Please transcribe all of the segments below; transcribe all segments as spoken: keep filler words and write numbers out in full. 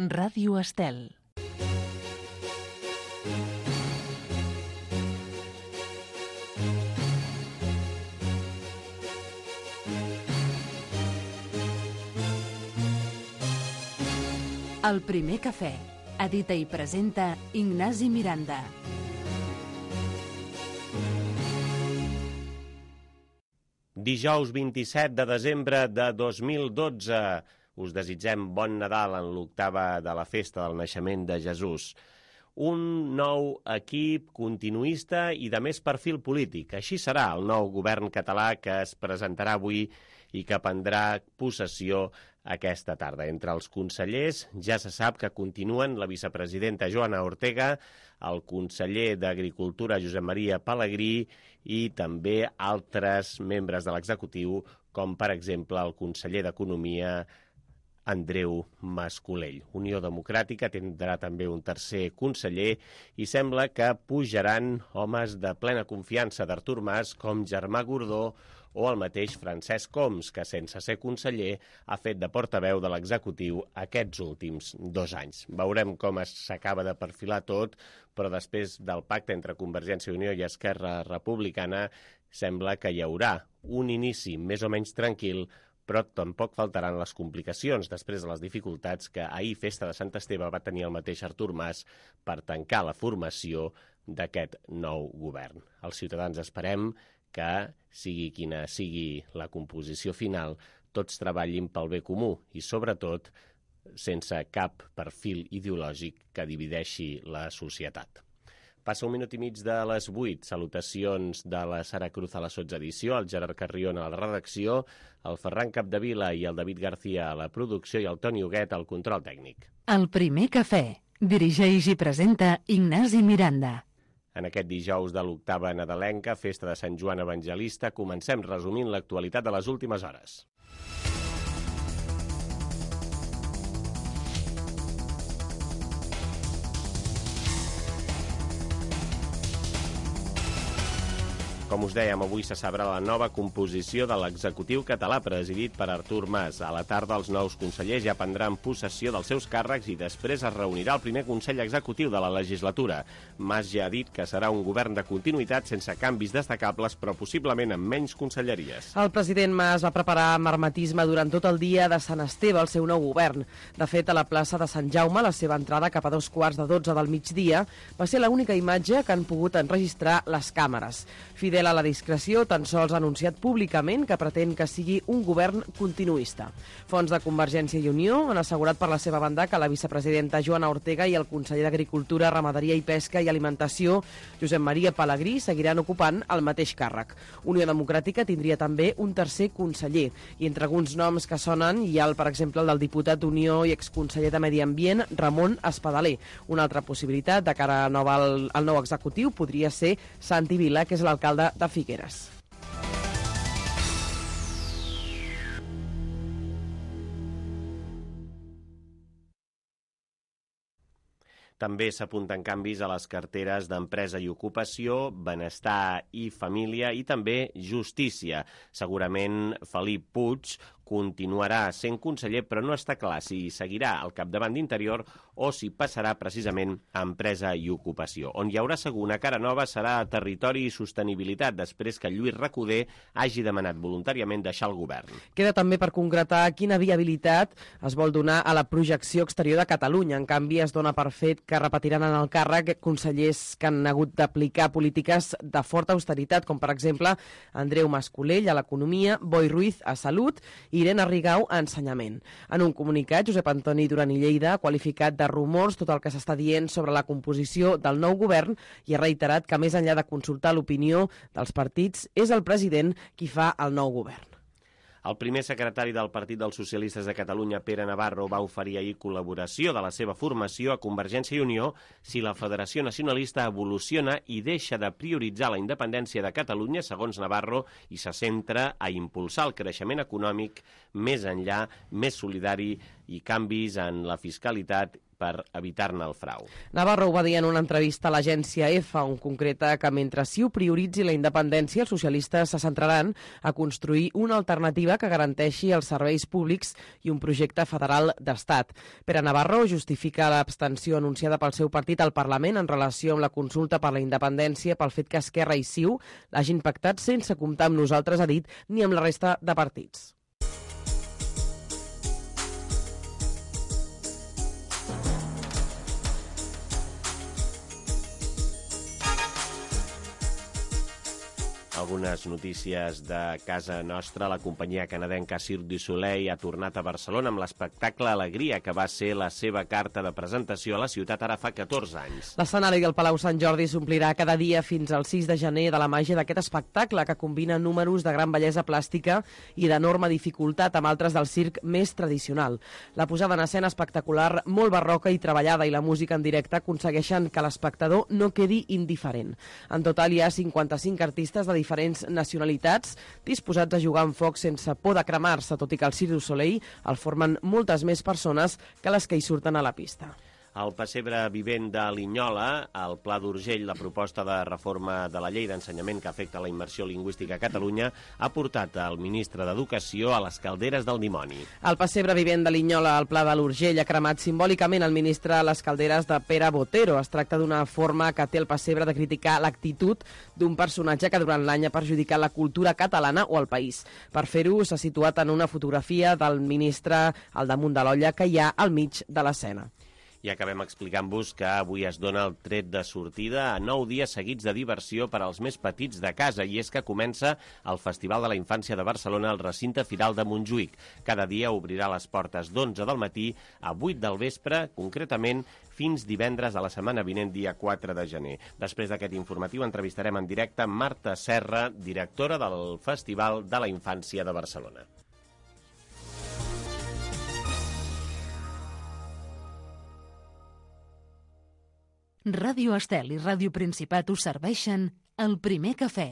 Ràdio Estel. El primer cafè. Edita i presenta Ignasi Miranda. Dijous vint-i-set de desembre de dos mil dotze. Us desitgem bon Nadal en l'octava de la festa del naixement de Jesús. Un nou equip continuista i de més perfil polític. Així serà el nou govern català que es presentarà avui i que prendrà possessió aquesta tarda. Entre els consellers ja se sap que continuen la vicepresidenta Joana Ortega, el conseller d'Agricultura Josep Maria Pelegrí i també altres membres de l'executiu, com per exemple el conseller d'Economia Andreu Mas-Colell. Unió Democràtica tindrà també un tercer conseller i sembla que pujaran homes de plena confiança d'Artur Mas com Germà Gordó o el mateix Francesc Homs, que sense ser conseller ha fet de portaveu de l'executiu aquests últims dos anys. Veurem com s'acaba de perfilar tot, però després del pacte entre Convergència i Unió i Esquerra Republicana sembla que hi haurà un inici més o menys tranquil, però tampoc faltaran les complicacions després de les dificultats que ahir, festa de Sant Esteve, va tenir el mateix Artur Mas per tancar la formació d'aquest nou govern. Els ciutadans esperem que, sigui quina sigui la composició final, tots treballin pel bé comú i, sobretot, sense cap perfil ideològic que divideixi la societat. Passa un minut i mig de les vuit. Salutacions de la Sara Cruz a la sotsedició, el Gerard Carrion a la redacció, el Ferran Capdevila i el David García a la producció i el Toni Huguet al control tècnic. El primer cafè. Dirigeix i presenta Ignasi Miranda. En aquest dijous de l'octava nadalenca, festa de Sant Joan Evangelista, comencem resumint l'actualitat de les últimes hores. Com us dèiem, avui se sabrà la nova composició de l'executiu català presidit per Artur Mas. A la tarda, els nous consellers ja prendran possessió dels seus càrrecs i després es reunirà el primer Consell Executiu de la legislatura. Mas ja ha dit que serà un govern de continuïtat sense canvis destacables, però possiblement amb menys conselleries. El president Mas va preparar amb hermetisme durant tot el dia de Sant Esteve el seu nou govern. De fet, a la plaça de Sant Jaume, la seva entrada cap a dos quarts de dotze del migdia va ser l'única imatge que han pogut enregistrar les càmeres. Fidel a la discreció, tan sols ha anunciat públicament que pretén que sigui un govern continuista. Fons de Convergència i Unió han assegurat per la seva banda que la vicepresidenta Joana Ortega i el conseller d'Agricultura, Ramaderia i Pesca i Alimentació, Josep Maria Pelegrí, seguiran ocupant el mateix càrrec. Unió Democràtica tindria també un tercer conseller, i entre alguns noms que sonen hi ha, el, per exemple, el del diputat d'Unió i exconseller de Medi Ambient, Ramon Espadaler. Una altra possibilitat de cara al, al nou executiu podria ser Santi Vila, que és l'alcalde de Figueres. També s'apunten canvis a les carteres d'Empresa i Ocupació, Benestar i Família i també Justícia. Segurament Felip Puig continuarà sent conseller, però no està clar si seguirà al capdavant d'Interior o si passarà precisament a Empresa i Ocupació. On hi haurà segur una cara nova serà a Territori i Sostenibilitat, després que Lluís Recoder hagi demanat voluntàriament deixar el govern. Queda també per concretar quina viabilitat es vol donar a la projecció exterior de Catalunya. En canvi, es dona per fet que repetiran en el càrrec consellers que han hagut d'aplicar polítiques de forta austeritat, com per exemple Andreu Mas-Colell a l'Economia, Boi Ruiz a Salut i Irene Rigau a Ensenyament. En un comunicat, Josep Antoni Duran i Lleida ha qualificat de rumors tot el que s'està dient sobre la composició del nou govern i ha reiterat que, més enllà de consultar l'opinió dels partits, és el president qui fa el nou govern. El primer secretari del Partit dels Socialistes de Catalunya, Pere Navarro, va oferir ahir col·laboració de la seva formació a Convergència i Unió si la Federació Nacionalista evoluciona i deixa de prioritzar la independència de Catalunya, segons Navarro, i se centra a impulsar el creixement econòmic més enllà, més solidari i canvis en la fiscalitat per evitar-ne el frau. Navarro ho va dir en una entrevista a l'agència EFE, on concreta que mentre sí ho prioritzi la independència, els socialistes se centraran a construir una alternativa que garanteixi els serveis públics i un projecte federal d'estat. Pere Navarro justifica l'abstenció anunciada pel seu partit al Parlament en relació amb la consulta per la independència pel fet que Esquerra i C I U l'hagin pactat sense comptar amb nosaltres, ha dit, ni amb la resta de partits. Algunes notícies de casa nostra. La companyia canadenca Cirque du Soleil ha tornat a Barcelona amb l'espectacle Alegria, que va ser la seva carta de presentació a la ciutat ara fa catorze anys. L'escenari del Palau Sant Jordi s'omplirà cada dia fins al sis de gener de la màgia d'aquest espectacle, que combina números de gran bellesa plàstica i d'enorme dificultat amb altres del circ més tradicional. La posada en escena espectacular, molt barroca i treballada, i la música en directe aconsegueixen que l'espectador no quedi indiferent. En total hi ha cinquanta-cinc artistes de diferents nacionalitats disposats a jugar amb foc sense por de cremar-se, tot i que el Cirque du Soleil el formen moltes més persones que les que hi surten a la pista. Al pessebre vivent de Linyola, al Pla d'Urgell, la proposta de reforma de la llei d'ensenyament que afecta la immersió lingüística a Catalunya ha portat el ministre d'Educació a les calderes del dimoni. El pessebre vivent de Linyola, al Pla de l'Urgell, ha cremat simbòlicament el ministre a les calderes de Pere Botero. Es tracta d'una forma que té el pessebre de criticar l'actitud d'un personatge que durant l'any ha perjudicat la cultura catalana o el país. Per fer-ho, s'ha situat en una fotografia del ministre al damunt de l'olla que hi ha al mig de l'escena. I acabem explicant-vos que avui es dona el tret de sortida a nou dies seguits de diversió per als més petits de casa, i és que comença el Festival de la Infància de Barcelona al recinte firal de Montjuïc. Cada dia obrirà les portes d'onze del matí a vuit del vespre, concretament fins divendres de la setmana vinent, dia quatre de gener. Després d'aquest informatiu entrevistarem en directe Marta Serra, directora del Festival de la Infància de Barcelona. Ràdio Estel i Ràdio Principat us serveixen el primer cafè.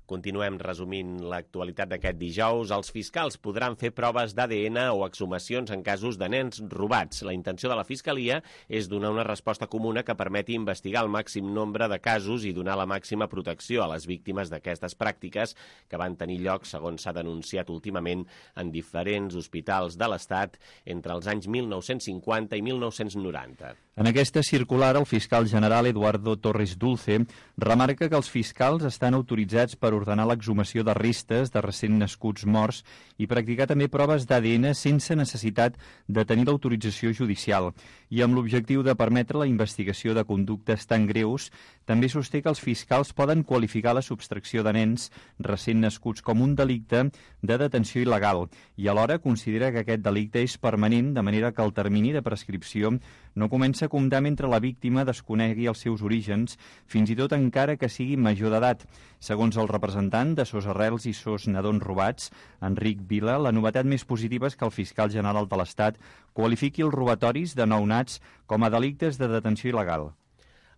Continuem resumint l'actualitat d'aquest dijous. Els fiscals podran fer proves d'A D N o exhumacions en casos de nens robats. La intenció de la Fiscalia és donar una resposta comuna que permeti investigar el màxim nombre de casos i donar la màxima protecció a les víctimes d'aquestes pràctiques que van tenir lloc, segons s'ha denunciat últimament, en diferents hospitals de l'Estat entre els anys mil nou-cents cinquanta i mil nou-cents noranta. En aquesta circular, el fiscal general Eduardo Torres Dulce remarca que els fiscals estan autoritzats per ordenar l'exhumació de restes de recent nascuts morts i practicar també proves d'A D N sense necessitat de tenir l'autorització judicial. I amb l'objectiu de permetre la investigació de conductes tan greus, també sosté que els fiscals poden qualificar la subtracció de nens recent nascuts com un delicte de detenció il·legal i alhora considera que aquest delicte és permanent, de manera que el termini de prescripció no comença a comptar mentre la víctima desconegui els seus orígens, fins i tot encara que sigui major d'edat. Segons el representant de Sos Arrels i Sos Nadons Robats, Enric Vila, la novetat més positiva és que el fiscal general de l'Estat qualifiqui els robatoris de nounats com a delictes de detenció il·legal.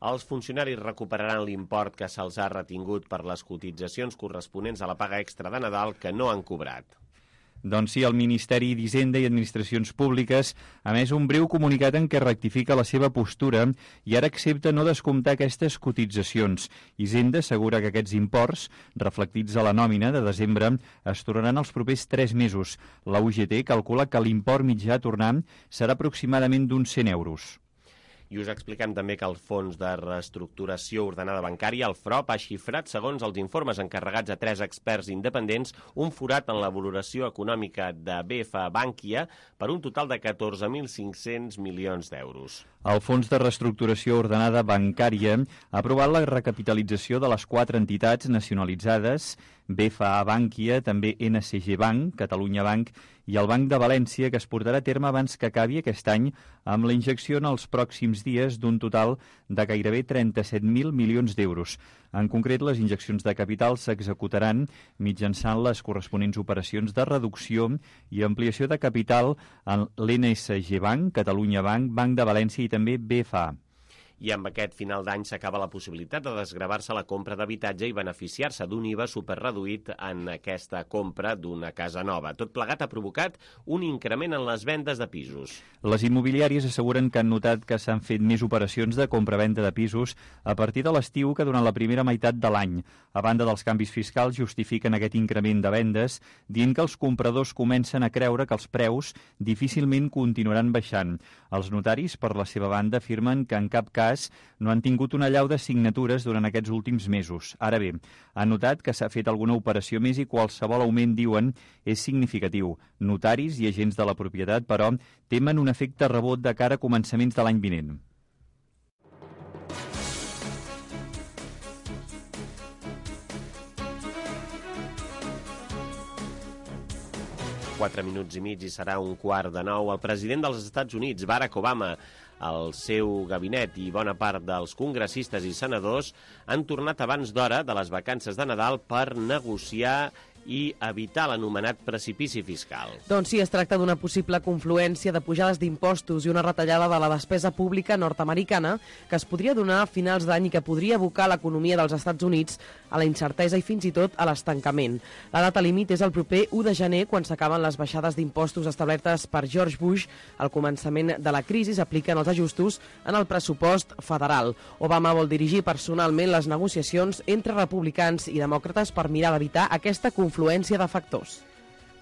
Els funcionaris recuperaran l'import que se'ls ha retingut per les cotitzacions corresponents a la paga extra de Nadal que no han cobrat. Doncs sí, el Ministeri d'Hisenda i Administracions Públiques ha emès un breu comunicat en què rectifica la seva postura i ara accepta no descomptar aquestes cotitzacions. Hisenda assegura que aquests imports, reflectits a la nòmina de desembre, es tornaran els propers tres mesos. La U G T calcula que l'import mitjà a tornar serà aproximadament d'uns cent euros. I us expliquem també que el Fons de Reestructuració Ordenada Bancària, el F R O P, ha xifrat, segons els informes encarregats a tres experts independents, un forat en la valoració econòmica de B F A Bankia per un total de catorze mil cinc-cents milions d'euros. El Fons de Reestructuració Ordenada Bancària ha aprovat la recapitalització de les quatre entitats nacionalitzades, B F A Bankia, també N C G Bank, Catalunya Bank i el Banc de València, que es portarà a terme abans que acabi aquest any amb la injecció en els pròxims dies d'un total de gairebé trenta-set mil milions d'euros. En concret, les injeccions de capital s'executaran mitjançant les corresponents operacions de reducció i ampliació de capital en l'N S G Bank, Catalunya Bank, Banc de València i també B F A. i amb aquest final d'any s'acaba la possibilitat de desgravar-se la compra d'habitatge i beneficiar-se d'un I V A superreduït en aquesta compra d'una casa nova. Tot plegat ha provocat un increment en les vendes de pisos. Les immobiliàries asseguren que han notat que s'han fet més operacions de compra-venda de pisos a partir de l'estiu que durant la primera meitat de l'any. A banda dels canvis fiscals, justifiquen aquest increment de vendes dient que els compradors comencen a creure que els preus difícilment continuaran baixant. Els notaris, per la seva banda, afirmen que en cap cas no han tingut una allau de signatures durant aquests últims mesos. Ara bé, han notat que s'ha fet alguna operació més i qualsevol augment, diuen, és significatiu. Notaris i agents de la propietat, però, temen un efecte rebot de cara a començaments de l'any vinent. Quatre minuts i mig i serà un quart de nou. El president dels Estats Units, Barack Obama, el seu gabinet i bona part dels congressistes i senadors han tornat abans d'hora de les vacances de Nadal per negociar i evitar l'anomenat precipici fiscal. Doncs sí, es tracta d'una possible confluència de pujades d'impostos i una retallada de la despesa pública nord-americana que es podria donar a finals d'any i que podria abocar l'economia dels Estats Units a la incertesa i fins i tot a l'estancament. La data límit és el proper u de gener, quan s'acaben les baixades d'impostos establertes per George Bush. Al començament de la crisi s'apliquen els ajustos en el pressupost federal. Obama vol dirigir personalment les negociacions entre republicans i demòcrates per mirar d'evitar aquesta confluència influència de factors.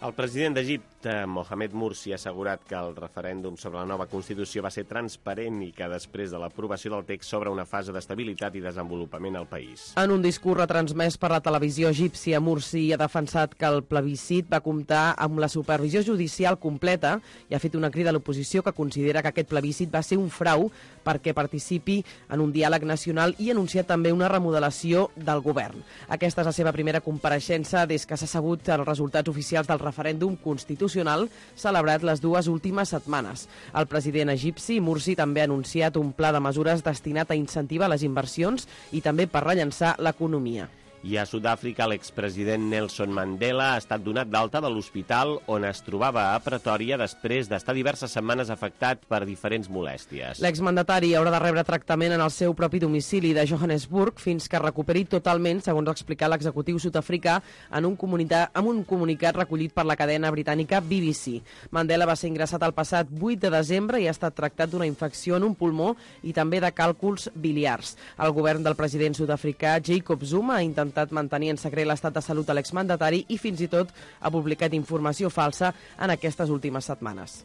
El president d'Egipte, Mohamed Morsi, ha assegurat que el referèndum sobre la nova Constitució va ser transparent i que després de l'aprovació del text s'obre una fase d'estabilitat i desenvolupament al país. En un discurs retransmès per la televisió egípcia, Morsi ha defensat que el plebiscit va comptar amb la supervisió judicial completa i ha fet una crida a l'oposició que considera que aquest plebiscit va ser un frau perquè participi en un diàleg nacional i ha anunciat també una remodelació del govern. Aquesta és la seva primera compareixença des que s'ha sabut els resultats oficials del referèndum constitucional celebrat les dues últimes setmanes. El president egipci, Morsi, també ha anunciat un pla de mesures destinat a incentivar les inversions i també per rellançar l'economia. I a Sud-àfrica, l'expresident Nelson Mandela ha estat donat d'alta de l'hospital on es trobava a Pretòria després d'estar diverses setmanes afectat per diferents molèsties. L'exmandatari haurà de rebre tractament en el seu propi domicili de Johannesburg fins que recuperi totalment, segons ha explicat l'executiu sud-africà en un, en un comunicat recollit per la cadena britànica B B C. Mandela va ser ingressat el passat vuit de desembre i ha estat tractat d'una infecció en un pulmó i també de càlculs biliars. El govern del president sud-africà Jacob Zuma ha intentat mantenir en secret l'estat de salut de l'exmandatari i fins i tot ha publicat informació falsa en aquestes últimes setmanes.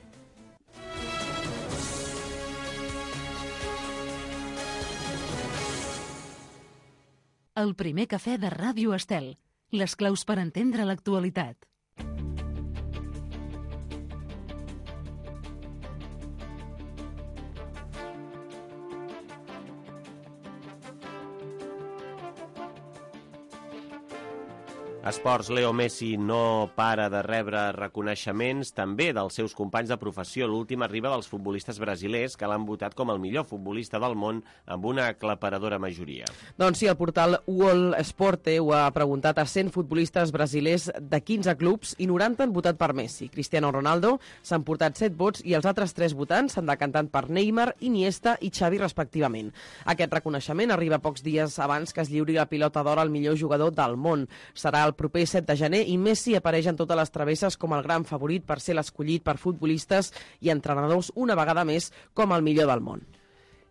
El primer cafè de Ràdio Estel. Les claus per entendre l'actualitat. Esports, Leo Messi no para de rebre reconeixements també dels seus companys de professió. L'últim arriba dels futbolistes brasilers que l'han votat com el millor futbolista del món amb una aclaparadora majoria. Doncs sí, el portal World Esporte ho ha preguntat a cent futbolistes brasilers de quinze clubs i noranta han votat per Messi. Cristiano Ronaldo s'han portat set vots i els altres tres votants s'han decantat per Neymar, Iniesta i Xavi respectivament. Aquest reconeixement arriba pocs dies abans que es lliuri la pilota d'or al millor jugador del món. Serà el proper set de gener i Messi apareix en totes les travesses com el gran favorit per ser l'escollit per futbolistes i entrenadors una vegada més com el millor del món.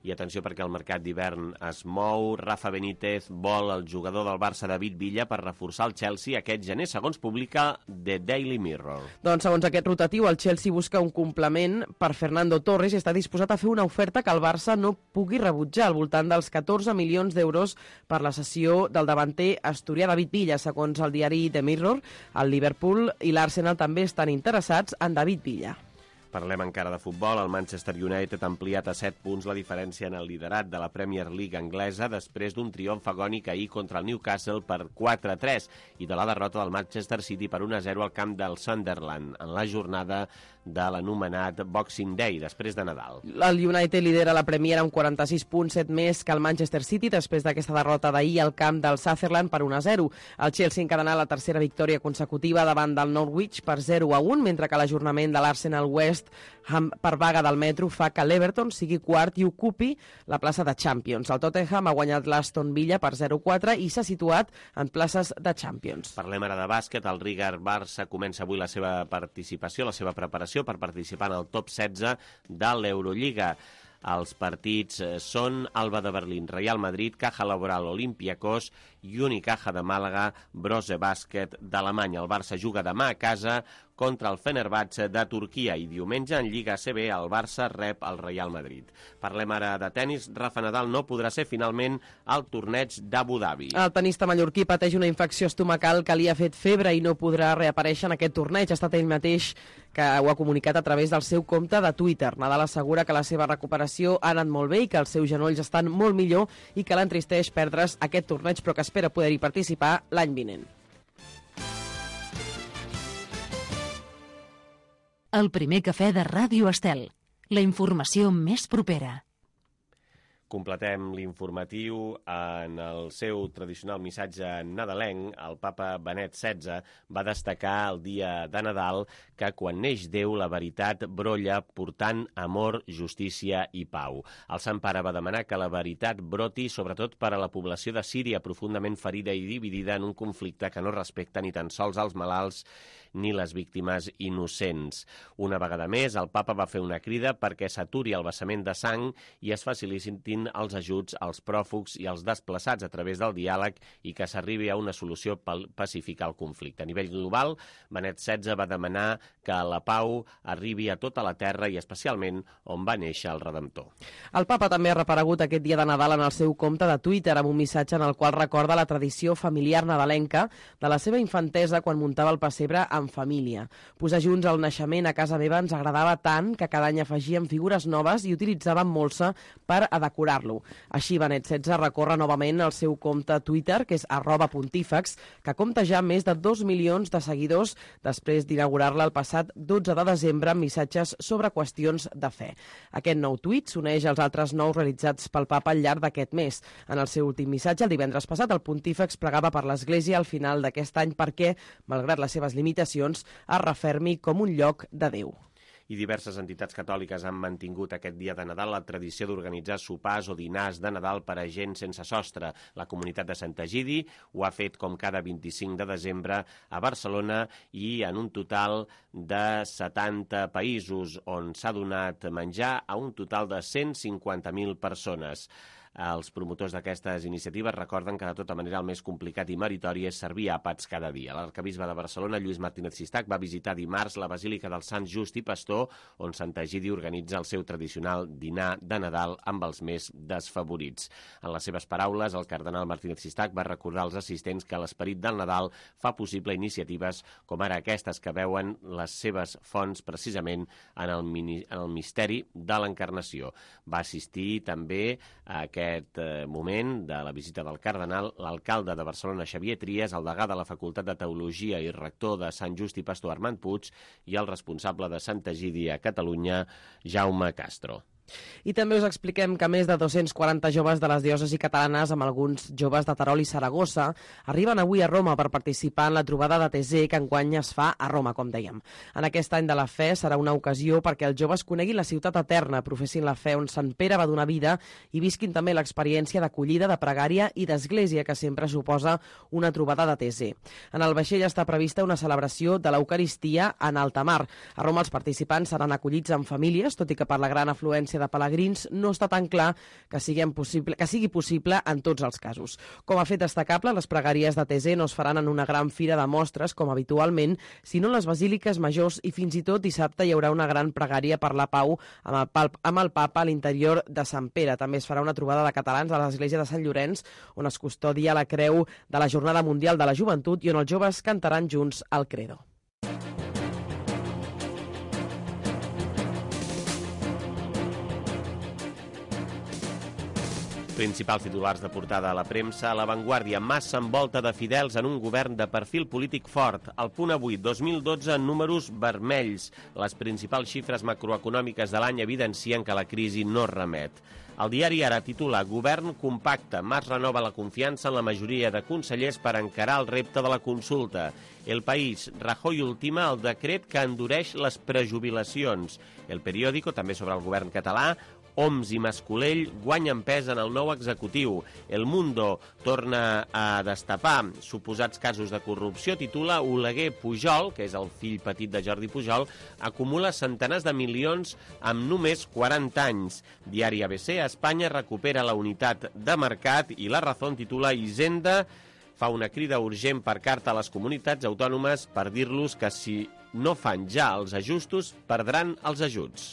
I atenció perquè el mercat d'hivern es mou. Rafa Benítez vol el jugador del Barça David Villa per reforçar el Chelsea aquest gener, segons publica The Daily Mirror. Doncs segons aquest rotatiu, el Chelsea busca un complement per Fernando Torres i està disposat a fer una oferta que el Barça no pugui rebutjar, al voltant dels catorze milions d'euros per la cessió del davanter asturià David Villa, segons el diari The Mirror. El Liverpool i l'Arsenal també estan interessats en David Villa. Parlem encara de futbol. El Manchester United ha ampliat a set punts la diferència en el liderat de la Premier League anglesa després d'un triomf agònic ahir contra el Newcastle per quatre a tres i de la derrota del Manchester City per un a zero al camp del Sunderland en la jornada de l'anomenat Boxing Day, després de Nadal. El United lidera la Premier amb quaranta-sis punts, set més que el Manchester City després d'aquesta derrota d'ahir al camp del Sutherland per un a zero. El Chelsea encadenà la tercera victòria consecutiva davant del Norwich per zero a un, mentre que l'ajornament de l'Arsenal West West Ham per vaga del metro fa que l'Everton sigui quart i ocupi la plaça de Champions. El Tottenham ha guanyat l'Aston Villa per zero quatre i s'ha situat en places de Champions. Parlem ara de bàsquet. El Riga Barça comença avui la seva participació, la seva preparació per participar en el top setze de l'Eurolliga. Els partits són Alba de Berlín, Real Madrid, Caja Laboral, Olympiacos i Unicaja de Màlaga, Brose Bàsquet d'Alemanya. El Barça juga demà a casa contra el Fenerbahçe de Turquia i diumenge en Lliga A C B el Barça rep el Real Madrid. Parlem ara de tennis. Rafa Nadal no podrà ser finalment al torneig d'Abu Dhabi. El tenista mallorquí pateix una infecció estomacal que li ha fet febre i no podrà reaparèixer en aquest torneig. Ha estat ell mateix que ho ha comunicat a través del seu compte de Twitter. Nadal assegura que la seva recuperació ha anat molt bé i que els seus genolls estan molt millor i que l'entristeix perdre's aquest torneig, però que espera poder-hi participar l'any vinent. El primer cafè de Ràdio Estel. La informació més propera. Completem l'informatiu en el seu tradicional missatge nadalenc. El papa Benet setze va destacar el dia de Nadal que quan neix Déu la veritat brolla portant amor, justícia i pau. El Sant Pare va demanar que la veritat broti sobretot per a la població de Síria profundament ferida i dividida en un conflicte que no respecta ni tan sols els malalts ni les víctimes innocents. Una vegada més, el papa va fer una crida perquè s'aturi el vessament de sang i es facilitin els ajuts als pròfugs i als desplaçats a través del diàleg i que s'arribi a una solució pacífica al conflicte. A nivell global, Benet setze va demanar que la pau arribi a tota la terra i especialment on va néixer el Redemptor. El papa també ha reparegut aquest dia de Nadal en el seu compte de Twitter amb un missatge en el qual recorda la tradició familiar nadalenca de la seva infantesa quan muntava el pessebre amb família. Posar junts el naixement a casa meva ens agradava tant que cada any afegíem figures noves i utilitzàvem molsa per a decorar-lo. Així, Benet setze recorre novament el seu compte Twitter, que és arroba pontífex, que compta ja més de dos milions de seguidors després d'inaugurar-la el passat dotze de desembre amb missatges sobre qüestions de fe. Aquest nou tuit s'uneix als altres nous realitzats pel papa al llarg d'aquest mes. En el seu últim missatge, el divendres passat, el pontífex pregava per l'Església al final d'aquest any perquè, malgrat les seves limitacions, es refermi com un lloc de Déu. I diverses entitats catòliques han mantingut aquest dia de Nadal la tradició d'organitzar sopars o dinars de Nadal per a gent sense sostre. La comunitat de Sant Egidi ho ha fet com cada vint-i-cinc de desembre a Barcelona i en un total de setanta països on s'ha donat menjar a un total de cent cinquanta mil persones. Els promotors d'aquestes iniciatives recorden que de tota manera el més complicat i meritori és servir àpats cada dia. L'arcabisbe de Barcelona, Lluís Martínez Sistac, va visitar dimarts la Basílica del Sant Just i Pastor, on Sant Egidi organitza el seu tradicional dinar de Nadal amb els més desfavorits. En les seves paraules, el cardenal Martínez Sistac va recordar als assistents que l'esperit del Nadal fa possible iniciatives com ara aquestes que veuen les seves fonts precisament en el, mini, en el misteri de l'encarnació. Va assistir també a aquest aquest moment de la visita del cardenal, l'alcalde de Barcelona, Xavier Trias, el degà de la Facultat de Teologia i rector de Sant Just i Pastor, Armand Puig, i el responsable de Sant Egidi a Catalunya, Jaume Castro. I també us expliquem que més de dos-cents quaranta joves de les diòcesis catalanes, amb alguns joves de Terol i Saragossa, arriben avui a Roma per participar en la trobada de Tesé que enguany es fa a Roma, com dèiem. En aquest any de la fe serà una ocasió perquè els joves coneguin la ciutat eterna, professin la fe on Sant Pere va donar vida i visquin també l'experiència d'acollida, de pregària i d'església que sempre suposa una trobada de Tesé. En el vaixell està prevista una celebració de l'Eucaristia en alta mar. A Roma els participants seran acollits en famílies, tot i que per la gran afluència de pelegrins no està tan clar que sigui possible, que sigui possible en tots els casos. Com a fet destacable, les pregàries de Tesé no es faran en una gran fira de mostres, com habitualment, sinó en les basíliques majors i fins i tot dissabte hi haurà una gran pregària per la pau amb el, amb el papa a l'interior de Sant Pere. També es farà una trobada de catalans a l'església de Sant Llorenç, on es custodia la creu de la Jornada Mundial de la Joventut i on els joves cantaran junts el Credo. Principals titulars de portada a la premsa. A La Vanguardia, Mas s'envolta de fidels en un govern de perfil polític fort. El Punt Avui, dos mil dotze en números vermells. Les principals xifres macroeconòmiques de l'any evidencien que la crisi no remet. El diari Ara titula Govern compacte, Mas renova la confiança en la majoria de consellers per encarar el repte de la consulta. El País, Rajoy ultima el decret que endureix les prejubilacions. El Periódico, també sobre el govern català, Homs i Mascolell guanyen pes en el nou executiu. El Mundo torna a destapar suposats casos de corrupció. Titula Oleguer Pujol, que és el fill petit de Jordi Pujol, acumula centenars de milions amb només quaranta anys. Diari A B C, Espanya recupera la unitat de mercat i La Razón titula Hisenda fa una crida urgent per carta a les comunitats autònomes per dir-los que si no fan ja els ajustos perdran els ajuts.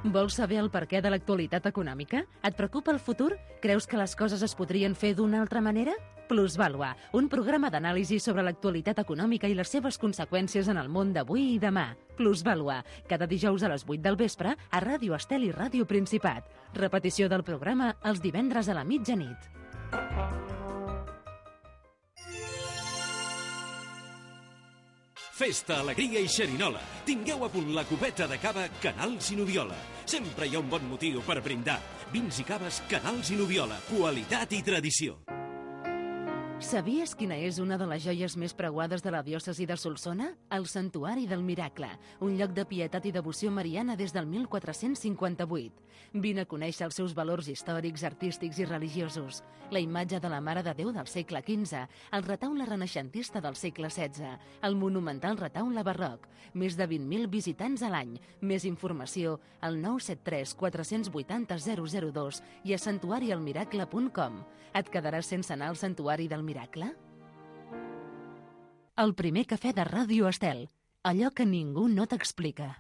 Vols saber el perquè de l'actualitat econòmica? Et preocupa el futur? Creus que les coses es podrien fer d'una altra manera? Plusvàlua, un programa d'anàlisi sobre l'actualitat econòmica i les seves conseqüències en el món d'avui i demà. Plusvàlua, cada dijous a les vuit del vespre a Ràdio Estel i Ràdio Principat. Repetició del programa els divendres a la mitjanit. Festa, alegria i xerinola. Tingueu a punt la copeta de cava Canals i Noviola. Sempre hi ha un bon motiu per brindar. Vins i caves Canals i Noviola. Qualitat i tradició. Sabies quina és una de les joies més preuades de la diòcesi de Solsona? El Santuari del Miracle, un lloc de pietat i devoció mariana des del mil quatre-cents cinquanta-vuit. Vine a conèixer els seus valors històrics, artístics i religiosos. La imatge de la Mare de Déu del segle quinze, el retaule renaixentista del segle setze, el monumental retaule barroc, més de vint mil visitants a l'any. Més informació al nou set tres quatre vuit zero zero zero dos i a santuari el miracle punt com. Et quedaràs sense anar al Santuari del Miracle? El primer cafè de Ràdio Estel. Allò que ningú no t'explica.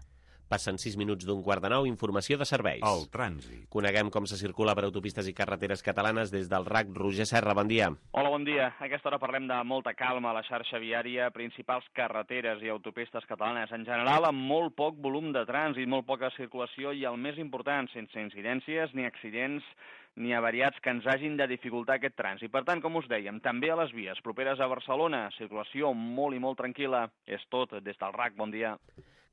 Passen sis minuts d'un quart de nou, informació de serveis. El trànsit. Coneguem com se circula per autopistes i carreteres catalanes des del R A C. Roger Serra, bon dia. Hola, bon dia. A aquesta hora parlem de molta calma a la xarxa viària, principals carreteres i autopistes catalanes. En general, amb molt poc volum de trànsit, molt poca circulació i, el més important, sense incidències ni accidents ni avariats que ens hagin de dificultar aquest trànsit. Per tant, com us dèiem, també a les vies properes a Barcelona, circulació molt i molt tranquil·la. És tot des del R A C. Bon dia.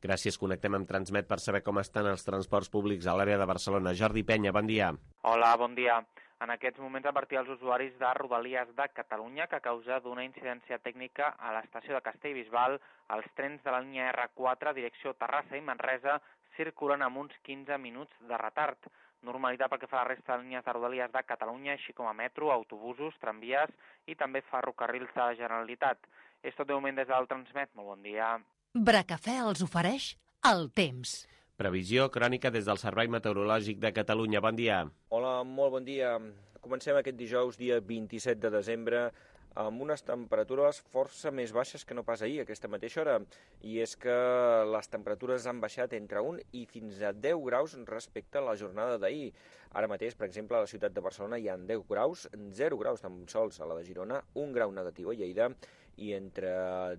Gràcies. Connectem amb Transmet per saber com estan els transports públics a l'àrea de Barcelona. Jordi Penya, bon dia. Hola, bon dia. En aquests moments advertir als usuaris de Rodalies de Catalunya que a causa d'una incidència tècnica a l'estació de Castellbisbal, els trens de la línia R quatre, direcció Terrassa i Manresa, circulen amb uns quinze minuts de retard. Normalitat pel que fa a la resta de línies de Rodalies de Catalunya, així com a metro, autobusos, tramvies i també ferrocarrils de la Generalitat. És tot de moment des del Transmet. Molt bon dia. Bracafè els ofereix el temps. Previsió crònica des del Servei Meteorològic de Catalunya. Bon dia. Hola, molt bon dia. Comencem aquest dijous, dia vint-i-set de desembre, amb unes temperatures força més baixes que no pas ahir, a aquesta mateixa hora. I és que les temperatures han baixat entre un i fins a deu graus respecte a la jornada d'ahir. Ara mateix, per exemple, a la ciutat de Barcelona hi ha deu graus, zero graus tan sols a la de Girona, un grau negatiu a Lleida i entre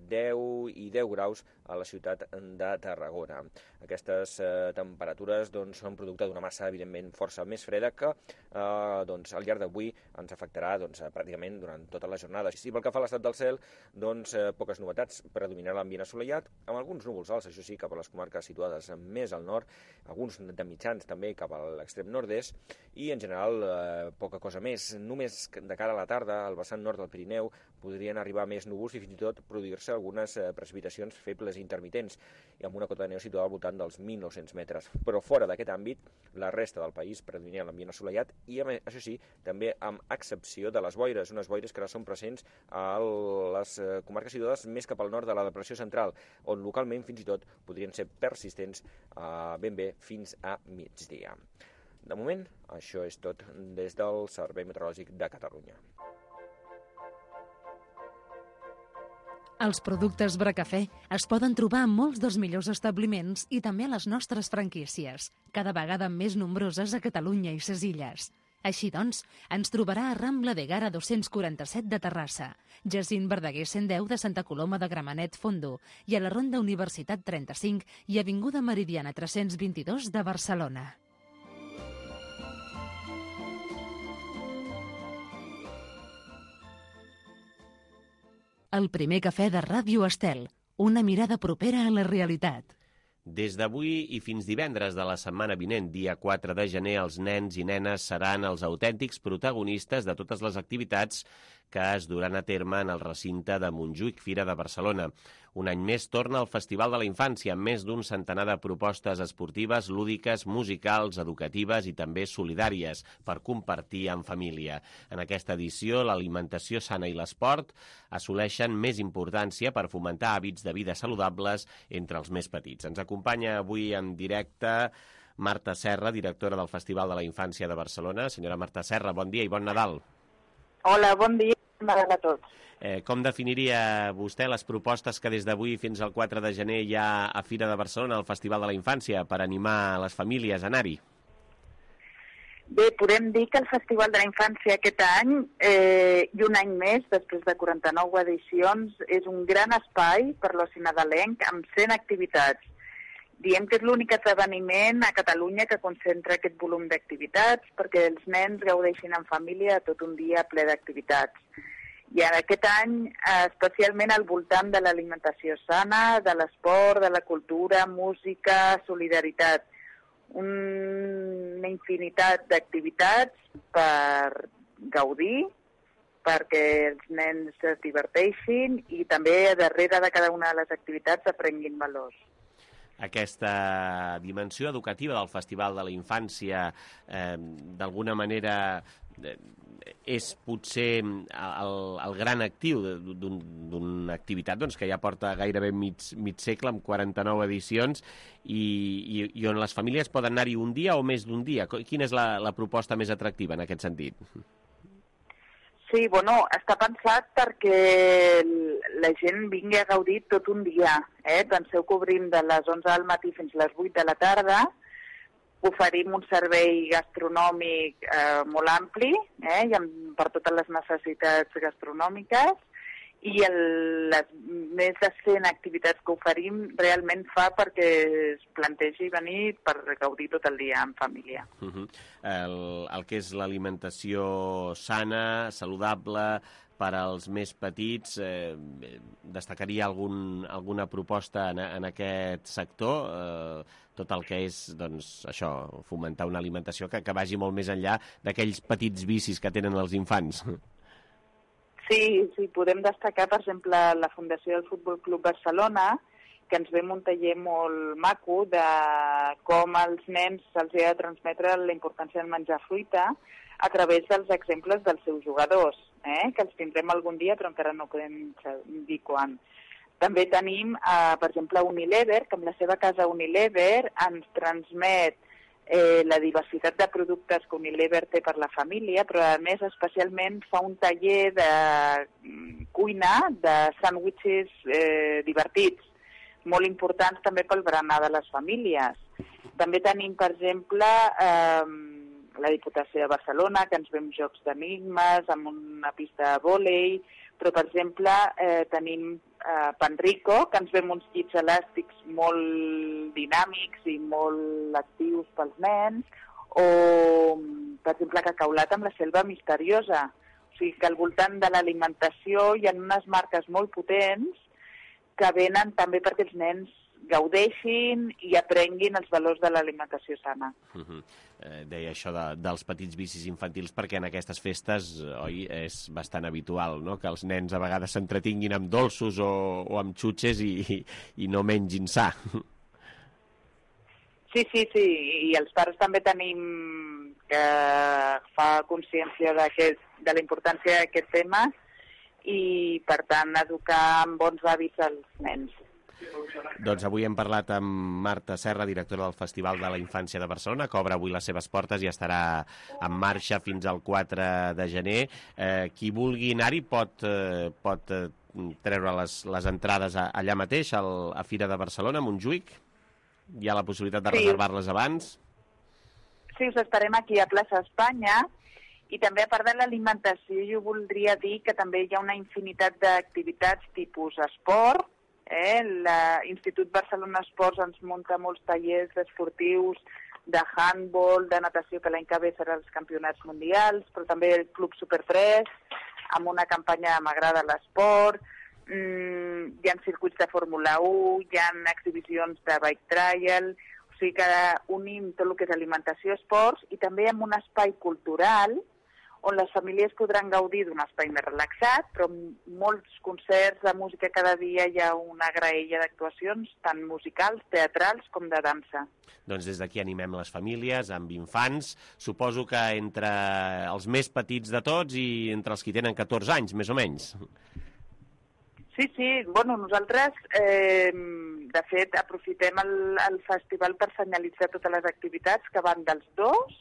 deu i deu graus a la ciutat de Tarragona. Aquestes eh, temperatures doncs, són producte d'una massa, evidentment, força més freda que eh, doncs, al llarg d'avui ens afectarà doncs, pràcticament durant tota la jornada. Si pel que fa a l'estat del cel, doncs, eh, poques novetats. Predominarà l'ambient assolellat, amb alguns núvols alts, això sí, cap a les comarques situades més al nord, alguns de mitjans també cap a l'extrem nord-est, i en general eh, poca cosa més. Només de cara a la tarda, al vessant nord del Pirineu, podrien arribar més núvols i fins i tot produir-se algunes eh, precipitacions febles i intermitents, i amb una cota de neu situada al voltant dels mil nou-cents metres. Però fora d'aquest àmbit, la resta del país predomina l'ambient assolellat i, això sí, també amb excepció de les boires, unes boires que ara són presents a les eh, comarques situades més cap al nord de la depressió central, on localment fins i tot podrien ser persistents eh, ben bé fins a migdia. De moment, això és tot des del Servei Meteorològic de Catalunya. Els productes Bracafè es poden trobar en molts dels millors establiments i també a les nostres franquícies, cada vegada més nombroses a Catalunya i ses Illes. Així doncs, ens trobarà a Rambla de Gara dos-cents quaranta-set de Terrassa, Jacint Verdaguer cent deu de Santa Coloma de Gramenet Fondo i a la Ronda Universitat trenta-cinc i Avinguda Meridiana tres-cents vint-i-dos de Barcelona. El primer cafè de Ràdio Estel, Una mirada propera a la realitat. Des d'avui i fins divendres de la setmana vinent, dia quatre de gener, els nens i nenes seran els autèntics protagonistes de totes les activitats que es duran a terme en el recinte de Montjuïc, Fira de Barcelona. Un any més torna el Festival de la Infància, amb més d'un centenar de propostes esportives, lúdiques, musicals, educatives i també solidàries per compartir en família. En aquesta edició, l'alimentació sana i l'esport assoleixen més importància per fomentar hàbits de vida saludables entre els més petits. Ens acompanya avui en directe Marta Serra, directora del Festival de la Infància de Barcelona. Senyora Marta Serra, bon dia i bon Nadal. Hola, bon dia. A tots. Eh, com definiria vostè les propostes que des d'avui fins al quatre de gener hi ha a Fira de Barcelona, al Festival de la Infància, per animar les famílies a anar-hi? Bé, podem dir que el Festival de la Infància aquest any, eh, i un any més, després de quaranta-nou edicions, és un gran espai per l'oci nadalenc amb cent activitats. Diem que és l'únic esdeveniment a Catalunya que concentra aquest volum d'activitats perquè els nens gaudeixin en família tot un dia ple d'activitats. I aquest any, especialment al voltant de l'alimentació sana, de l'esport, de la cultura, música, solidaritat. Una infinitat d'activitats per gaudir, perquè els nens es diverteixin i també darrere de cada una de les activitats aprenguin valors. Aquesta dimensió educativa del Festival de la Infància, eh, d'alguna manera, eh, és potser el, el gran actiu d'una activitat doncs, que ja porta gairebé mig, mig segle, amb quaranta-nou edicions, i, i, i on les famílies poden anar-hi un dia o més d'un dia. Quina és la, la proposta més atractiva en aquest sentit? Sí, bueno, està pensat perquè la gent vingui a gaudir tot un dia. Eh? Penseu que obrim de les onze del matí fins a les vuit de la tarda, oferim un servei gastronòmic eh, molt ampli, eh? I amb, per totes les necessitats gastronòmiques, i el, les més de cent activitats que oferim realment fa perquè es plantegi venir per gaudir tot el dia en família. Uh-huh. el, el que és l'alimentació sana, saludable, per als més petits, eh, destacaria algun, alguna proposta en, en aquest sector, eh, tot el que és, doncs, això, fomentar una alimentació que, que vagi molt més enllà d'aquells petits vicis que tenen els infants. Sí, sí, podem destacar, per exemple, la Fundació del Futbol Club Barcelona, que ens ve un taller molt maco de com als nens se'ls ha de transmetre la importància de menjar fruita a través dels exemples dels seus jugadors, eh? Que els tindrem algun dia, però encara no podem dir quan. També tenim, eh, per exemple, Unilever, que amb la seva casa Unilever ens transmet eh, la diversitat de productes que Unilever té per la família, però a més especialment fa un taller de cuina de sàndwiches eh, divertits, molt importants també pel berenar de les famílies. També tenim, per exemple, eh, la Diputació de Barcelona, que ens ve amb jocs d'enigmes, amb una pista de vòlei, però, per exemple, eh, tenim eh, Panrico, que ens ve amb uns llits elàstics molt dinàmics i molt actius pels nens, o, per exemple, Cacaulat amb la selva misteriosa. O sigui que al voltant de l'alimentació hi ha unes marques molt potents que venen també perquè els nens gaudeixin i aprenguin els valors de l'alimentació sana. Uh-huh. eh, deia això de, dels petits vicis infantils perquè en aquestes festes, oi, és bastant habitual, no?, que els nens a vegades s'entretinguin amb dolços o, o amb xutxes i, i, i no mengin sa. Sí, sí, sí, i els pares també tenim que fa consciència de la importància d'aquest tema i, per tant, educar amb bons hàbits als nens. Doncs avui hem parlat amb Marta Serra, directora del Festival de la Infància de Barcelona, que obre avui les seves portes i estarà en marxa fins al quatre de gener. Eh, qui vulgui anar-hi pot, eh, pot eh, treure les, les entrades a, allà mateix, al, a Fira de Barcelona, a Montjuïc. Hi ha la possibilitat de sí. reservar-les abans? Sí, us esperem aquí a Plaça Espanya. I també, a part de l'alimentació, jo voldria dir que també hi ha una infinitat d'activitats tipus esport. Eh? L'Institut Barcelona Esports ens munta molts tallers esportius de handball, de natació, que l'any que ve serà els campionats mundials, però també el Club Super tres, amb una campanya de M'agrada l'esport. mm, hi ha circuits de Fórmula u, hi ha exhibicions de bike trial, o sigui que unim tot el que és alimentació, esports, i també amb un espai cultural on les famílies podran gaudir d'un espai més relaxat, però molts concerts de música cada dia, hi ha una graella d'actuacions, tant musicals, teatrals com de dansa. Doncs des d'aquí animem les famílies amb infants, suposo que entre els més petits de tots i entre els que tenen catorze anys, més o menys. Sí, sí, bueno, nosaltres, eh, de fet, aprofitem el, el festival per senyalitzar totes les activitats que van dels dos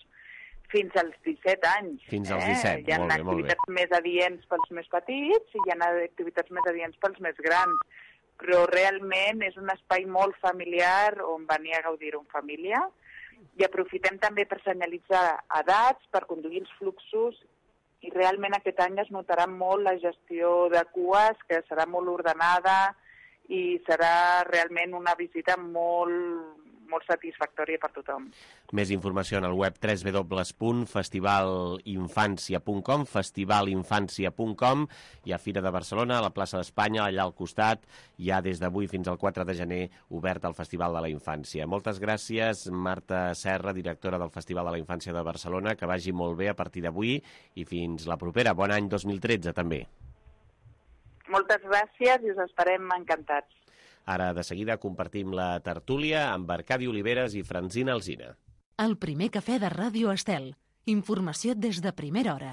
fins als disset anys. Fins als disset, eh? Hi ha molt bé, molt bé. activitats més adients pels més petits i hi ha activitats més adients pels més grans, però realment és un espai molt familiar on venir a gaudir-ho en família i aprofitem també per senyalitzar edats, per conduir els fluxos i realment aquest any es notarà molt la gestió de cues, que serà molt ordenada i serà realment una visita molt... molt satisfactòria per tothom. Més informació en el web w w w punt festivalinfància punt com, festivalinfància punt com. Hi ha Fira de Barcelona, a la plaça d'Espanya, allà al costat. Hi ha des d'avui fins al quatre de gener obert el Festival de la Infància. Moltes gràcies, Marta Serra, directora del Festival de la Infància de Barcelona. Que vagi molt bé a partir d'avui i fins la propera. Bon any dos mil tretze, també. Moltes gràcies i us esperem encantats. Ara, de seguida, compartim la tertúlia amb Arcadi Oliveres i Francina Alsina. El primer cafè de Ràdio Estel. Informació des de primera hora.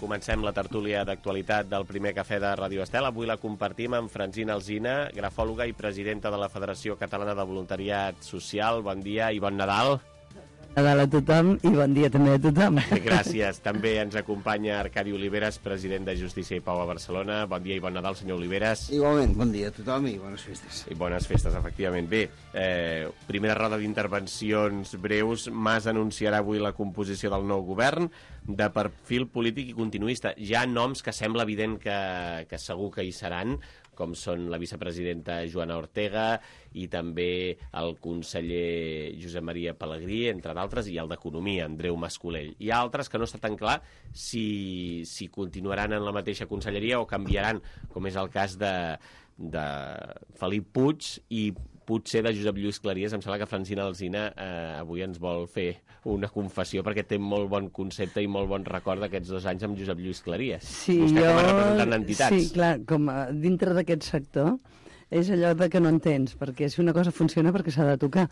Comencem la tertúlia d'actualitat del primer cafè de Ràdio Estel. Avui la compartim amb Francina Alsina, grafòloga i presidenta de la Federació Catalana de Voluntariat Social. Bon dia i bon Nadal. Nadal a tothom i bon dia també a tothom. Gràcies. També ens acompanya Arcadi Oliveres, president de Justícia i Pau a Barcelona. Bon dia i bon Nadal, senyor Oliveres. Igualment, bon dia a tothom i bones festes. I bones festes, efectivament. Bé, eh, primera roda d'intervencions breus. Mas anunciarà avui la composició del nou govern de perfil polític i continuista. Hi ha noms que sembla evident que, que segur que hi seran, com són la vicepresidenta Joana Ortega i també el conseller Josep Maria Pelegrí, entre d'altres, i el d'Economia, Andreu Mascolell. Hi ha altres que no està tan clar si, si continuaran en la mateixa conselleria o canviaran, com és el cas de, de Felip Puig i potser de Josep Lluís Claries. Em sembla que Francina Alsina eh, avui ens vol fer una confessió perquè té molt bon concepte i molt bon record d'aquests dos anys amb Josep Lluís Claries. Sí, Vostè jo... com a representant d'entitats. Sí, clar, com a, dintre d'aquest sector és allò de que no entens, perquè si una cosa funciona perquè s'ha de tocar.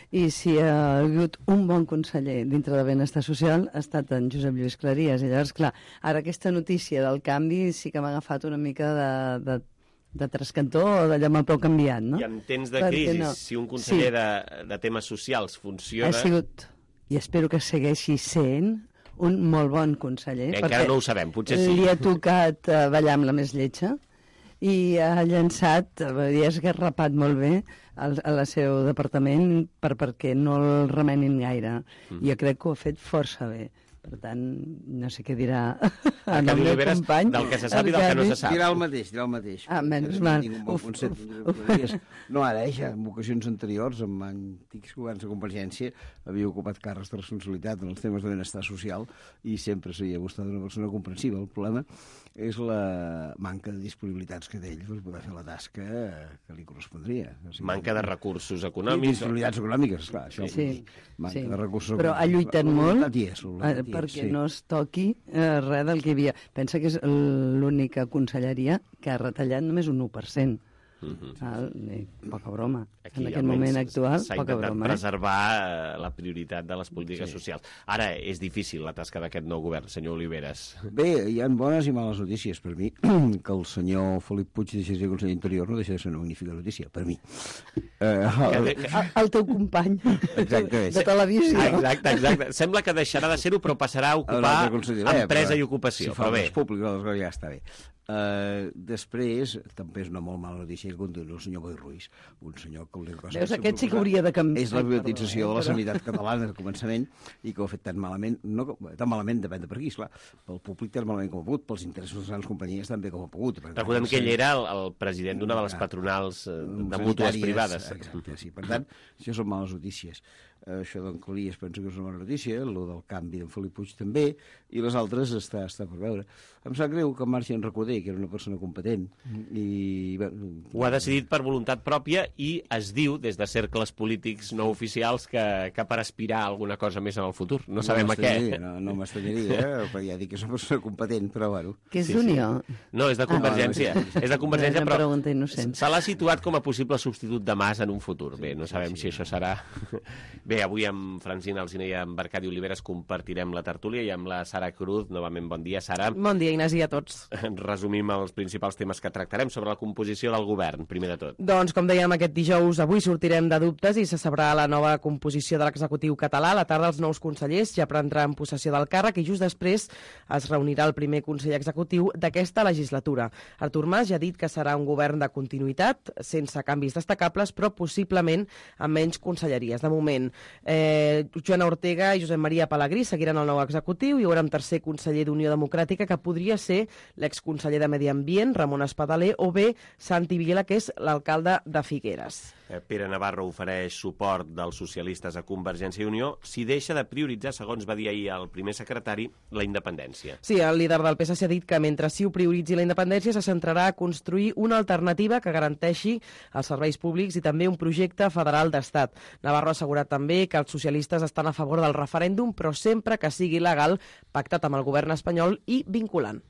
I si ha hagut un bon conseller dintre de benestar social ha estat en Josep Lluís Claries. I llavors, clar, ara aquesta notícia del canvi sí que m'ha agafat una mica de... de de trascantó o d'allò amb el peu canviant, no? I en temps de Perquè crisi, no. si un conseller sí. de, de temes socials funciona... Ha sigut, i espero que segueixi sent, un molt bon conseller. Bé, encara no ho sabem, potser sí. Li ha tocat uh, ballar amb la més lletja i ha llançat, i ha esgarrapat molt bé al, a la seu departament per, perquè no el remenin gaire. Mm. Jo crec que ho ha fet força bé. Per tant, no sé què dirà el meu Oliveres, company. del que se sap i del que no se sap. Dirà el mateix, dirà el mateix. Ah, menys mal. Bon concepte, uf, no ara, eh, ja, en ocasions anteriors, amb antics governs de Convergència, havia ocupat càrrecs de responsabilitat en els temes de benestar social i sempre s'havia mostrat una persona comprensiva. El problema és la manca de disponibilitats que té ell per poder fer la tasca que li correspondria. O sigui, manca de recursos i econòmics. disponibilitats econòmiques, clar, això. Sí, manca sí. de recursos Però ha lluitat la, molt la, la, la, la, la, perquè sí. no es toqui eh, res del que hi havia. Pensa que és l'única conselleria que ha retallat només un u per cent. Uh-huh. Val? I poca broma. Aquí, en aquest moment actual, s'ha poca intentat broma. Eh? preservar la prioritat de les polítiques Sí. socials. Ara, és difícil la tasca d'aquest nou govern, senyor Oliveres. Bé, hi ha bones i males notícies per mi. Que el senyor Felip Puig deixi de ser conseller d'Interior no deixa de ser una magnífica notícia, per mi. Eh, El, el teu company Exacte. de televisió. Exacte, exacte. Sembla que deixarà de ser-ho, però passarà a ocupar empresa i ocupació. Si fa Però bé, res públic, aleshores ja està bé. Uh, després, també és una molt mala notícia que continua el senyor Boi Ruiz, un senyor que l'única cosa Veus, que aquest sí que hauria de canviar. és la privatització Perdó, eh, de la però- sanitat catalana al començament i que ho ha fet tan malament, no, tan malament depèn de per qui, esclar, pel públic tan malament com ha pogut, pels interessos de les grans companyies tan bé com ha pogut. Per tant, recordem que ell sí. era el, el president d'una de les patronals eh, de mútues sanitàries, privades. Exacte, sí. Per tant, això són males notícies. Eh, això d'en Calies penso que és una bona notícia, el del canvi d'en Felip Puig també, i les altres està, està per veure. Em sap greu que marxi en Recoder, que era una persona competent, i... Bé, Ho ha decidit per voluntat pròpia i es diu, des de cercles polítics no oficials, que, que per aspirar a alguna cosa més en el futur. No sabem a què. No, no m'estranyaria, eh? Perquè ja dic que és una persona competent, però bueno. Que és Sí, sí. d'Unió. No, és de Convergència. Ah, no, és de Convergència, Una però pregunta innocent. se l'ha situat com a possible substitut de Mas en un futur. Bé, no sabem si això serà... Bé, avui amb Francina Alsina i amb Arcadi Oliveres compartirem la tertúlia i amb la Sara Cruz. Novament, bon dia, Sara. Bon dia, Ignasi, a tots. Resumim els principals temes que tractarem sobre la composició del govern, primer de tot. Doncs, com dèiem, aquest dijous, avui sortirem de dubtes i se sabrà la nova composició de l'executiu català. A la tarda els nous consellers ja prendran possessió del càrrec i just després es reunirà el primer conseller executiu d'aquesta legislatura. Artur Mas ja ha dit que serà un govern de continuïtat, sense canvis destacables, però possiblement amb menys conselleries. De moment, eh, Joana Ortega i Josep Maria Pelegrí seguiran el nou executiu i hi haurà un tercer conseller d'Unió Democràtica que podria ser l'exconseller de Medi Ambient, Ramon Espadaler, o bé Santi Vila, que és l'alcalde de Figueres. Eh, Pere Navarro ofereix suport dels socialistes a Convergència i Unió si deixa de prioritzar, segons va dir ahir el primer secretari, la independència. Sí, el líder del P S C ha dit que mentre sí ho prioritzi la independència se centrarà a construir una alternativa que garanteixi els serveis públics i també un projecte federal d'estat. Navarro ha assegurat també que els socialistes estan a favor del referèndum, però sempre que sigui legal, pactat amb el govern espanyol i vinculant.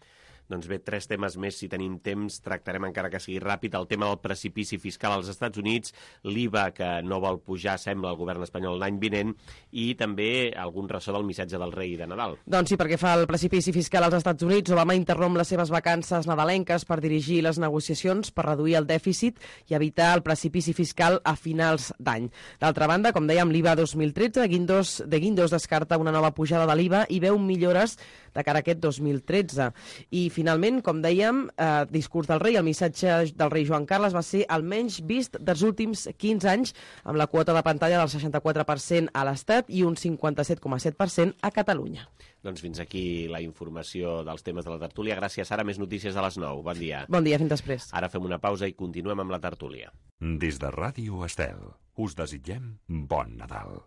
Doncs bé, tres temes més, si tenim temps, tractarem encara que sigui ràpid. El tema del precipici fiscal als Estats Units, l'I V A que no vol pujar, sembla, el govern espanyol l'any vinent, i també algun ressò del missatge del rei de Nadal. Doncs sí, perquè fa el precipici fiscal als Estats Units, Obama interromp les seves vacances nadalenques per dirigir les negociacions per reduir el dèficit i evitar el precipici fiscal a finals d'any. D'altra banda, com dèiem, l'I V A dos mil tretze, Guindos, de Guindos descarta una nova pujada de l'I V A i veu millores de cara a aquest dos mil tretze. I finalment, com dèiem, eh, discurs del rei, el missatge del rei Joan Carles va ser el menys vist dels últims quinze anys, amb la quota de pantalla del seixanta-quatre per cent a l'Estat i un cinquanta-set coma set per cent a Catalunya. Doncs fins aquí la informació dels temes de la tertúlia. Gràcies, Sara. Més notícies a les nou. Bon dia. Bon dia, fins després. Ara fem una pausa i continuem amb la tertúlia. Des de Ràdio Estel, us desitgem bon Nadal.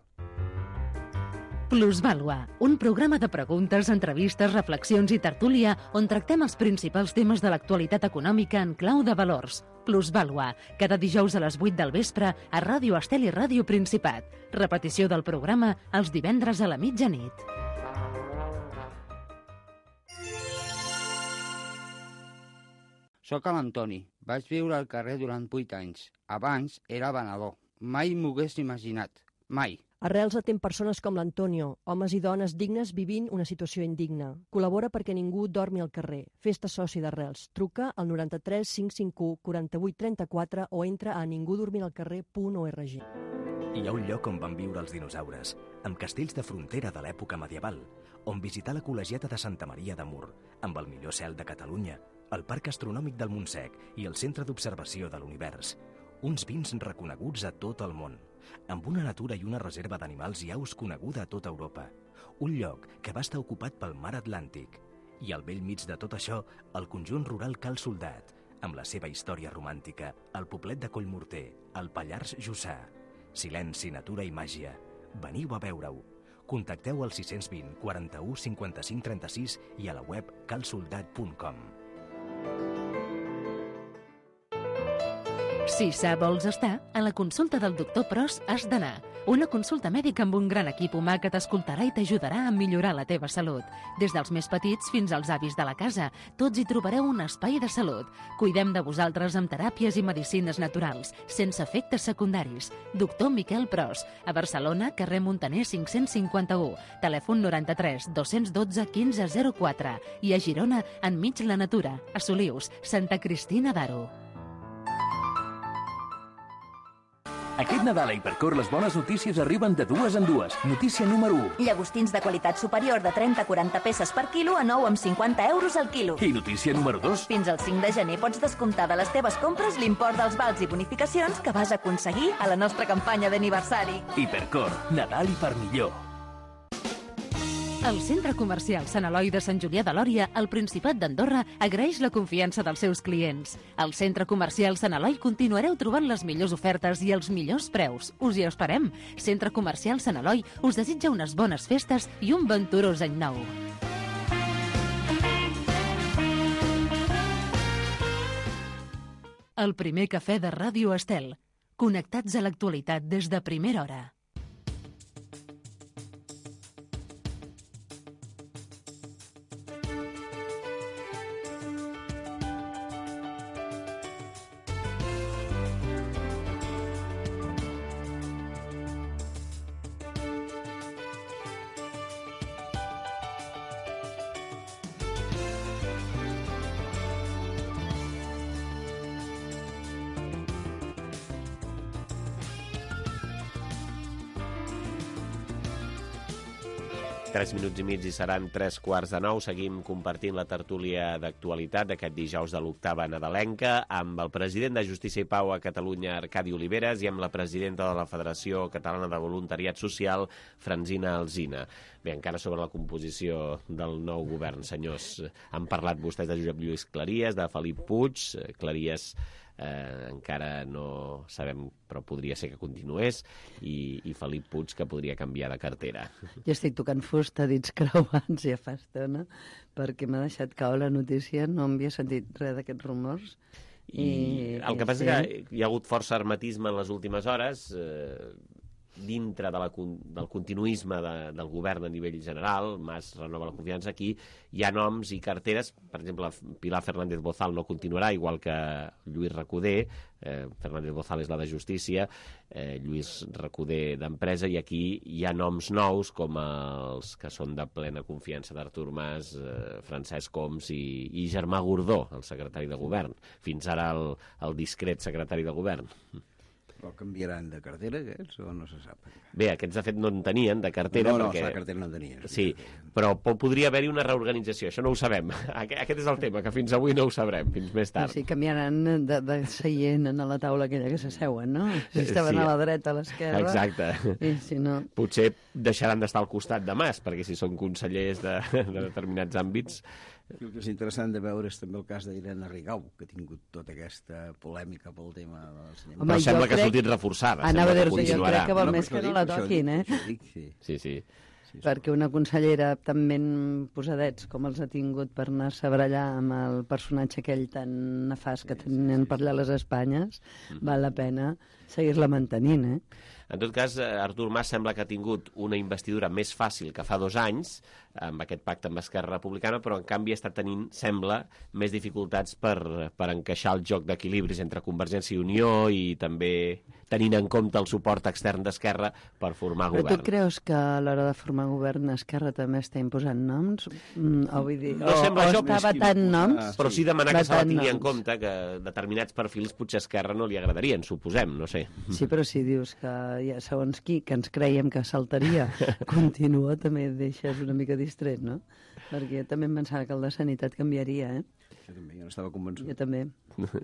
Plusvàlua, un programa de preguntes, entrevistes, reflexions i tertúlia on tractem els principals temes de l'actualitat econòmica en clau de valors. Plusvàlua, cada dijous a les vuit del vespre a Ràdio Estel i Ràdio Principat. Repetició del programa els divendres a la mitjanit. Soc l'Antoni. Vaig viure al carrer durant vuit anys. Abans era venedor. Mai m'ho hagués imaginat. Mai. Arrels atén persones com l'Antonio, homes i dones dignes vivint una situació indigna. Col·labora perquè ningú dormi al carrer. Fes-te soci d'Arrels. Truca al noranta-tres cinc cinc u quaranta-vuit trenta-quatre o entra a ningudormiralcarrer punt org. Hi ha un lloc on van viure els dinosaures, amb castells de frontera de l'època medieval, on visitar la col·legiata de Santa Maria de Mur, amb el millor cel de Catalunya, el Parc Astronòmic del Montsec i el Centre d'Observació de l'Univers. Uns vins reconeguts a tot el món, amb una natura i una reserva d'animals i aus coneguda a tota Europa. un lloc que va estar ocupat pel mar Atlàntic. I al vell mig de tot això, el conjunt rural Cal Soldat, amb la seva història romàntica, el poblet de Collmorter, el Pallars Jussà. Silenci, natura i màgia. Veniu a veure-ho. Contacteu al sis cents vint, quaranta-u, cinquanta-cinc, trenta-sis i a la web cal soldat punt com. Si sa vols estar, a la consulta del doctor Pros has d'anar. Una consulta mèdica amb un gran equip humà que t'escoltarà i t'ajudarà a millorar la teva salut. Des dels més petits fins als avis de la casa, tots hi trobareu un espai de salut. Cuidem de vosaltres amb teràpies i medicines naturals, sense efectes secundaris. Doctor Miquel Pros, a Barcelona, carrer Montaner cinc-cents cinquanta-u, telèfon noranta-tres dos-cents dotze quinze zero quatre i a Girona, enmig la natura, a Solius, Santa Cristina d'Aro. Aquest Nadal a Hipercor les bones notícies arriben de dues en dues. Notícia número u. Llagostins de qualitat superior de trenta a quaranta peces per quilo a nou amb cinquanta euros al quilo. I notícia número dos. Fins al cinc de gener pots descomptar de les teves compres l'import dels vals i bonificacions que vas aconseguir a la nostra campanya d'aniversari. Hipercor, Nadal i per millor. El Centre Comercial Sant Eloi de Sant Julià de Lòria, al Principat d'Andorra, agraeix la confiança dels seus clients. Al Centre Comercial Sant Eloi continuareu trobant les millors ofertes i els millors preus. Us hi esperem. Centre Comercial Sant Eloi us desitja unes bones festes i un venturós any nou. El primer cafè de Ràdio Estel. Connectats a l'actualitat des de primera hora. Tres minuts i mig i seran tres quarts de nou. Seguim compartint la tertúlia d'actualitat d'aquest dijous de l'octava nadalenca amb el president de Justícia i Pau a Catalunya, Arcadi Oliveres, i amb la presidenta de la Federació Catalana de Voluntariat Social, Francina Alsina. Bé, encara sobre la composició del nou govern, senyors. Han parlat vostès de Josep Lluís Claries, de Felip Puig. Claries eh, encara no sabem, però podria ser que continués, i, i Felip Puig, que podria canviar de cartera. Jo estic tocant fusta, dits creuats ja fa estona, perquè m'ha deixat caure la notícia, no havia sentit res d'aquests rumors. I, I el que passa sí. és que hi ha hagut força hermetisme en les últimes hores, eh, dintre de la, del continuisme de, del govern a nivell general. Mas renova la confiança. Aquí hi ha noms i carteres, per exemple, Pilar Fernández Bozal no continuarà, igual que Lluís Recoder. eh, Fernández Bozal és la de Justícia, eh, Lluís Recoder d'Empresa, i aquí hi ha noms nous com els que són de plena confiança d'Artur Mas, eh, Francesc Homs i, i Germà Gordó, el secretari de govern, fins ara el, el discret secretari de govern. Però canviaran de cartera, aquests, o no se sap? Bé, aquests, de fet, no en tenien, de cartera. No, no, perquè... la cartera no en tenien. Sí, però podria haver-hi una reorganització, això no ho sabem. Aquest és el tema, que fins avui no ho sabrem, fins més tard. Sí, canviaran de, de seient a la taula aquella que s'asseuen, no? Si estaven sí. a la dreta, a l'esquerra... Exacte. I si no... Potser deixaran d'estar al costat de Mas, perquè si són consellers de, de determinats àmbits... El que és interessant de veure és també el cas d'Irene Rigau, que ha tingut tota aquesta polèmica pel tema de l'ensenyament. Però sembla que ha sortit reforçada. Anava a dir-te, jo continuarà. crec que vol No, més que no la toquin, eh? Dic, sí. Sí, sí. Sí, perquè una consellera tan ben posadets com els ha tingut per anar-se a barallar amb el personatge aquell tan nefast que tenen per allà les Espanyes, mm-hmm. val la pena seguir-la mantenint, eh? En tot cas, Artur Mas sembla que ha tingut una investidura més fàcil que fa dos anys, amb aquest pacte amb Esquerra Republicana, però en canvi està tenint, sembla, més dificultats per, per encaixar el joc d'equilibris entre Convergència i Unió i també tenint en compte el suport extern d'Esquerra per formar però govern. Però tu creus que a l'hora de formar govern Esquerra també està imposant noms? Mm, o, vull dir, no o, sembla o això, està vetant noms? Ah, però sí demanar que se la tingui en noms. compte, que determinats perfils potser a Esquerra no li agradarien, suposem, no sé. Sí, però si dius que ja segons qui, que ens creiem que saltaria, continua, també et deixes una mica distret, no? Perquè jo també em pensava que el de Sanitat canviaria, eh? Jo també, jo n'estava convençut. Jo també.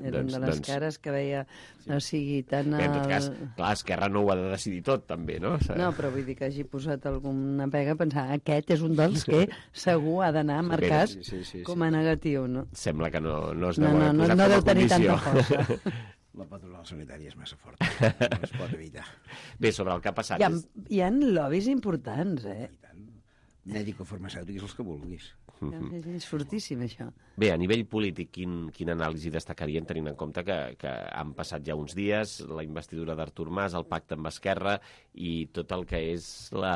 Era Doncs- una de les doncs- cares que veia, o sigui, tant... Bé, en tot el- cas, clar, Esquerra no ho ha de decidir tot, també, no? No, però vull dir que hagi posat alguna pega, pensar, aquest és un dels que segur ha d'anar marcat Sí, sí, sí, sí. com a negatiu, no? Sembla que no, no es No, deu no, haver no, posat no com a deu tenir condició. tanta força. La patronal sanitària és massa forta, no es pot evitar. Bé, sobre el que ha passat... Hi ha, és- hi ha lobbies importants, eh? Mèdico-farmacèutics, els que vulguis. És fortíssim, això. Bé, a nivell polític, quin, quin anàlisi destacarien, tenint en compte que, que han passat ja uns dies, la investidura d'Artur Mas, el pacte amb Esquerra i tot el que és la,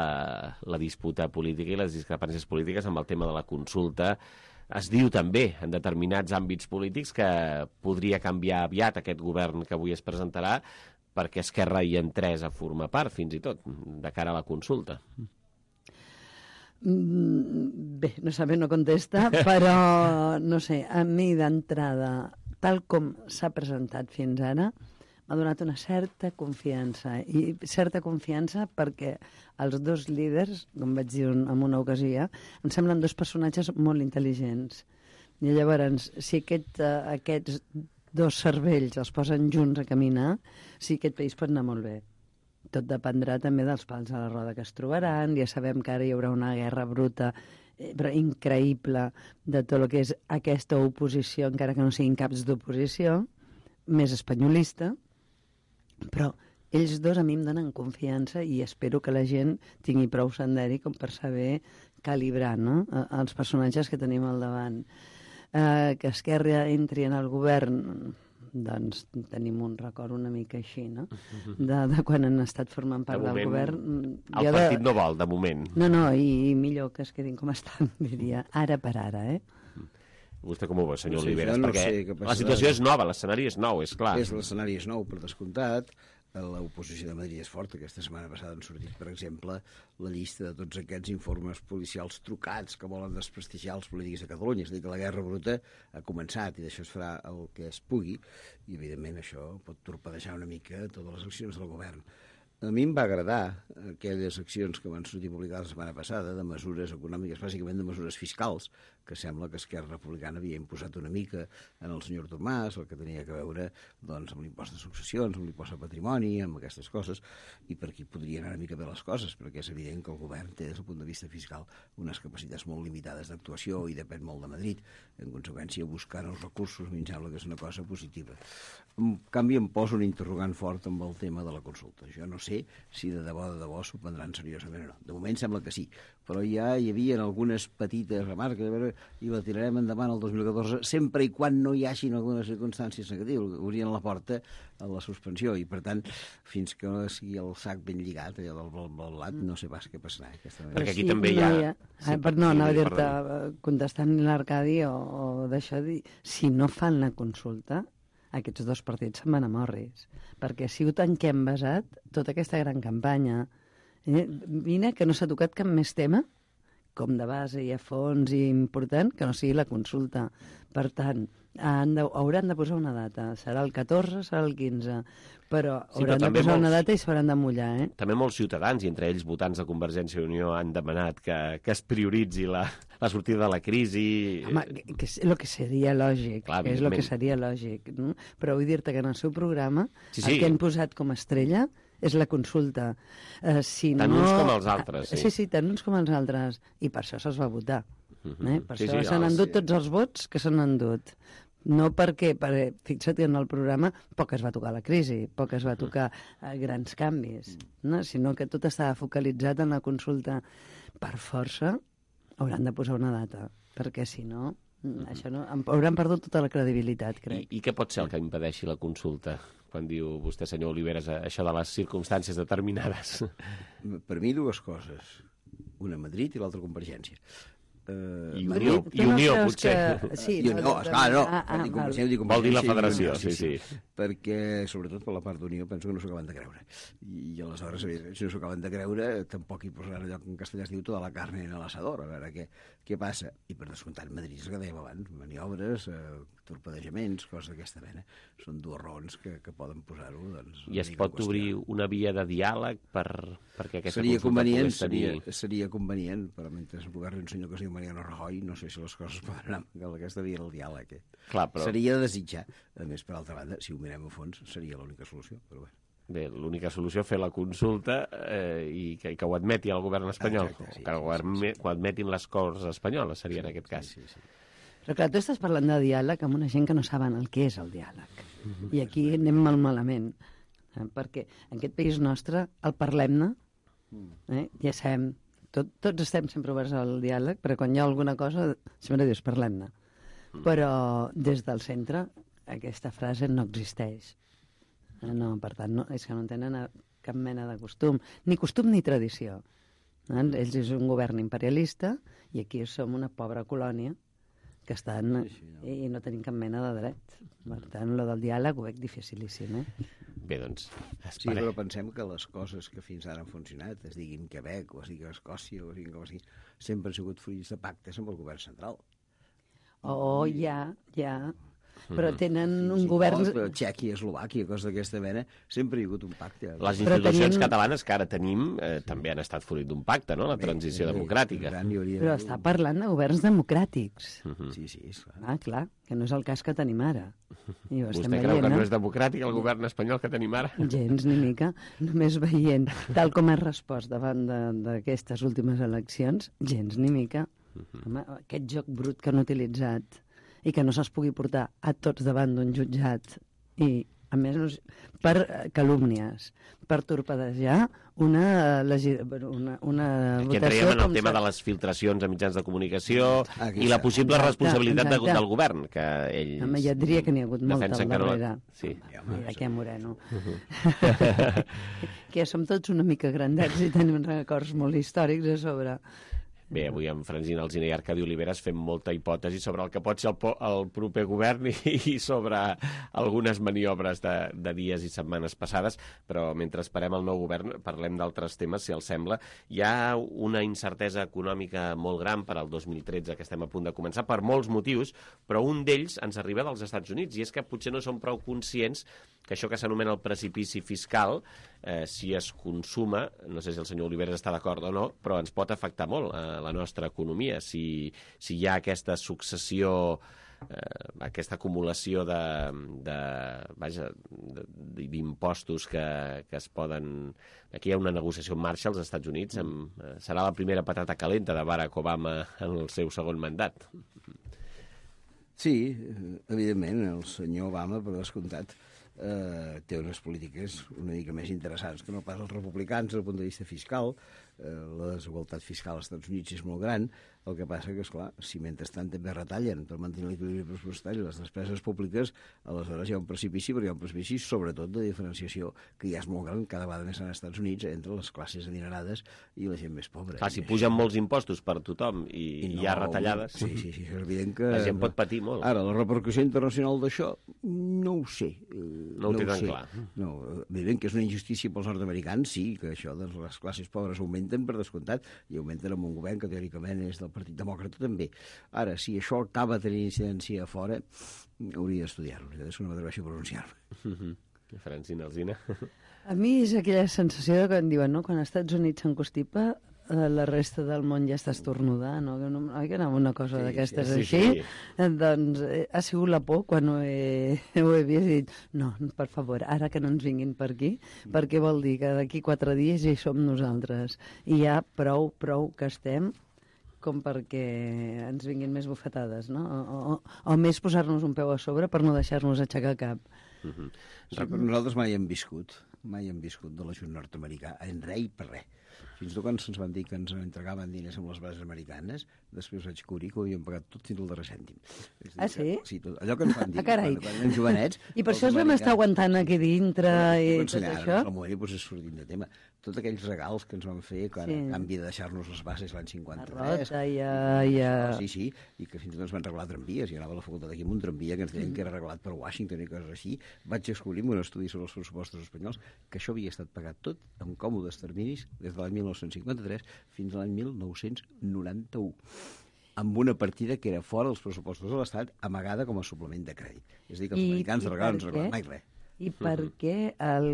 la disputa política i les discrepàncies polítiques amb el tema de la consulta. Es diu també, en determinats àmbits polítics, que podria canviar aviat aquest govern que avui es presentarà perquè Esquerra hi entrés a formar part, fins i tot, de cara a la consulta. Bé, no sabe, no contesta, però, no sé, a mi d'entrada, tal com s'ha presentat fins ara, m'ha donat una certa confiança. I certa confiança perquè els dos líders, com vaig dir en una ocasió, em semblen dos personatges molt intel·ligents. I llavors, si aquest, uh, aquests dos cervells els posen junts a caminar, sí, aquest país pot anar molt bé. Tot dependrà també dels pals a la roda que es trobaran. Ja sabem que ara hi haurà una guerra bruta, eh, però increïble, de tot el que és aquesta oposició, encara que no siguin caps d'oposició, més espanyolista, però ells dos a mi em donen confiança i espero que la gent tingui prou senderi com per saber calibrar, no?, els personatges que tenim al davant. Eh, que Esquerra entri en el govern, doncs tenim un record una mica així, no?, de, de quan han estat formant part De moment, del govern. el Jo partit de... no vol, de moment. No, no, i, i millor que es quedin com estan, diria, ara per ara, eh? Vostè com ho veu, senyor No sé, Oliveres? jo no Perquè sé què passarà. la situació és nova, l'escenari és nou, és clar. És l'escenari és nou, per descomptat. L'oposició de Madrid és forta. Aquesta setmana passada han sortit, per exemple, la llista de tots aquests informes policials trucats que volen desprestigiar els polítics de Catalunya. És a dir, que la guerra bruta ha començat i d'això es farà el que es pugui i, evidentment, això pot torpedejar una mica totes les accions del govern. A mi em va agradar aquelles accions que van sortir publicades la setmana passada de mesures econòmiques, bàsicament de mesures fiscals, que sembla que Esquerra Republicana havia imposat una mica en el senyor Artur Mas, el que tenia que veure doncs, amb l'impost de successions, amb l'impost de patrimoni, amb aquestes coses, i per aquí podrien anar una mica bé les coses, perquè és evident que el govern té, des del punt de vista fiscal, unes capacitats molt limitades d'actuació i depèn molt de Madrid. En conseqüència, buscar els recursos, a mi em sembla que és una cosa positiva. En canvi, em poso un interrogant fort amb el tema de la consulta. Jo no sé si de debò, de debò s'ho prendran seriosament o no. De moment sembla que sí, però ja hi havia algunes petites remarques, a veure, i la tirarem endavant el dos mil catorze, sempre i quan no hi hagin algunes circumstàncies negatives, que obrien la porta a la suspensió, i per tant, fins que no sigui el sac ben lligat, allò del blat, blat, blat, no sé pas què passarà. Perquè aquí sí, també hi ha... No, hi ha... Sí, ah, per, no, anava a dir-te, contestant l'Arcadi o, o d'això, si no fan la consulta, aquests dos partits se'n van a morris, perquè ha sigut en què hem basat tota aquesta gran campanya. Eh? Vine que no s'ha tocat cap més tema, com de base i a fons i important, que no sigui la consulta. Per tant, han de, hauran de posar una data. Serà el catorze, serà el quinze, però Sí, hauran però de posar molts... una data i s'hauran de mullar, eh? També molts ciutadans, i entre ells votants de Convergència i Unió, han demanat que, que es prioritzi la, la sortida de la crisi. Home, que, que és el que seria lògic, Clar, que és el que evidentment. seria lògic. No? Però vull dir-te que en el seu programa Sí, sí. el que han posat com a estrella és la consulta. Uh, si Tant no... uns com els altres, sí. Sí, sí, tant uns com els altres. I per això se'ls va votar. Mhm. eh? Per Sí, això sí, s'han els- endut tots els vots que s'han endut. No perquè, perquè, fixa't que en el programa poc es va tocar la crisi, poc es va tocar eh, grans canvis, no? Sinó que tot estava focalitzat en la consulta. Per força hauran de posar una data, perquè si no, això no hauran perdut tota la credibilitat, crec. I, I què pot ser el que impedeixi la consulta? Quan diu vostè, senyor Oliveres, això de les circumstàncies determinades. Per mi, dues coses. Una a Madrid i l'altra a Convergència. Uh, I Unió, i Unió potser. Que... Sí, I Unió, no, esclar, no. Ah, ah, Dic val. Convergència, dic Vol dir la Convergència i federació, Unió, sí, sí. Perquè, sobretot per la part d'Unió, penso que no s'ho acaben de creure. I, i aleshores, evidentment, si no s'ho acaben de creure, tampoc hi posaran allò que en castellà es diu tota la carne en l'asador, a veure què, què passa. I per descomptat, Madrid és el que dèiem abans, maniobres, eh, torpedejaments, coses d'aquesta mena. Són dues raons que, que poden posar-ho. Doncs, I es pot obrir una via de diàleg per, perquè aquesta seria consulta convenient, pogués tenir... seria, seria convenient, però mentre el govern un senyor que es diu Mariano Rajoy, no sé si les coses poden anar amb aquesta via del diàleg. Eh? Clar, però... Seria de desitjar. A més, per altra banda, si ho mirem a fons, seria l'única solució, però bé. Bé, l'única solució és fer la consulta eh, i, que, i que ho admeti el govern espanyol, Exacte, sí, que ho, adme, sí, sí. ho admetin les Corts espanyoles, seria sí, en aquest cas. Sí, sí, sí. Però clar, tu estàs parlant de diàleg amb una gent que no saben el que és el diàleg. Mm-hmm. I aquí anem mal malament, eh? Perquè en aquest país nostre el parlem-ne, eh? Ja sabem, tot, tots estem sempre oberts al diàleg, però quan hi ha alguna cosa sempre dius parlem-ne. Mm. Però des del centre aquesta frase no existeix. No, per tant, no, és que no tenen cap mena de costum, ni costum ni tradició. Eh? Ells és un govern imperialista i aquí som una pobra colònia que estan sí, sí, no. i no tenim cap mena de dret. Per tant, lo del diàleg ho veig dificilíssim, eh? Bé, doncs, esperem. Sí, però pensem que les coses que fins ara han funcionat, es diguin Quebec, o es digui Escòcia, o es diguin com es digui, sempre han sigut fruits de pactes amb el govern central. Oh, ja, ja... però tenen un sí, govern... Oh, Txèquia, Eslovàquia, coses d'aquesta mena, sempre hi ha hagut un pacte. Les institucions tenim... catalanes que ara tenim eh, també han estat fruit d'un pacte, no?, la transició bé, democràtica. Bé, però està parlant de governs democràtics. Uh-huh. Sí, sí, és clar. Ah, clar, que no és el cas que tenim ara. I Vostè creu veient, que no és democràtic el govern espanyol que tenim ara? Gens ni mica. Només veient tal com ha respost davant d'aquestes últimes eleccions, gens ni mica. Uh-huh. Home, aquest joc brut que han utilitzat i que no se'ls pugui portar a tots davant d'un jutjat i, a més, per calúmnies, per torpedejar una, una, una Aquí votació... Aquí en el tema de les filtracions a mitjans de comunicació Aquí i la possible exacte, responsabilitat exacte. De, del govern, que ells... Home, ja et diria que n'hi ha hagut molta al darrere. No... Sí. Mira, que Moreno. Uh-huh. Que som tots una mica grandets i tenim records molt històrics a sobre... Bé, avui amb Francina Alsina i Arcadi Oliveres fem molta hipòtesi sobre el que pot ser el, po el proper govern i, i sobre algunes maniobres de, de dies i setmanes passades, però mentre esperem el nou govern parlem d'altres temes, si els sembla. Hi ha una incertesa econòmica molt gran per al dos mil tretze que estem a punt de començar, per molts motius, però un d'ells ens arriba dels Estats Units, i és que potser no som prou conscients que això que s'anomena el precipici fiscal, eh, si es consuma, no sé si el senyor Oliveres està d'acord o no, però ens pot afectar molt a la nostra economia, si, si hi ha aquesta successió, eh, aquesta acumulació de, de, vaja, d'impostos que, que es poden... Aquí hi ha una negociació en marxa als Estats Units, amb, eh, serà la primera patata calenta de Barack Obama en el seu segon mandat. Sí, evidentment, el senyor Obama, per descomptat, eh, té unes polítiques una mica més interessants que no pas els republicans des del punt de vista fiscal. Eh, la desigualtat fiscal als Estats Units és molt gran, el que passa que, esclar, si mentrestant també retallen per mantenir l'equilibri pressupostari les despeses públiques, aleshores hi ha un precipici, però hi ha un precipici sobretot de diferenciació que ja és molt gran, cada vegada més als Estats Units, entre les classes adinerades i la gent més pobra. Clar, si pugen molts impostos per tothom i, I no, hi ha retallades, sí, sí, sí, és evident que... la gent pot patir molt. Ara, la repercussió internacional d'això, no ho sé. No ho té tan clar. No, evident que és una injustícia pels nord-americans, sí, que això de les classes pobres augmenten per descomptat, i augmenten amb un govern que teòricament és del Partit Demòcrata també. Ara, si això acaba tenint incidència a fora, hauria d'estudiar-ho, és que no m'atreveixo a pronunciar-me. Uh-huh. Francina Alsina. A mi és aquella sensació de que em diuen, no?, quan als Estats Units s'encostipa, la resta del món ja està estornudant, no? Que no, oi que anava una cosa sí, d'aquestes sí, així? Sí, sí. Doncs eh, ha sigut la por quan ho he, ho he vist i dit, no, per favor, ara que no ens vinguin per aquí, mm. perquè vol dir que d'aquí quatre dies ja hi som nosaltres. I ja prou, prou que estem com perquè ens vinguin més bufetades, no? O, o, o més posar-nos un peu a sobre per no deixar-nos aixecar cap. Mm-hmm. Sí, però nosaltres mai hem viscut, mai hem viscut de l'ajut nord-americà, en res i per res. Fins i tot quan se'ns van dir que ens entregaven diners amb les bases americanes, després vaig cobrir que ho havíem pagat tot fins al darrer cèntim. Ah, sí? Que, sí, tot, allò que ens van dir ah, quan, quan érem jovenets... I per això es vam estar aguantant aquí dintre i tot això? Al moment doncs, és sortint de tema. Tots aquells regals que ens van fer, quan, sí. a canvi de deixar-nos les bases l'any cinquanta-tres... A Rota i a... I a... Sí, sí, i que fins i tot ens van regalar tramvies. I anava a la facultat aquí amb un tramvia que ens deien mm. que era regalat per Washington i coses així. Vaig descobrir un estudi sobre els pressupostos espanyols que això havia estat pagat tot en còmodes terminis des de l'any mil nou-cents cinquanta-tres fins a l'any mil nou-cents noranta-u. amb una partida que era fora dels pressupostos de l'Estat, amagada com a suplement de crèdit. És a dir, que els I, americans de regals no ens recorden què? mai res. I per què el,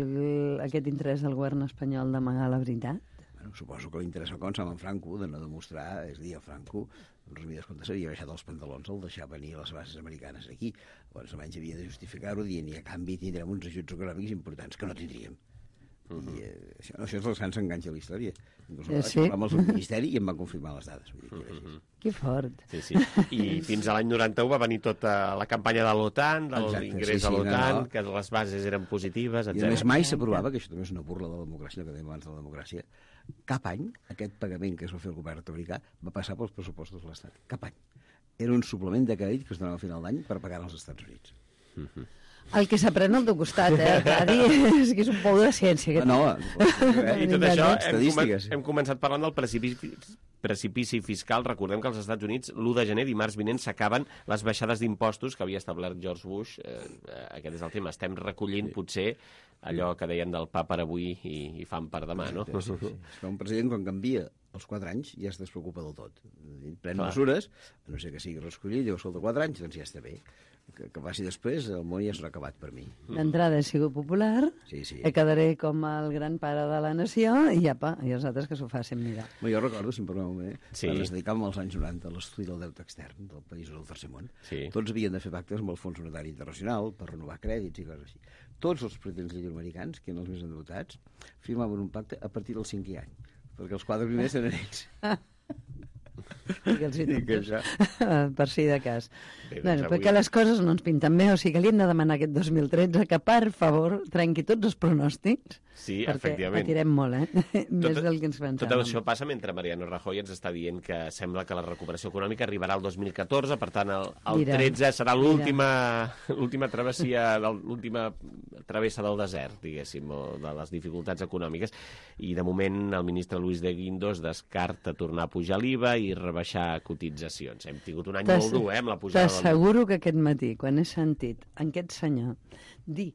aquest interès del govern espanyol d'amagar la veritat? Bueno, suposo que l'interès va començar amb en Franco de no demostrar, és a dir, el Franco, en resumides comptes, havia baixat els pantalons al deixar venir les bases americanes aquí. Llavors, almenys havia de justificar-ho dient i a canvi tindrem uns ajuts econòmics importants que no tindríem. Uh -huh. I eh, això, això és els grans enganys de la història. Inclús eh, sí. Vam al Ministeri i em van confirmar les dades. Vull dir, que uh -huh. Que fort. Sí, sí. I fins a l'any noranta-u va venir tota la campanya de l'OTAN, de l'ingrés sí, sí, a l'OTAN, no, no. que les bases eren positives, etcètera. I a més mai s'aprovava, que això també és una burla de la democràcia, que dèiem abans de la democràcia, cap any aquest pagament que es va fer el govern nord-americà va passar pels pressupostos de l'Estat. Cap any. Era un suplement de crèdit que es donava a final d'any per pagar als Estats Units. Uh -huh. El que s'aprèn al teu costat, eh, Tadi, és que és un pou de ciència. Aquest. No, no. I tot això hem, comen hem començat parlant del precipici, precipici fiscal. Recordem que als Estats Units l'u de gener, dimarts vinent, s'acaben les baixades d'impostos que havia establert George Bush. Eh, aquest és el tema. Estem recollint, potser, allò que deien del pa per avui i, i fam per demà, no? Sí, sí, sí. És que un president, quan canvia als quatre anys, ja es despreocupa del tot. Pren Clar. mesures, a no sé que sigui l'escollit, diu, escolta, quatre anys, doncs ja està bé. Que, que passi després, el món ja s'ha acabat per mi. D'entrada he sigut popular, sí, sí. quedaré com el gran pare de la nació, i apa, i els altres que s'ho facin mirar. Bé, jo recordo, si em permeteu, eh, sí. quan es dedicàvem als anys noranta a l'estudi del deute extern del país del tercer món, sí. tots havien de fer pactes amb el Fons Monetari Internacional per renovar crèdits i coses així. Tots els presidents llatinoamericans, que eren els més endeutats, firmaven un pacte a partir del cinquè any, perquè els quatre primers eren ells. I els dubtes, per si de cas. Bé, doncs bueno, avui... perquè les coses no ens pinten bé, o sigui que li hem de demanar aquest dos mil tretze que, per favor, trenqui tots els pronòstics, sí, perquè efectivament. patirem molt, eh? Més tot, del que ens pensàvem. Tot això passa mentre Mariano Rajoy ens està dient que sembla que la recuperació econòmica arribarà al dos mil catorze, per tant, el, el mira, tretze serà l'última l'última travessia, l'última travessa del desert, diguéssim, o de les dificultats econòmiques, i de moment el ministre Luis de Guindos descarta tornar a pujar l'I V A i rebaixar cotitzacions. Hem tingut un any molt dur, eh, amb la pujada del... T'asseguro que aquest matí, quan he sentit aquest senyor dir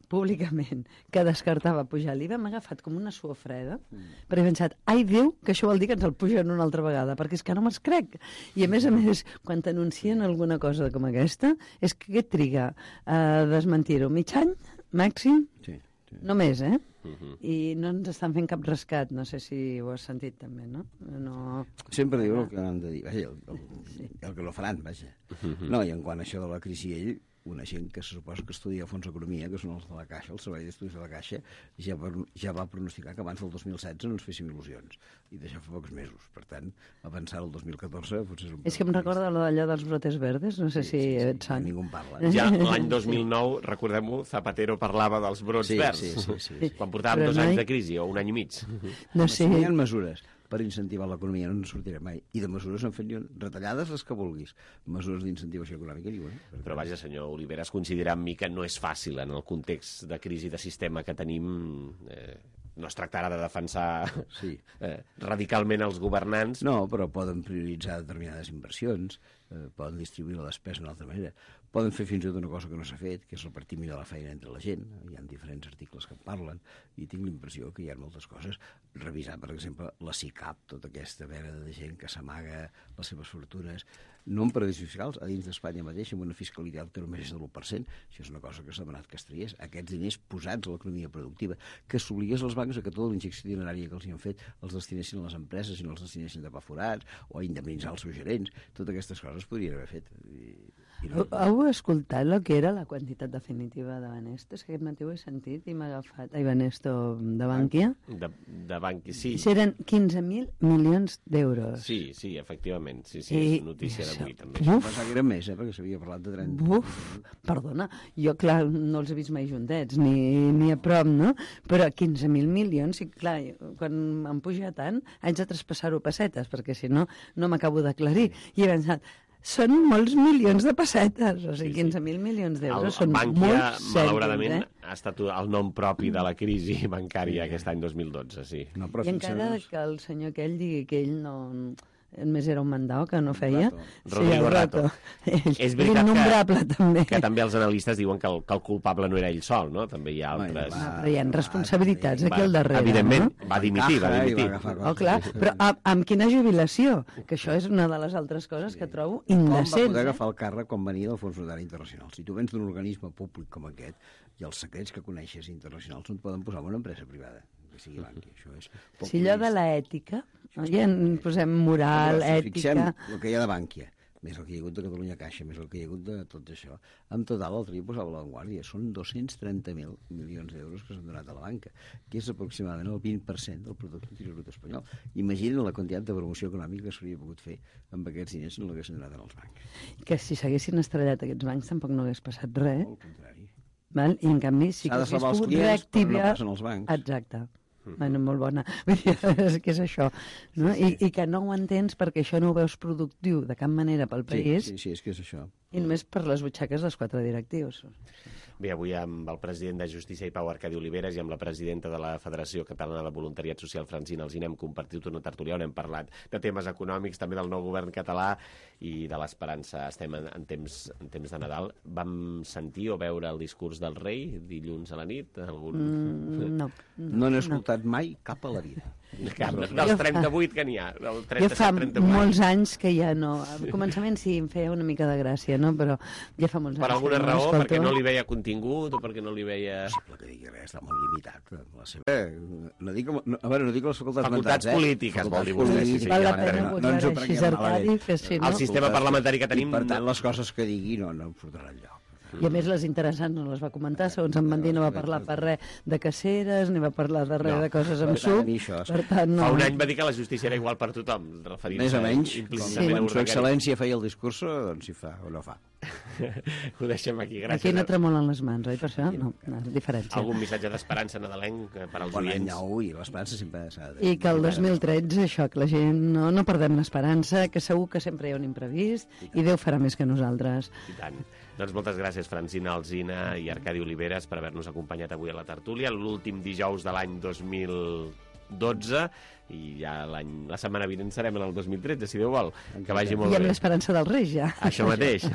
públicament que descartava pujar l'I V A, m'ha agafat com una suor freda, mm. perquè he pensat, ai Déu, que això vol dir que ens el pugen una altra vegada, perquè és que no me'ls crec. I a més a més, quan t'anuncien alguna cosa com aquesta, és que què triga a desmentir-ho? Mig any, màxim? Sí. Sí. Només, eh? Uh -huh. I no ens estan fent cap rescat, no sé si ho has sentit també, no? no... Sempre diuen el que han de dir, vaja, el, el, sí. el que no faran, vaja. Uh -huh. No, i en quant a això de la crisi, ell, una gent que se suposa que estudia a fons d'economia, que són els de la Caixa, el Servei d'Estudis de la Caixa, ja va, ja va pronosticar que abans del dos mil setze no ens féssim il·lusions, i d'això fa pocs mesos. Per tant, avançar el dos mil catorze potser és un... És que em recorda allò dels brotes verdes, no sé sí, si sí, sí, et sona. Ningú en parla. Ja l'any dos mil nou, recordem-ho, Zapatero parlava dels brots sí, verds, sí, sí, sí, sí. quan portàvem Però dos mai... anys de crisi, o un any i mig. No sé. Si no hi ha mesures per incentivar l'economia, no ens sortirem mai. I de mesures en fet retallades les que vulguis. Mesures d'incentivació econòmica ni una. Però vaja, senyor Oliveres, considera amb mi que no és fàcil en el context de crisi de sistema que tenim. Eh, no es tractarà de defensar sí. eh, radicalment els governants. No, però poden prioritzar determinades inversions, eh, poden distribuir la despesa d'una altra manera, poden fer fins i tot una cosa que no s'ha fet, que és repartir millor la feina entre la gent. Hi ha diferents articles que en parlen, i tinc l'impressió que hi ha moltes coses. Revisar, per exemple, la SICAP, tota aquesta vena de gent que s'amaga les seves fortunes, no en paradisos fiscals, a dins d'Espanya mateix, amb una fiscalitat que només és de l'u per cent. Això és una cosa que s'ha demanat que es triés. Aquests diners posats a l'economia productiva, que s'obligués als bancs a que tota la injecció dinerària que els hi han fet els destinessin a les empreses i no els destinessin de pa forats, o a indemnitzar els seus gerents. Totes aquestes coses podrien haver fet. I, i no... Heu escoltat el que era la quantitat definitiva de Banesto? És que aquest matí ho he sentit i m'ha agafat... Ai, Banesto de Bankia? De, de Bankia, sí. Eren quinze mil milions d'euros. Sí, sí, efectivament. Sí, sí, I... és notícia d'avui, també. Uf! Pensava que eren més, eh, perquè s'havia parlat de trenta. Uf! Perdona, jo, clar, no els he vist mai juntets, ni, ni a prop, no? Però quinze mil milions, i clar, quan em puja tant, haig de traspassar-ho a pessetes, perquè si no, no m'acabo d'aclarir. I he pensat, són molts milions de pessetes, o sigui, quinze mil milions d'euros són Bankia, molts cèntims, malauradament, eh? ha estat el nom propi de la crisi bancària aquest any dos mil dotze, sí. No, però I encara que el senyor aquell digui que ell no... més era un mandau que no feia. Rodrigo Rato. És veritat innombrable, que, també. que també els analistes diuen que el, que el culpable no era ell sol, no? També hi ha altres... Va, però hi ha responsabilitats aquí al darrere, evidentment, no? va dimitir, va dimitir. Oh, clar, però amb, amb quina jubilació? Que això és una de les altres coses que trobo indecents. Com va poder agafar el càrrec quan venia del Fons Monetari Internacional? Si tu vens d'un organisme públic com aquest i els secrets que coneixes internacionals no et poden posar en una empresa privada, que sigui banqui. Això és si allò de l'ètica, ja en posem moral, si ètica... fixem el que hi ha de Bànquia, més el que hi ha hagut de Catalunya Caixa, més el que hi ha hagut de tot això. En total, l'altre dia posava l'avantguàrdia, són dos-cents trenta mil milions d'euros que s'han donat a la banca, que és aproximadament el vint per cent del producte interior brut espanyol. Imaginen la quantitat de promoció econòmica que s'hauria pogut fer amb aquests diners si no l'haguessin donat als bancs. Que si s'haguessin estrellat aquests bancs tampoc no hagués passat res. Al contrari. Val? I en canvi sí que s'hagués pogut reactivar... No passen els bancs. Exacte. Bueno, molt bona. És que és això. No? I, I que no ho entens perquè això no ho veus productiu de cap manera pel país. Sí, sí, sí, és que és això. I només per les butxaques dels quatre directius. Bé, avui amb el president de Justícia i Pau, Arcadi Oliveres, i amb la presidenta de la Federació Catalana de Voluntariat Social, Francina Alsina, hem compartit una tertúlia on hem parlat de temes econòmics, també del nou govern català i de l'esperança. Estem en, en, temps, en temps de Nadal. Vam sentir o veure el discurs del rei dilluns a la nit? Algun... Mm, no. No n'he escoltat no. mai cap a la vida. Cap, dels trenta-vuit que n'hi ha. Del jo fa molts anys que ja no... Al començament sí, em feia una mica de gràcia, no? Però ja fa molts anys. Per alguna no raó? Escolto. Perquè no li veia contingut o perquè no li veia... És possible que digui res, està molt limitat. La seva... eh, no dic, no, a veure, no dic les facultats, facultats mentals, polítiques, eh? vol dir vostè. Sí, sí, val la ja pena no ens ho prenguem malament. Sí, no? El sistema parlamentari que tenim... I, per tant, les coses que digui no, no em portaran enlloc. I a més les interessants no les va comentar, segons em van dir no va parlar per res de caceres, ni va parlar de res no, de coses amb suc. Per tant, no. Fa un any va dir que la justícia era igual per tothom, referint-se més o menys, implícitament quan a Su Excel·lència feia el discurs, doncs si fa o no fa. Ho deixem aquí, gràcies. Aquí no tremolen les mans, oi? Per això no, no diferència. Algun missatge d'esperança nadalenc per als bon oients? Bon any nou i l'esperança sempre s'ha de... I que el dos mil tretze, això, que la gent no, no perdem l'esperança, que segur que sempre hi ha un imprevist i, i Déu farà més que nosaltres. I tant. Doncs moltes gràcies, Francina Alsina i Arcadi Oliveres, per haver-nos acompanyat avui a la tertúlia, l'últim dijous de l'any dos mil dotze, i ja la setmana vinent serem en el dos mil tretze, si Déu vol. Que vagi molt bé. I amb l'esperança del Reis, ja. Això mateix.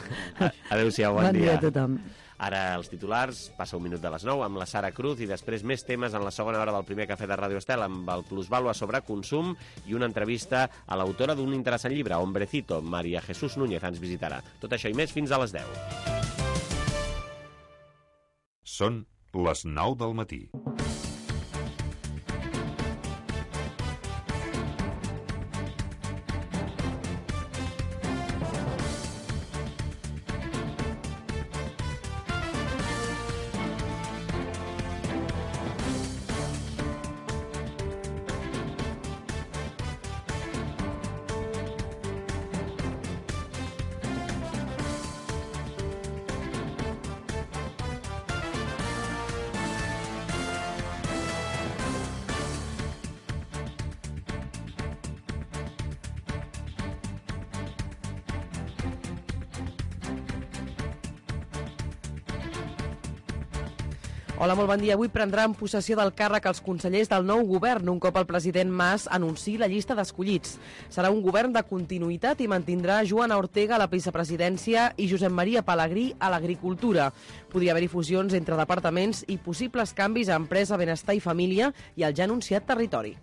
Adéu-siau, bon, bon dia. Bon dia a tothom. Ara els titulars, passa un minut de les nou amb la Sara Cruz i després més temes en la segona hora del primer cafè de Ràdio Estel amb el plusvàlua sobre consum i una entrevista a l'autora d'un interessant llibre, Hombrecito, Maria Jesús Núñez, ens visitarà. Tot això i més fins a les deu. Són les nou del matí. Hola, molt bon dia. Avui prendran possessió del càrrec els consellers del nou govern, un cop el president Mas anunciï la llista d'escollits. Serà un govern de continuïtat i mantindrà Joana Ortega a la vicepresidència i Josep Maria Pelegrí a l'agricultura. Podria haver-hi fusions entre departaments i possibles canvis a Empresa, Benestar i Família i el ja anunciat Territori.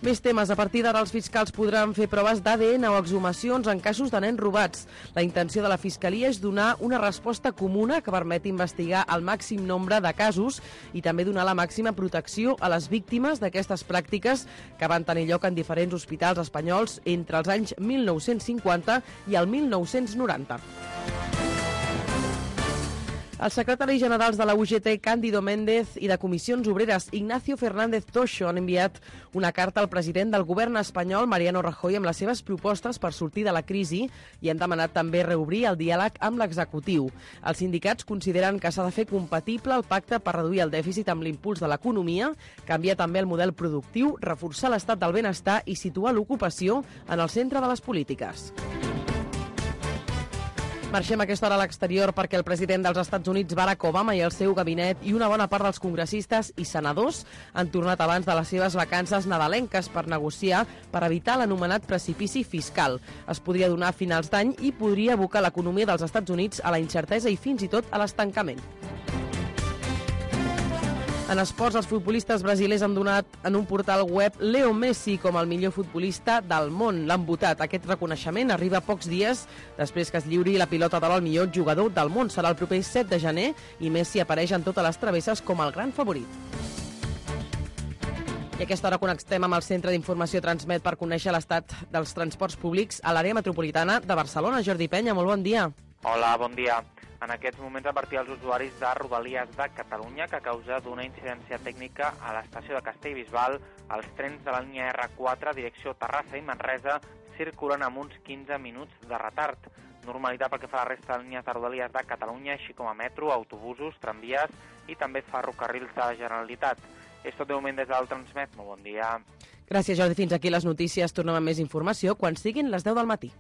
Més temes. A partir d'ara els fiscals podran fer proves d'A D N o exhumacions en casos de nens robats. La intenció de la Fiscalia és donar una resposta comuna que permeti investigar el màxim nombre de casos i també donar la màxima protecció a les víctimes d'aquestes pràctiques que van tenir lloc en diferents hospitals espanyols entre els anys mil nou-cents cinquanta i el mil nou-cents noranta. Els secretaris generals de la U G T, Cándido Méndez, i de Comissions Obreres, Ignacio Fernández Toixo, han enviat una carta al president del govern espanyol, Mariano Rajoy, amb les seves propostes per sortir de la crisi i han demanat també reobrir el diàleg amb l'executiu. Els sindicats consideren que s'ha de fer compatible el pacte per reduir el dèficit amb l'impuls de l'economia, canviar també el model productiu, reforçar l'estat del benestar i situar l'ocupació en el centre de les polítiques. Marxem a aquesta hora a l'exterior perquè el president dels Estats Units, Barack Obama, i el seu gabinet i una bona part dels congressistes i senadors han tornat abans de les seves vacances nadalenques per negociar per evitar l'anomenat precipici fiscal. Es podria donar a finals d'any i podria abocar l'economia dels Estats Units a la incertesa i fins i tot a l'estancament. En esports, els futbolistes brasilers han donat en un portal web Leo Messi com el millor futbolista del món. L'han votat. Aquest reconeixement arriba pocs dies després que es lliuri la pilota d'or al millor jugador del món. Serà el proper set de gener i Messi apareix en totes les travesses com el gran favorit. I a aquesta hora connectem amb el Centre d'Informació Transmet per conèixer l'estat dels transports públics a l'àrea metropolitana de Barcelona. Jordi Penya, molt bon dia. Hola, bon dia. En aquests moments advertir als usuaris de Rodalies de Catalunya que a causa d'una incidència tècnica a l'estació de Castellbisbal, els trens de la línia erre quatre, direcció Terrassa i Manresa, circulen amb uns quinze minuts de retard. Normalitat pel que fa a la resta de línies de Rodalies de Catalunya, així com a metro, autobusos, tramvies i també ferrocarrils de la Generalitat. És tot de moment des del Transmet. Molt bon dia. Gràcies, Jordi. Fins aquí les notícies. Tornem amb més informació quan siguin les deu del matí.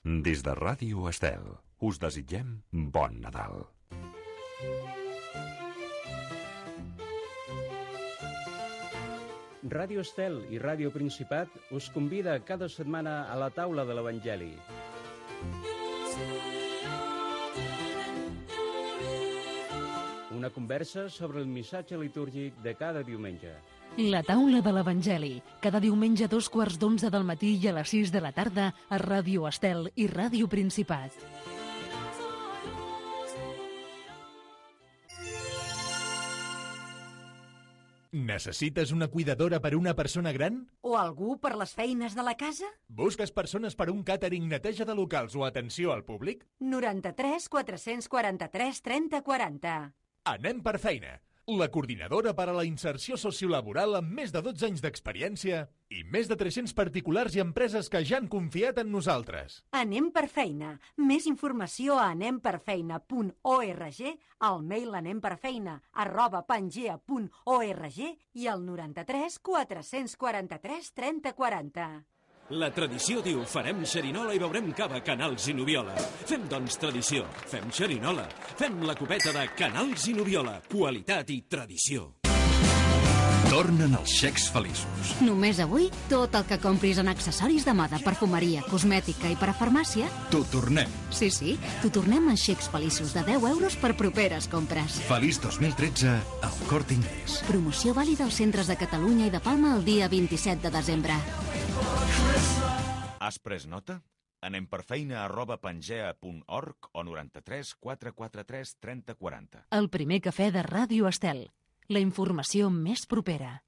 Des de Ràdio Estel, us desitgem bon Nadal. Ràdio Estel i Ràdio Principat us convida cada setmana a la taula de l'Evangeli. Una conversa sobre el missatge litúrgic de cada diumenge. La taula de l'Evangeli, cada diumenge a dos quarts d'onze del matí i a les sis de la tarda a Ràdio Estel i Ràdio Principat. Necessites una cuidadora per una persona gran? O algú per les feines de la casa? Busques persones per un càtering, neteja de locals o atenció al públic? noranta-tres quatre-cents quaranta-tres trenta quaranta. Anem per feina. La coordinadora per a la inserció sociolaboral amb més de dotze anys d'experiència i més de tres-cents particulars i empreses que ja han confiat en nosaltres. Anem per feina. Més informació a anemperfeina punt org, al mail anemperfeina arroba pangea punt org i al noranta-tres quatre-cents quaranta-tres trenta quaranta. La tradició diu farem xerinola i beurem cava Canals i Nubiola. Fem, doncs, tradició. Fem xerinola. Fem la copeta de Canals i Nubiola. Qualitat i tradició. Tornen els xecs feliços. Només avui, tot el que compris en accessoris de moda, perfumeria, cosmètica i per a farmàcia... T'ho tornem. Sí, sí, t'ho tornem en xecs feliços de deu euros per properes compres. Feliç dos mil tretze al Corte Inglés. Promoció vàlida als centres de Catalunya i de Palma el dia vint-i-set de desembre. Has pres nota? Anem per feina arroba pangea punt org o noranta-tres quatre quaranta-tres trenta quaranta. El primer cafè de Ràdio Estel. La informació més propera.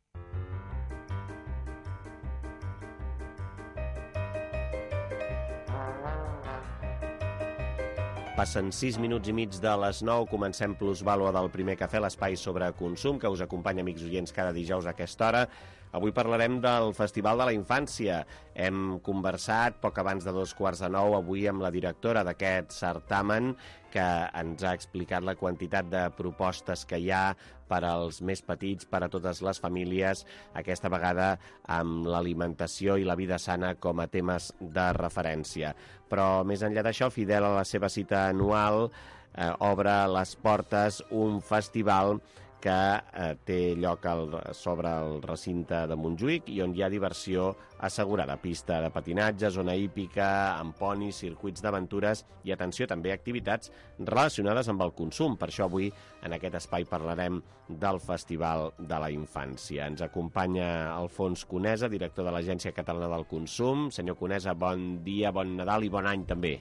Passen sis minuts i mig de les nou, comencem Plusvàlua del primer cafè, l'espai sobre consum que us acompanya, amics oients, cada dijous a aquesta hora. Avui parlarem del Festival de la Infància. Hem conversat poc abans de dos quarts de nou avui amb la directora d'aquest certamen que ens ha explicat la quantitat de propostes que hi ha per als més petits, per a totes les famílies, aquesta vegada amb l'alimentació i la vida sana com a temes de referència. Però més enllà d'això, fidel a la seva cita anual, eh, obre les portes un festival que eh, té lloc al, sobre el recinte de Montjuïc i on hi ha diversió assegurada. Pista de patinatge, zona hípica, amb ponis, circuits d'aventures i, atenció, també activitats relacionades amb el consum. Per això avui en aquest espai parlarem del Festival de la Infància. Ens acompanya Alfons Conesa, director de l'Agència Catalana del Consum. Senyor Conesa, bon dia, bon Nadal i bon any també.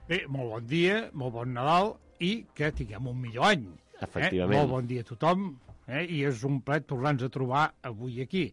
Bé, molt bon dia, molt bon Nadal i que tinguem un millor any. Efectivament. Eh? Molt bon dia a tothom, eh? I és un plaer tornar-nos a trobar avui aquí.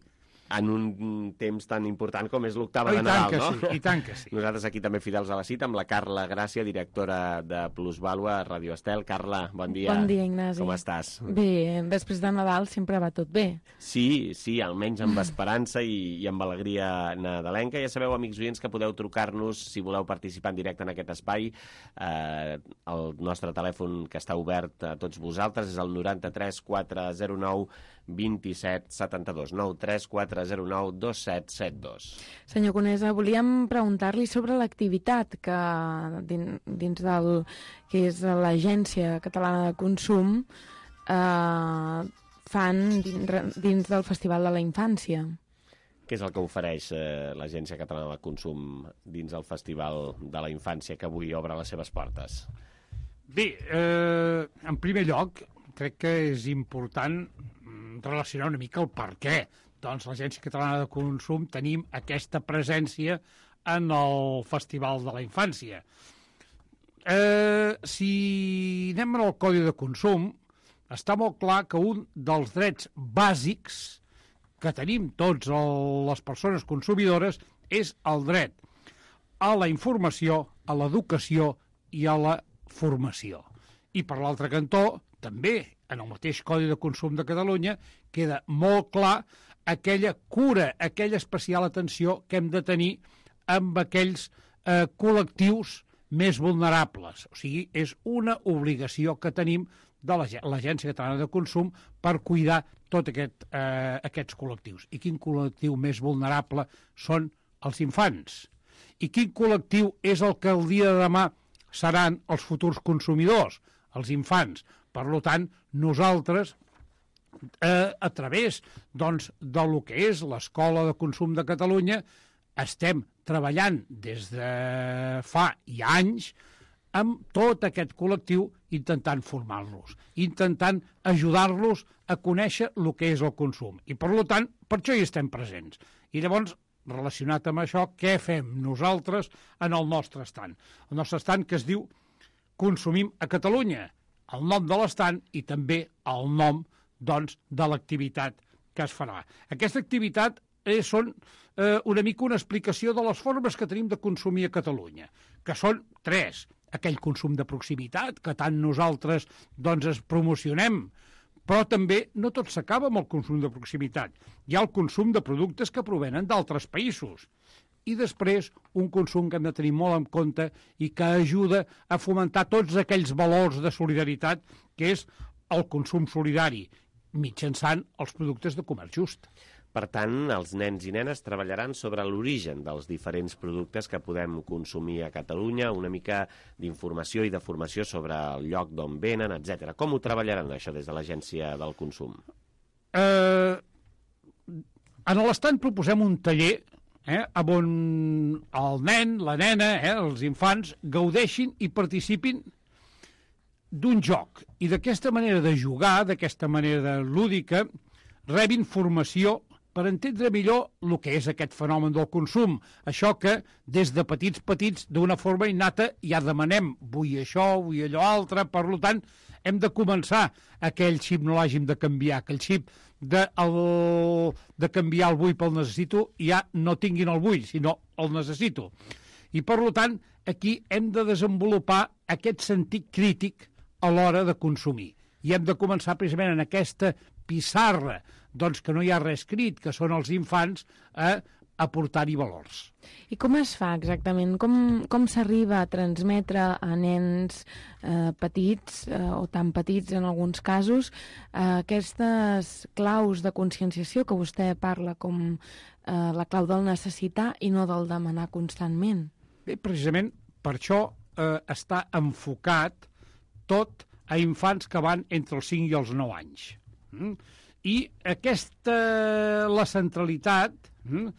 En un temps tan important com és l'octava oh, de Nadal, no? Sí, I tant que sí. Nosaltres aquí també fidels a la cita amb la Carla Gràcia, directora de Plusvàlua a Ràdio Estel. Carla, bon dia. Bon dia, Ignasi. Com estàs? Bé, després de Nadal sempre va tot bé. Sí, sí, almenys amb esperança i, i amb alegria nadalenca. Ja sabeu, amics oients, que podeu trucar-nos si voleu participar en directe en aquest espai. Eh, el nostre telèfon que està obert a tots vosaltres és el noranta-tres quatre zero nou vint set setanta dos. nou tres quatre quatre zero nou dos set set dos. Senyor Conesa, volíem preguntar-li sobre l'activitat que dins del que és l'Agència Catalana de Consum eh, fan dins, dins del Festival de la Infància. Què és el que ofereix eh, l'Agència Catalana de Consum dins el Festival de la Infància que avui obre les seves portes? Bé, eh, en primer lloc, crec que és important relacionar una mica el per què. Doncs l'Agència Catalana de Consum tenim aquesta presència en el Festival de la Infància. Eh, si anem al Codi de Consum, està molt clar que un dels drets bàsics que tenim tots el, les persones consumidores és el dret a la informació, a l'educació i a la formació. I per l'altre cantó, també, en el mateix Codi de Consum de Catalunya, queda molt clar aquella cura, aquella especial atenció que hem de tenir amb aquells eh, col·lectius més vulnerables. O sigui, és una obligació que tenim de l'Agència Catalana de Consum per cuidar tots aquest, eh, aquests col·lectius. I quin col·lectiu més vulnerable són els infants? I quin col·lectiu és el que el dia de demà seran els futurs consumidors? Els infants. Per tant, nosaltres, eh, a través doncs, de lo que és l'Escola de Consum de Catalunya, estem treballant des de fa ja anys amb tot aquest col·lectiu intentant formar-los, intentant ajudar-los a conèixer el que és el consum. I, per tant, per això hi estem presents. I llavors, relacionat amb això, què fem nosaltres en el nostre estand? El nostre estand que es diu Consumim a Catalunya, el nom de l'estant i també el nom doncs, de l'activitat que es farà. Aquesta activitat eh, són eh, una mica una explicació de les formes que tenim de consumir a Catalunya, que són tres. Aquell consum de proximitat, que tant nosaltres doncs, es promocionem, però també no tot s'acaba amb el consum de proximitat. Hi ha el consum de productes que provenen d'altres països. I després un consum que hem de tenir molt en compte i que ajuda a fomentar tots aquells valors de solidaritat que és el consum solidari mitjançant els productes de comerç just. Per tant, els nens i nenes treballaran sobre l'origen dels diferents productes que podem consumir a Catalunya, una mica d'informació i de formació sobre el lloc d'on venen, etcètera. Com ho treballaran, això, des de l'Agència del Consum? Eh, en l'estant proposem un taller eh, on el nen, la nena, eh, els infants, gaudeixin i participin d'un joc. I d'aquesta manera de jugar, d'aquesta manera lúdica, rebin formació per entendre millor el que és aquest fenomen del consum. Això que des de petits petits, d'una forma innata, ja demanem, vull això, vull allò altre, per tant, hem de començar aquell xip no l'hàgim de canviar, aquell xip de, el, de canviar el vull pel necessito, ja no tinguin el vull, sinó el necessito. I per tant, aquí hem de desenvolupar aquest sentit crític a l'hora de consumir. I hem de començar precisament en aquesta pissarra, doncs que no hi ha res escrit, que són els infants, a aportar-hi valors. I com es fa exactament? Com, com s'arriba a transmetre a nens eh, petits, eh, o tan petits en alguns casos, eh, aquestes claus de conscienciació que vostè parla com eh, la clau del necessitar i no del demanar constantment? Bé, precisament per això eh, està enfocat tot a infants que van entre els cinc i els nou anys. Mm? I aquesta, la centralitat mm,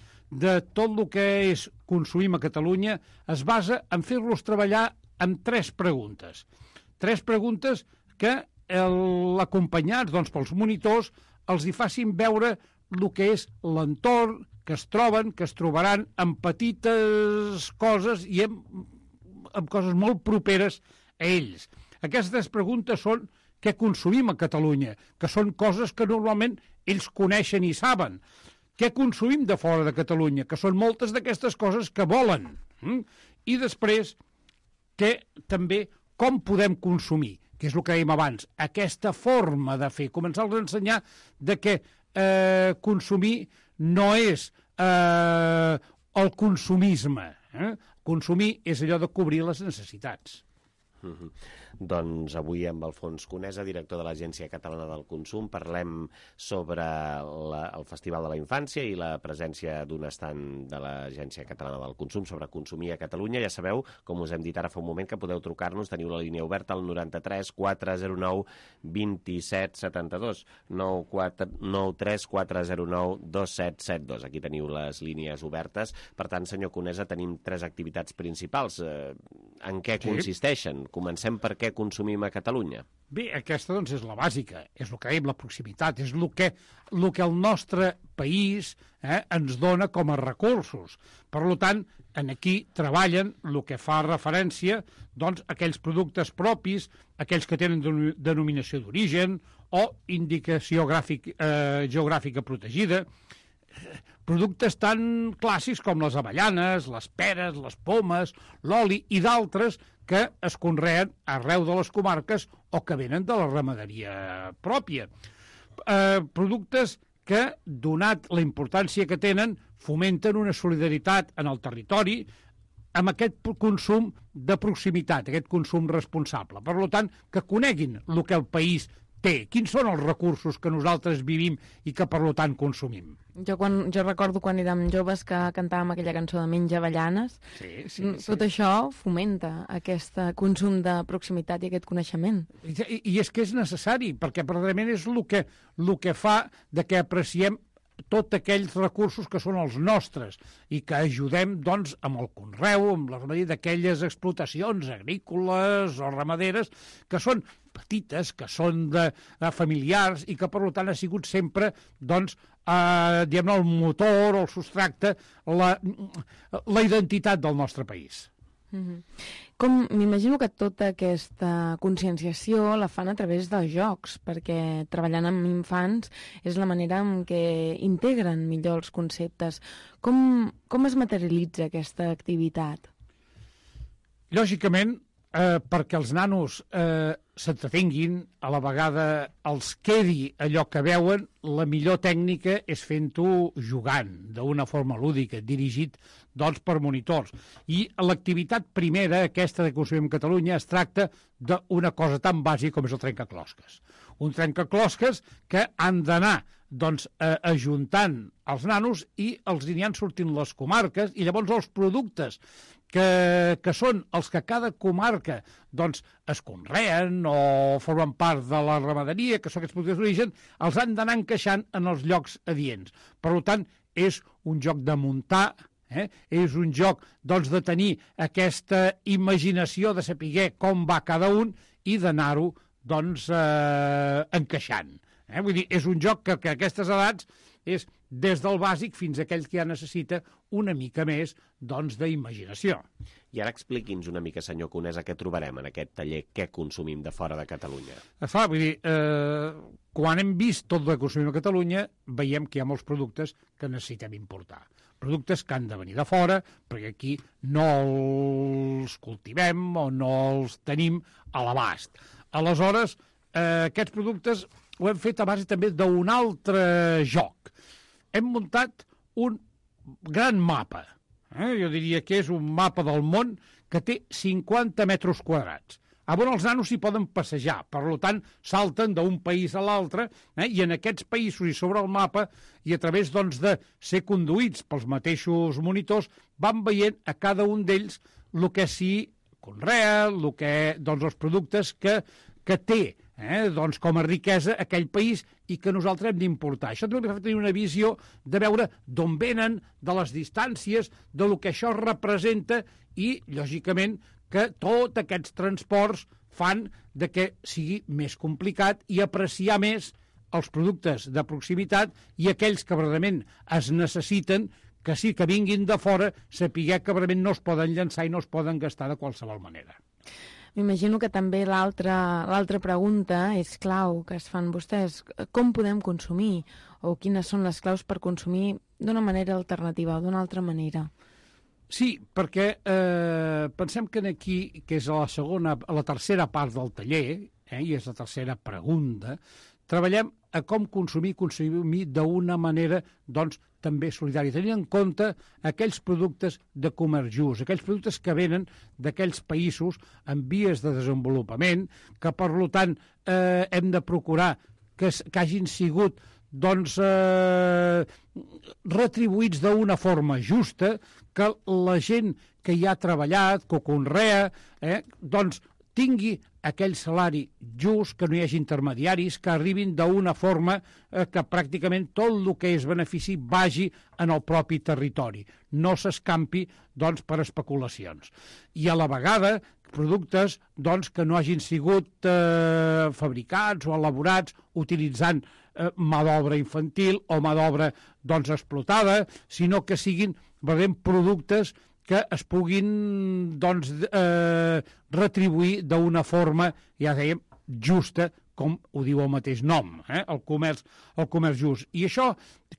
de tot el que és consumim a Catalunya es basa en fer-los treballar amb tres preguntes. Tres preguntes que l'acompanyats doncs, pels monitors els hi facin veure el que és l'entorn, que es troben, que es trobaran amb petites coses i amb, amb coses molt properes a ells. Aquestes preguntes són què consumim a Catalunya, que són coses que normalment ells coneixen i saben. Què consumim de fora de Catalunya, que són moltes d'aquestes coses que volen. Mm? I després, que també com podem consumir, que és el que dèiem abans, aquesta forma de fer, començar-los a ensenyar de que eh, consumir no és eh, el consumisme. Eh? Consumir és allò de cobrir les necessitats. Mm-hmm. Doncs avui amb Alfons Conesa, director de l'Agència Catalana del Consum, parlem sobre la, el Festival de la Infància i la presència d'un estand de l'Agència Catalana del Consum sobre consumir a Catalunya. Ja sabeu, com us hem dit ara fa un moment, que podeu trucar-nos, teniu la línia oberta al noranta-tres quatre zero nou vint-i-set setanta-dos, nou tres quatre zero nou dos set set dos. Aquí teniu les línies obertes. Per tant, senyor Conesa, tenim tres activitats principals. Eh, en què Sí. consisteixen? Comencem per què consumim a Catalunya. Bé, aquesta doncs és la bàsica, és el que dèiem, la proximitat, és el que, el que el nostre país eh, ens dona com a recursos. Per tant, en aquí treballen el que fa referència doncs, a aquells productes propis, aquells que tenen denom- denominació d'origen o indicació gràfic, eh, geogràfica protegida, productes tan clàssics com les avellanes, les peres, les pomes, l'oli i d'altres que es conreen arreu de les comarques o que venen de la ramaderia pròpia. Eh, productes que, donat la importància que tenen, fomenten una solidaritat en el territori amb aquest consum de proximitat, aquest consum responsable. Per tant, que coneguin el que el país té, quins són els recursos que nosaltres vivim i que, per tant, consumim. Jo, quan, jo recordo quan érem joves que cantàvem aquella cançó de Menja avellanes. Sí, sí, sí. Tot això fomenta aquest consum de proximitat i aquest coneixement. I, i és que és necessari, perquè precisament és el que, el que fa de que apreciem tots aquells recursos que són els nostres i que ajudem, doncs, amb el conreu, amb la ramaderia d'aquelles explotacions agrícoles o ramaderes que són petites, que són de, de familiars i que, per tant, ha sigut sempre, doncs, eh, diguem-ne, el motor o el substracte, la, la identitat del nostre país. Mm-hmm. Com m'imagino que tota aquesta conscienciació la fan a través dels jocs, perquè treballant amb infants és la manera en què integren millor els conceptes. Com, com es materialitza aquesta activitat? Lògicament, eh, perquè els nanos eh, s'entretinguin, a la vegada els quedi allò que veuen, la millor tècnica és fent-ho jugant, d'una forma lúdica, dirigit doncs, per monitors. I l'activitat primera, aquesta de Consumim Catalunya, es tracta d'una cosa tan bàsica com és el trencaclosques. Un trencaclosques que han d'anar doncs, eh, ajuntant els nanos i els aniran sortint les comarques i llavors els productes que, que són els que cada comarca doncs, es conreen o formen part de la ramaderia, que són aquests productes d'origen, els han d'anar encaixant en els llocs adients. Per tant, és un joc de muntar, eh? és un joc doncs, de tenir aquesta imaginació de saber com va cada un i d'anar-ho doncs, eh, encaixant. Eh? Vull dir, és un joc que, que a aquestes edats és des del bàsic fins a aquell que ja necessita una mica més doncs, d'imaginació. I ara expliqui'ns una mica, senyor Conesa, què trobarem en aquest taller, què consumim de fora de Catalunya. Fa, vull dir, eh, quan hem vist tot el que consumim a Catalunya, veiem que hi ha molts productes que necessitem importar. Productes que han de venir de fora, perquè aquí no els cultivem o no els tenim a l'abast. Aleshores, eh, aquests productes ho hem fet a base també d'un altre joc. Hem muntat un gran mapa. Eh? Jo diria que és un mapa del món que té cinquanta metres quadrats. A on els nanos s'hi poden passejar, per tant, salten d'un país a l'altre, eh? i en aquests països i sobre el mapa, i a través doncs, de ser conduïts pels mateixos monitors, van veient a cada un d'ells el que s'hi conrea, el que, doncs, els productes que, que té eh? doncs, com a riquesa aquell país i que nosaltres hem d'importar. Això també fa tenir una visió de veure d'on venen, de les distàncies, de lo que això representa i, lògicament, que tots aquests transports fan de que sigui més complicat i apreciar més els productes de proximitat i aquells que verdaderament es necessiten, que sí que vinguin de fora, saber que verdaderament no es poden llançar i no es poden gastar de qualsevol manera. M'imagino que també l'altra l'altra pregunta és clau que es fan vostès. Com podem consumir? O quines són les claus per consumir d'una manera alternativa o d'una altra manera? Sí, perquè eh, pensem que aquí, que és a la segona, a la tercera part del taller, eh, i és la tercera pregunta, treballem a com consumir, consumir d'una manera, doncs, també solidària, tenint en compte aquells productes de comerç just, aquells productes que venen d'aquells països en vies de desenvolupament, que, per tant, eh, hem de procurar que, que hagin sigut doncs, eh, retribuïts d'una forma justa, que la gent que hi ha treballat, que ho conrea, eh, doncs, tingui aquell salari just, que no hi hagi intermediaris, que arribin d'una forma eh, que pràcticament tot el que és benefici vagi en el propi territori, no s'escampi doncs, per especulacions. I a la vegada productes doncs, que no hagin sigut eh, fabricats o elaborats utilitzant eh, mà d'obra infantil o mà d'obra doncs, explotada, sinó que siguin veurem, productes que es puguin doncs, eh, retribuir d'una forma, ja dèiem, justa, com ho diu el mateix nom, eh? el, comerç, el comerç just. I això,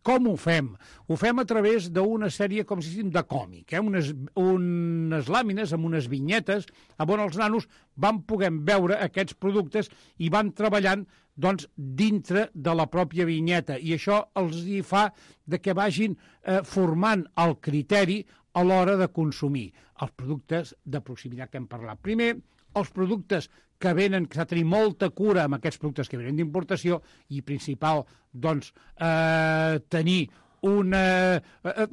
com ho fem? Ho fem a través d'una sèrie, com si diguéssim, de còmic, eh? unes, unes làmines amb unes vinyetes on els nanos van poder veure aquests productes i van treballant doncs, dintre de la pròpia vinyeta. I això els hi fa de que vagin eh, formant el criteri a l'hora de consumir els productes de proximitat que hem parlat. Primer, els productes que venen, que s'ha de tenir molta cura amb aquests productes que venen d'importació i principal, doncs, eh, tenir una, eh,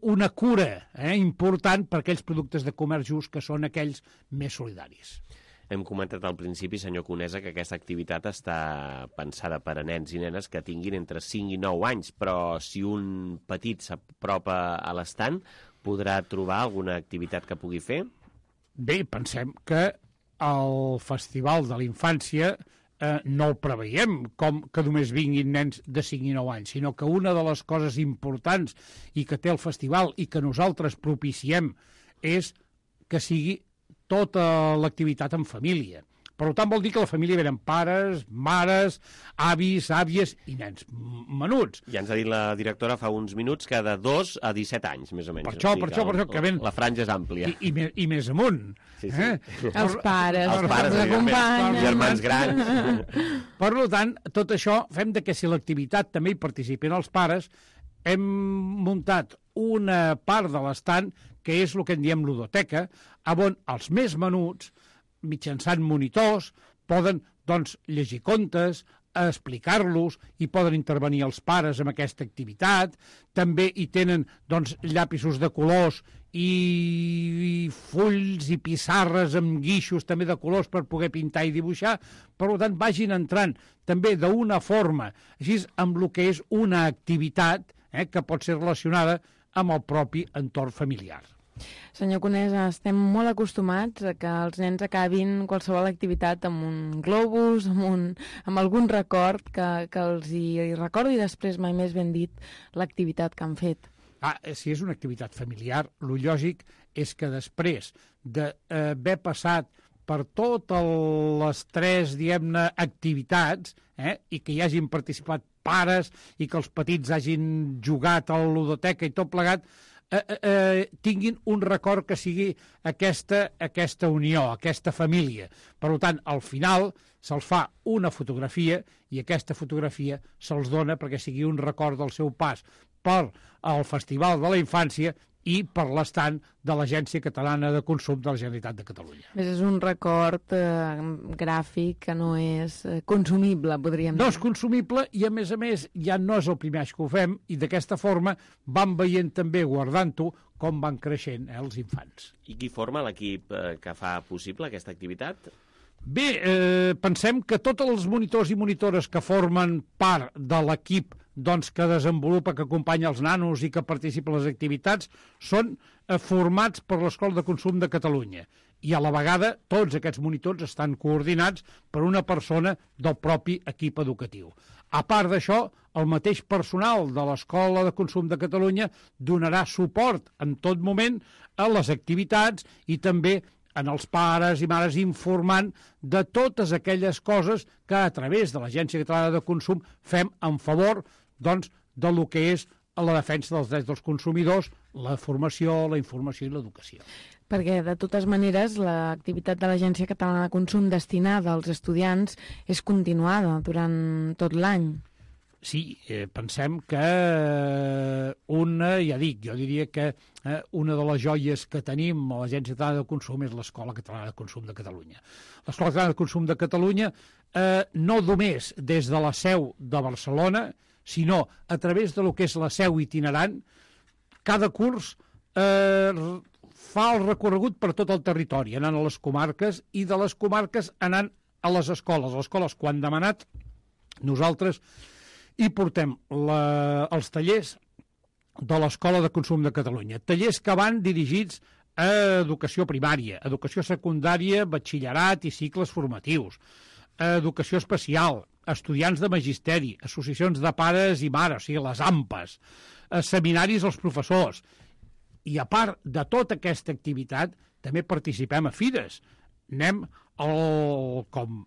una cura eh, important per aquells productes de comerç just que són aquells més solidaris. Hem comentat al principi, senyor Conesa, que aquesta activitat està pensada per a nens i nenes que tinguin entre cinc i nou anys, però si un petit s'apropa a l'estant, podrà trobar alguna activitat que pugui fer? Bé, pensem que el Festival de la Infància eh, no el preveiem com que només vinguin nens de cinc i nou anys, sinó que una de les coses importants i que té el festival i que nosaltres propiciem és que sigui tota l'activitat en família. Per tant, vol dir que la família venen pares, mares, avis, àvies i nens menuts. Ja ens ha dit la directora fa uns minuts que de dos a disset anys, més o menys. Per això, per això, per això, que ven... La franja és àmplia. I, i, més, i més amunt. Sí, sí. Eh? Els pares, els pares, els acompanyen. germans grans. Per tant, tot això fem de que si l'activitat també hi participin els pares, hem muntat una part de l'estant que és el que en diem ludoteca, on els més menuts, mitjançant monitors, poden doncs, llegir contes, explicar-los, i poden intervenir els pares en aquesta activitat. També hi tenen doncs, llapisos de colors i, i fulls i pissarres amb guixos també de colors per poder pintar i dibuixar. Per tant, vagin entrant també d'una forma, així amb el que és una activitat eh, que pot ser relacionada amb el propi entorn familiar. Senyor Conesa, estem molt acostumats a que els nens acabin qualsevol activitat amb un globus, amb, un, amb algun record que, que els hi recordi després, mai més ben dit, l'activitat que han fet. Ah, si és una activitat familiar, el lògic és que després d'haver passat per totes les tres, diguem-ne, activitats, eh, i que hi hagin participat pares i que els petits hagin jugat a la ludoteca i tot plegat, Eh, eh, tinguin un record que sigui aquesta, aquesta unió, aquesta família. Per tant, al final se'ls fa una fotografia i aquesta fotografia se'ls dona perquè sigui un record del seu pas per al Festival de la Infància i per l'estant de l'Agència Catalana de Consum de la Generalitat de Catalunya. És un record eh, gràfic que no és eh, consumible, podríem dir. No és consumible i, a més a més, ja no és el primer any que ho fem i d'aquesta forma vam veient també, guardant-ho, com van creixent eh, els infants. I qui forma l'equip eh, que fa possible aquesta activitat? Bé, eh, pensem que tots els monitors i monitores que formen part de l'equip doncs, que desenvolupa, que acompanya els nanos i que participa en les activitats, són eh, formats per l'Escola de Consum de Catalunya. I a la vegada tots aquests monitors estan coordinats per una persona del propi equip educatiu. A part d'això, el mateix personal de l'Escola de Consum de Catalunya donarà suport en tot moment a les activitats i també en els pares i mares informant de totes aquelles coses que a través de l'Agència Catalana de Consum fem en favor doncs, de lo que és la defensa dels drets dels consumidors, la formació, la informació i l'educació. Perquè, de totes maneres, l'activitat de l'Agència Catalana de Consum destinada als estudiants és continuada durant tot l'any. Sí, eh, pensem que una, ja dic, jo diria que eh, una de les joies que tenim a l'Agència Catalana de Consum és l'Escola Catalana de Consum de Catalunya. L'Escola Catalana de Consum de Catalunya, eh, no només des de la seu de Barcelona, sinó a través de lo que és la seu itinerant, cada curs eh, fa el recorregut per tot el territori, anant a les comarques, i de les comarques anant a les escoles. Les escoles, quan demanat, nosaltres i portem la, els tallers de l'Escola de Consum de Catalunya. Tallers que van dirigits a educació primària, educació secundària, batxillerat i cicles formatius, a educació especial, estudiants de magisteri, associacions de pares i mares, o sigui, les A M P Es, a seminaris als professors. I a part de tota aquesta activitat, també participem a fires. Anem, el, com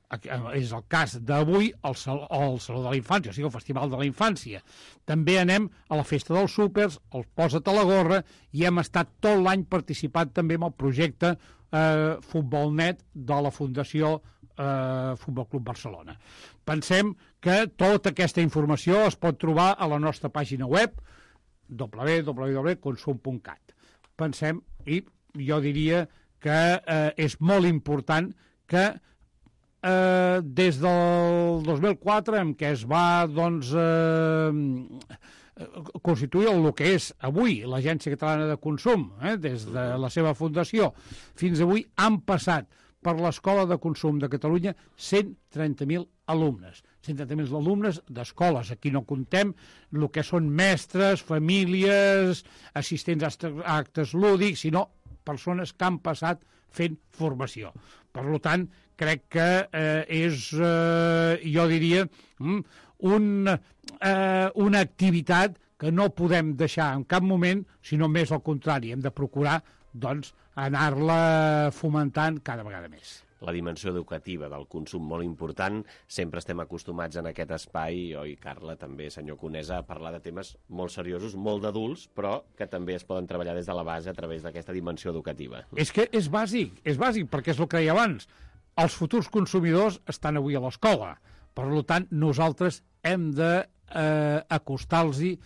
és el cas d'avui, al Saló, al Saló de la Infància, o sigui, el Festival de la Infància. També anem a la Festa dels Súpers, al Posa't a la Gorra, i hem estat tot l'any participant també en el projecte eh, Futbolnet de la Fundació eh, Futbol Club Barcelona. Pensem que tota aquesta informació es pot trobar a la nostra pàgina web, w w w punt consum punt cat. Pensem, i jo diria que eh, és molt important que eh, des del dos mil quatre, en què es va doncs, eh, constituir el que és avui l'Agència Catalana de Consum, eh, des de la seva fundació fins avui, han passat per l'Escola de Consum de Catalunya cent trenta mil alumnes. cent trenta mil alumnes d'escoles. Aquí no contem el que són mestres, famílies, assistents a actes lúdics, sinó persones que han passat fent formació. Per tant, crec que eh, és, eh, jo diria, un, eh, una activitat que no podem deixar en cap moment, sinó més al contrari, hem de procurar doncs, anar-la fomentant cada vegada més. La dimensió educativa del consum molt important. Sempre estem acostumats en aquest espai, oi, Carla, també, senyor Conesa, a parlar de temes molt seriosos, molt d'adults, però que també es poden treballar des de la base a través d'aquesta dimensió educativa. És que és bàsic, és bàsic, perquè és el que deia abans. Els futurs consumidors estan avui a l'escola. Per tant, nosaltres hem d'acostar-los-hi,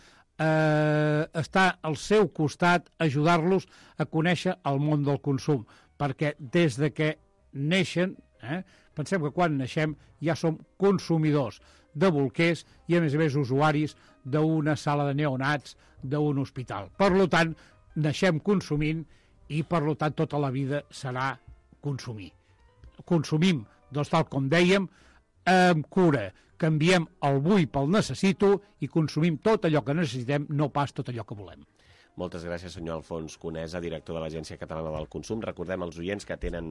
eh, estar al seu costat, ajudar-los a conèixer el món del consum, perquè des de que neixen, eh? pensem que quan naixem ja som consumidors de bolquers i a més a més usuaris d'una sala de neonats, d'un hospital. Per tant, naixem consumint i per tant tota la vida serà consumir. Consumim, doncs tal com dèiem, amb cura, canviem el vull pel necessito i consumim tot allò que necessitem, no pas tot allò que volem. Moltes gràcies, senyor Alfons Conesa, director de l'Agència Catalana del Consum. Recordem als oients que tenen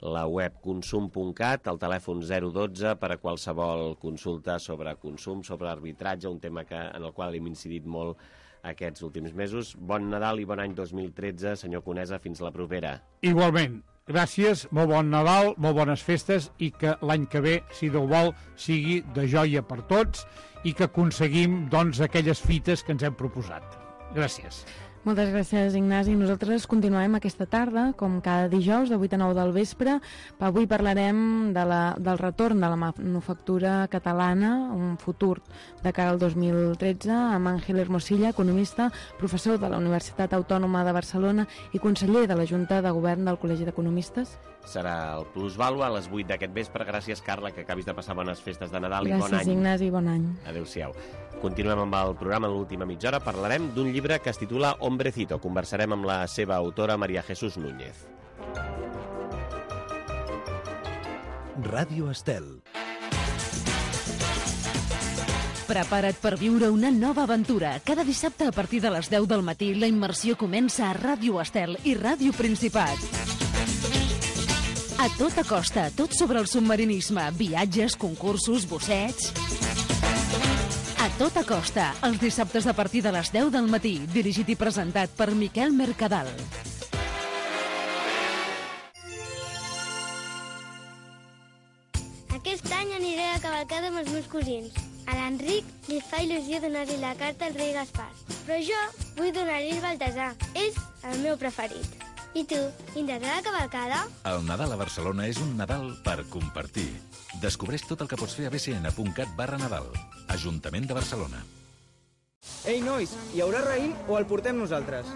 la web consum punt cat, el telèfon zero dotze per a qualsevol consulta sobre consum, sobre arbitratge, un tema que, en el qual hem incidit molt aquests últims mesos. Bon Nadal i bon any dos mil tretze, senyor Conesa, fins la propera. Igualment. Gràcies, molt bon Nadal, molt bones festes i que l'any que ve, si Déu vol, sigui de joia per tots i que aconseguim doncs, aquelles fites que ens hem proposat. Gràcies. Moltes gràcies, Ignasi. Nosaltres continuem aquesta tarda, com cada dijous, de vuit a nou del vespre. Avui parlarem de la, del retorn de la manufactura catalana, un futur de cara al dos mil tretze, amb Àngel Hermosilla, economista, professor de la Universitat Autònoma de Barcelona i conseller de la Junta de Govern del Col·legi d'Economistes. Serà el Plusvàlua a les vuit d'aquest vespre. Gràcies, Carla, que acabis de passar bones festes de Nadal Gràcies, i bon any. Gràcies, Ignasi, bon any. Adéu-siau. Continuem amb el programa en l'última mitja hora. Parlarem d'un llibre que es titula Hombrecito. Conversarem amb la seva autora, María Jesús Núñez. Ràdio Estel. Prepara't per viure una nova aventura. Cada dissabte a partir de les deu del matí la immersió comença a Ràdio Estel i Ràdio Principat. A tota costa, tot sobre el submarinisme, viatges, concursos, bossets... A tota costa, els dissabtes a partir de les deu del matí, dirigit i presentat per Miquel Mercadal. Aquest any aniré a cavalcada amb els meus cosins. A l'Enric li fa il·lusió donar-li la carta al rei Gaspar. Però jo vull donar-li el Baltasar. És el meu preferit. I tu, vindràs a la cavalcada? El Nadal a Barcelona és un Nadal per compartir. Descobreix tot el que pots fer a b c n punt cat barra Nadal. Ajuntament de Barcelona. Ei, nois, hi haurà raïm o el portem nosaltres?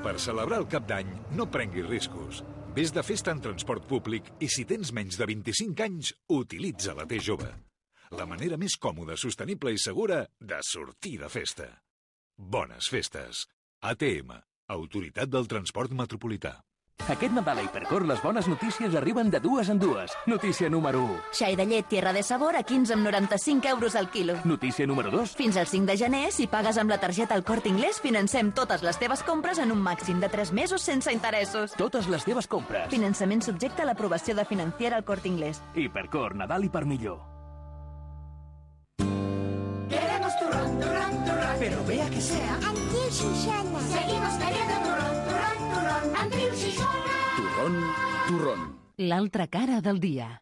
Per celebrar el cap d'any, no prenguis riscos. Ves de festa en transport públic i si tens menys de vint-i-cinc anys, utilitza la T jove. La manera més còmoda, sostenible i segura de sortir de festa. Bones festes. A T M, Autoritat del Transport Metropolità. Aquest Nadal a Hipercor les bones notícies arriben de dues en dues. Notícia número u. Xai de llet Tierra de Sabor a quinze coma noranta-cinc euros al quilo. Notícia número dos. Fins al cinc de gener, si pagues amb la targeta El Corte Inglés, financem totes les teves compres en un màxim de tres mesos sense interessos. Totes les teves compres. Finançament subjecte a l'aprovació de Financiera El Corte Inglés. Hipercor, Nadal i per millor. Queremos turrón, turrón, turrón, pero vea que sea Andreu Xixona. Seguimos queriendo turrón, turrón, turrón, Andreu Xixona. Turrón, turrón. L'altra cara del dia.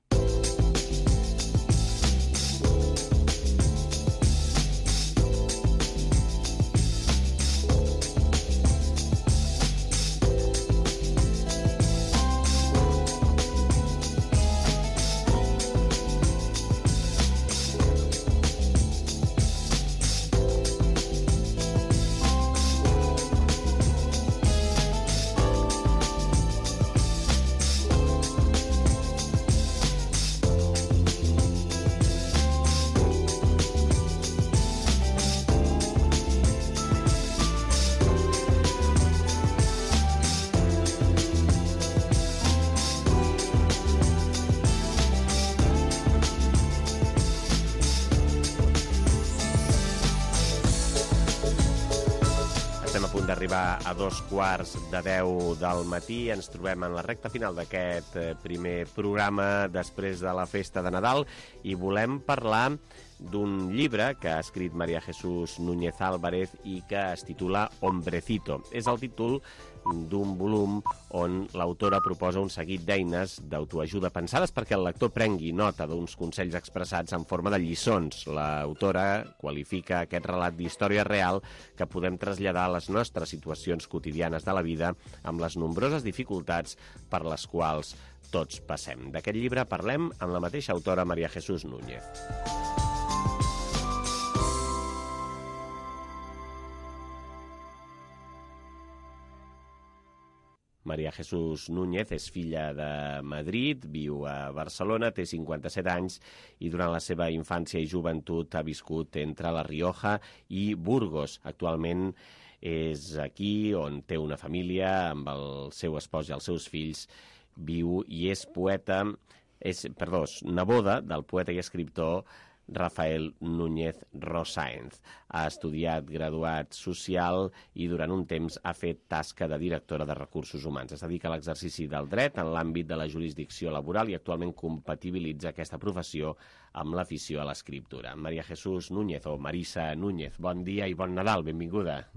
D'arribar a dos quarts de deu del matí. Ens trobem en la recta final d'aquest primer programa després de la festa de Nadal i volem parlar d'un llibre que ha escrit María Jesús Núñez Álvarez i que es titula Hombrecito. És el títol d'un volum on l'autora proposa un seguit d'eines d'autoajuda pensades perquè el lector prengui nota d'uns consells expressats en forma de lliçons. L'autora qualifica aquest relat d'història real que podem traslladar a les nostres situacions quotidianes de la vida amb les nombroses dificultats per les quals tots passem. D'aquest llibre parlem amb la mateixa autora, María Jesús Núñez. María Jesús Núñez és filla de Madrid, viu a Barcelona, té cinquanta-set anys i durant la seva infància i joventut ha viscut entre La Rioja i Burgos. Actualment és aquí on té una família amb el seu espòs i els seus fills, viu i és poeta, és, perdó, neboda del poeta i escriptor Rafael Núñez Rosáenz. Ha estudiat graduat social i durant un temps ha fet tasca de directora de recursos humans. Es dedica a l'exercici del dret en l'àmbit de la jurisdicció laboral i actualment compatibilitza aquesta professió amb l'afició a l'escriptura. María Jesús Núñez o Marisa Núñez, bon dia i bon Nadal, benvinguda.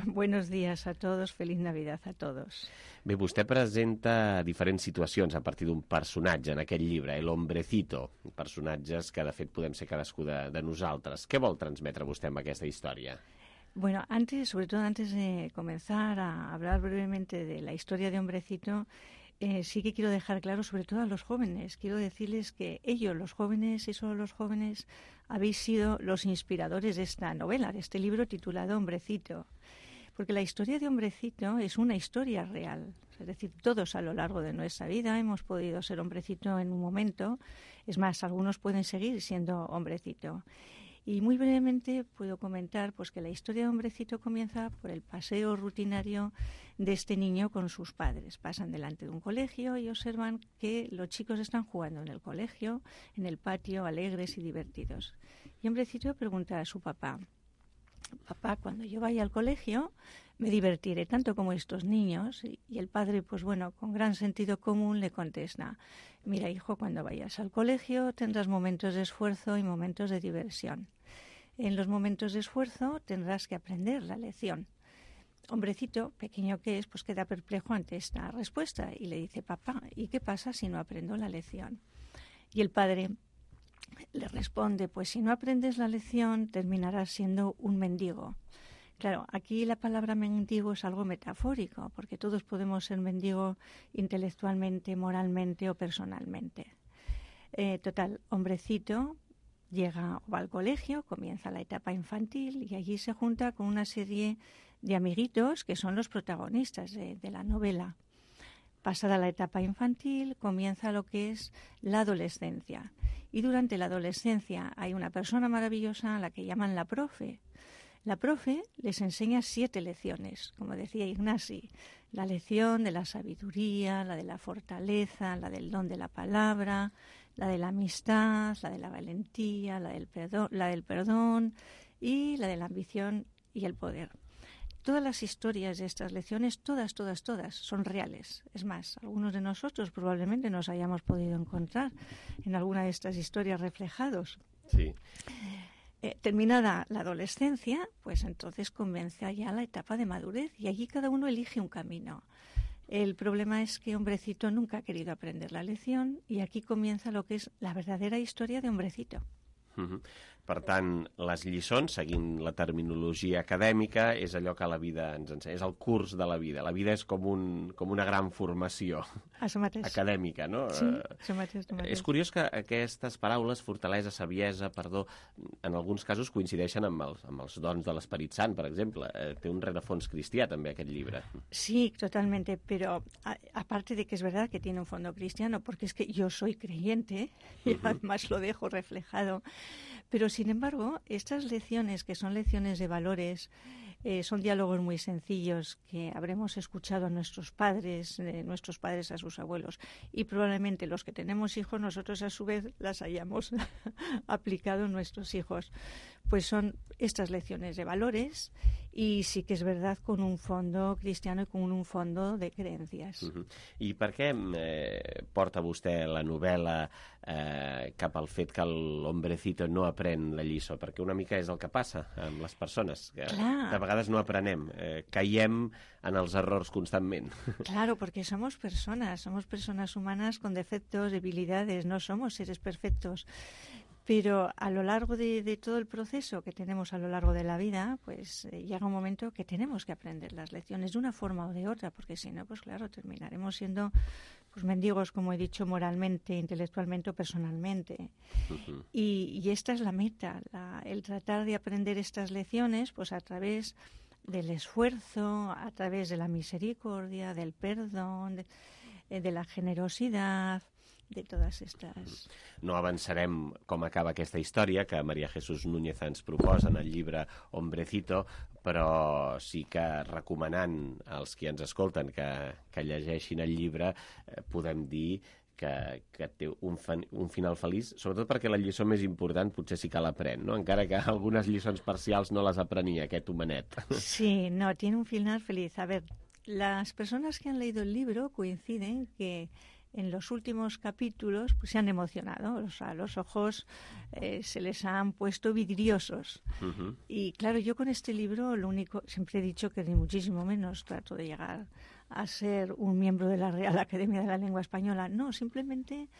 Buenos días a todos, feliz Navidad a todos. Bé, vostè presenta diferents situacions a partir d'un personatge en aquest llibre, El Hombrecito, personatges que de fet podem ser cadascú de, de nosaltres. Què vol transmetre vostè amb aquesta història? Bueno, antes, sobre todo antes de comenzar a hablar brevemente de la historia de Hombrecito, eh, sí que quiero dejar claro, sobre todo a los jóvenes, quiero decirles que ellos, los jóvenes y solo los jóvenes, habéis sido los inspiradores de esta novela, de este libro titulado Hombrecito. Porque la historia de Hombrecito es una historia real. Es decir, todos a lo largo de nuestra vida hemos podido ser hombrecito en un momento. Es más, algunos pueden seguir siendo hombrecito. Y muy brevemente puedo comentar pues, que la historia de Hombrecito comienza por el paseo rutinario de este niño con sus padres. Pasan delante de un colegio y observan que los chicos están jugando en el colegio, en el patio, alegres y divertidos. Y Hombrecito pregunta a su papá: papá, cuando yo vaya al colegio me divertiré tanto como estos niños. Y el padre, pues bueno, con gran sentido común le contesta: mira, hijo, cuando vayas al colegio tendrás momentos de esfuerzo y momentos de diversión. En los momentos de esfuerzo tendrás que aprender la lección. Hombrecito, pequeño que es, pues queda perplejo ante esta respuesta y le dice: papá, ¿y qué pasa si no aprendo la lección? Y el padre le responde: pues si no aprendes la lección terminarás siendo un mendigo. Claro, aquí la palabra mendigo es algo metafórico, porque todos podemos ser mendigos intelectualmente, moralmente o personalmente. Eh, total, hombrecito llega o va al colegio, comienza la etapa infantil y allí se junta con una serie de amiguitos que son los protagonistas de, de la novela. Pasada la etapa infantil, comienza lo que es la adolescencia. Y durante la adolescencia hay una persona maravillosa a la que llaman la profe. La profe les enseña siete lecciones, como decía Ignasi. La lección de la sabiduría, la de la fortaleza, la del don de la palabra, la de la amistad, la de la valentía, la del perdón, la del perdón y la de la ambición y el poder. Todas las historias de estas lecciones, todas, todas, todas, son reales. Es más, algunos de nosotros probablemente nos hayamos podido encontrar en alguna de estas historias reflejados. Sí. Eh, terminada la adolescencia, pues entonces comienza ya la etapa de madurez y allí cada uno elige un camino. El problema es que Hombrecito nunca ha querido aprender la lección y aquí comienza lo que es la verdadera historia de Hombrecito. Uh-huh. Per tant, les lliçons, seguint la terminologia acadèmica, és allò que la vida ens ensenya, és el curs de la vida. La vida és com, un, com una gran formació acadèmica, no? Sí, això mateix, això mateix. És curiós que aquestes paraules, fortalesa, saviesa, perdó, en alguns casos coincideixen amb els, amb els dons de l'Esperit Sant, per exemple. Eh, té un rerefons cristià, també, aquest llibre. Sí, totalmente, pero a, aparte de que es verdad que tiene un fondo cristiano, porque es que yo soy creyente, y uh-huh. además lo dejo reflejado. Pero, sin embargo, estas lecciones, que son lecciones de valores, eh, son diálogos muy sencillos que habremos escuchado a nuestros padres, eh, nuestros padres a sus abuelos, y probablemente los que tenemos hijos, nosotros a su vez las hayamos aplicado a nuestros hijos. Pues son estas lecciones de valores y sí que es verdad con un fondo cristiano y con un fondo de creencias. Uh-huh. I per què eh, porta vostè la novel·la eh, cap al fet que l'Hombrecito no aprèn la lliçó? Perquè una mica és el que passa amb les persones, que Clar. de vegades no aprenem, eh, caiem en els errors constantment. Claro, porque somos personas, somos personas humanas con defectos, debilidades, no somos seres perfectos. Pero a lo largo de, de todo el proceso que tenemos a lo largo de la vida, pues eh, llega un momento que tenemos que aprender las lecciones de una forma o de otra, porque si no, pues claro, terminaremos siendo pues mendigos, como he dicho, moralmente, intelectualmente o personalmente. Uh-huh. Y, y esta es la meta, la, el tratar de aprender estas lecciones pues a través del esfuerzo, a través de la misericordia, del perdón, de, de la generosidad, de totes estas... No avançarem com acaba aquesta història que Maria Jesús Núñez ens proposa en el llibre Hombrecito, però sí que recomanant als qui ens escolten que, que llegeixin el llibre eh, podem dir que, que té un, fan, un final feliç, sobretot perquè la lliçó més important potser sí que l'aprèn, ¿no? Encara que algunes lliçons parcials no les aprenia aquest homenet. Sí, no, tiene un final feliz. A ver, las personas que han leído el libro coinciden que en los últimos capítulos pues, se han emocionado, o sea, los ojos eh, se les han puesto vidriosos. Uh-huh. Y claro, yo con este libro lo único, siempre he dicho que ni muchísimo menos trato de llegar a ser un miembro de la Real Academia de la Lengua Española. No, simplemente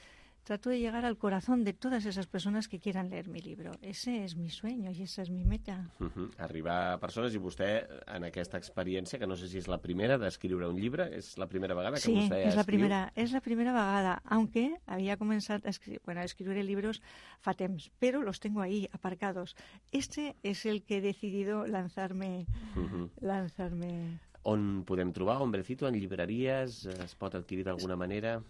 trato de llegar al corazón de todas esas personas que quieran leer mi libro. Ese es mi sueño i esa és mi meta. Uh-huh. Arribar a persones, i vostè en aquesta experiència, que no sé si és la primera d'escriure un llibre, és la primera vegada que sí, vostè és la escriu? primera, és la primera vegada, aunque había començat a escribir, bueno, a escribir libros fa temps, pero los tengo ahí aparcados. Este es el que he decidido lanzarme, uh-huh. lanzarme. On podem trobar Hombrecito? En llibreries? Es pot adquirir d'alguna manera?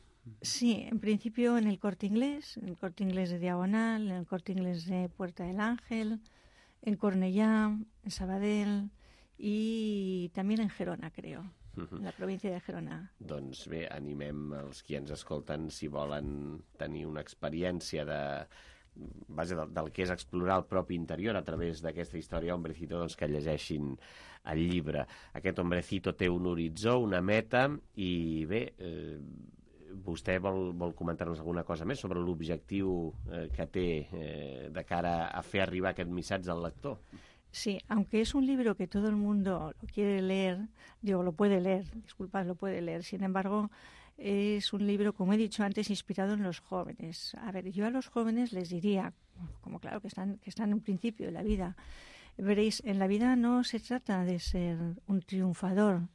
Sí, en principio en el Corte Inglés, en el Corte Inglés de Diagonal, en el Corte Inglés de Puerta del Ángel, en Cornellá, en Sabadell y también en Gerona, creo, uh-huh. en la província de Gerona. Doncs bé, animem els qui ens escolten si volen tenir una experiència de base del, del que és explorar el propi interior a través d'aquesta història Hombrecito, doncs que llegeixin el llibre. Aquest Hombrecito té un horitzó, una meta, i bé, eh, vostè vol, vol comentar-nos alguna cosa més sobre l'objectiu eh, que té eh, de cara a fer arribar aquest missatge al lector? Sí, aunque es un libro que todo el mundo lo quiere leer, digo, lo puede leer, disculpad, lo puede leer, sin embargo, es un libro, como he dicho antes, inspirado en los jóvenes. A ver, yo a los jóvenes les diría, como claro que están, que están en un principio de la vida, Veréis, en la vida no se trata de ser un triunfador,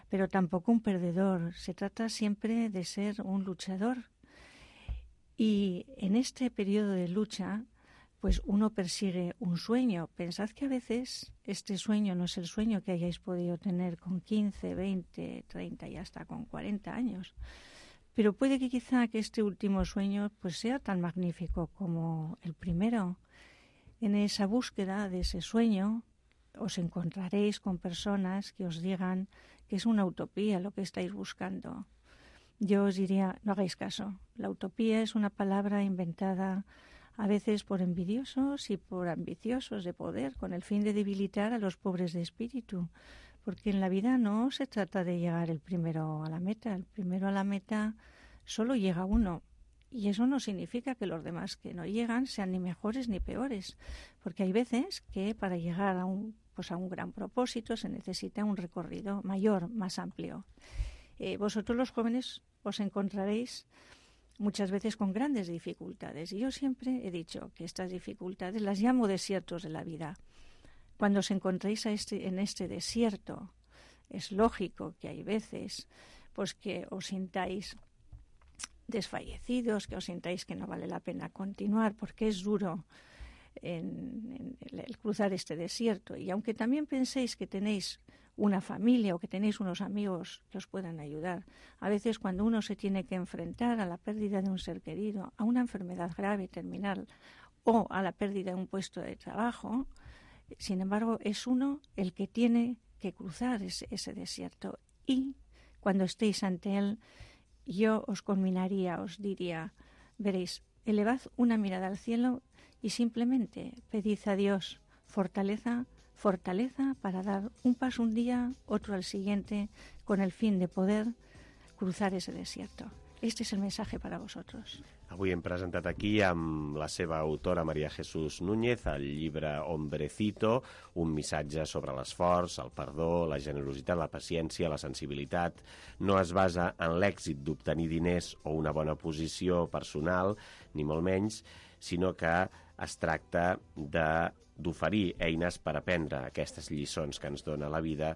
pero tampoco un perdedor. Se trata siempre de ser un luchador. Y en este periodo de lucha, pues uno persigue un sueño. Pensad que a veces este sueño no es el sueño que hayáis podido tener con quince, veinte, treinta y hasta con cuarenta años. Pero puede que quizá que este último sueño pues sea tan magnífico como el primero. En esa búsqueda de ese sueño os encontraréis con personas que os digan que es una utopía lo que estáis buscando. Yo os diría, no hagáis caso. La utopía es una palabra inventada a veces por envidiosos y por ambiciosos de poder, con el fin de debilitar a los pobres de espíritu. Porque en la vida no se trata de llegar el primero a la meta. El primero a la meta solo llega uno. Y eso no significa que los demás que no llegan sean ni mejores ni peores. Porque hay veces que para llegar a un, pues a un gran propósito se necesita un recorrido mayor, más amplio. Eh, vosotros los jóvenes os encontraréis muchas veces con grandes dificultades. Y yo siempre he dicho que estas dificultades las llamo desiertos de la vida. Cuando os encontréis a este, en este desierto, es lógico que hay veces pues que os sintáis desfallecidos, que os sintáis que no vale la pena continuar, porque es duro en, en el cruzar este desierto. Y aunque también penséis que tenéis una familia o que tenéis unos amigos que os puedan ayudar, a veces cuando uno se tiene que enfrentar a la pérdida de un ser querido, a una enfermedad grave, terminal, o a la pérdida de un puesto de trabajo, sin embargo, es uno el que tiene que cruzar ese, ese desierto. Y cuando estéis ante él, yo os conminaría, os diría, veréis, elevad una mirada al cielo y simplemente pedid a Dios fortaleza, fortaleza para dar un paso un día, otro al siguiente, con el fin de poder cruzar ese desierto. Este es el mensaje para vosotros. Avui hem presentat aquí amb la seva autora María Jesús Núñez el llibre Hombrecito, un missatge sobre l'esforç, el perdó, la generositat, la paciència, la sensibilitat. No es basa en l'èxit d'obtenir diners o una bona posició personal, ni molt menys, sinó que es tracta de d'oferir eines per aprendre aquestes lliçons que ens dona la vida,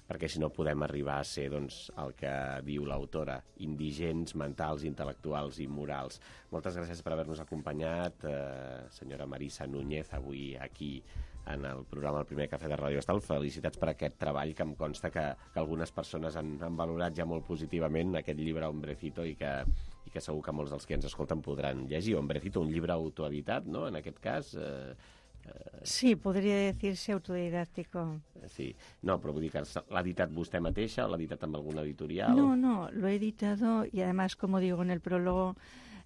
perquè si no podem arribar a ser, doncs, el que diu l'autora, indigents mentals, intel·lectuals i morals. Moltes gràcies per haver-nos acompanyat, eh, senyora Marisa Núñez, avui aquí en el programa El primer cafè de Ràdio Estel. Felicitats per aquest treball, que em consta que, que algunes persones han, han valorat ja molt positivament aquest llibre Hombrecito i que, i que segur que molts dels que ens escolten podran llegir. Hombrecito, un llibre autoeditat, no?, en aquest cas... Eh, Sí, podria decir-se autodidàctico. Sí, no, però vull dir que l'ha editat vostè mateixa o l'ha editat amb alguna editorial? No, no, lo he editado y además, como digo en el prólogo,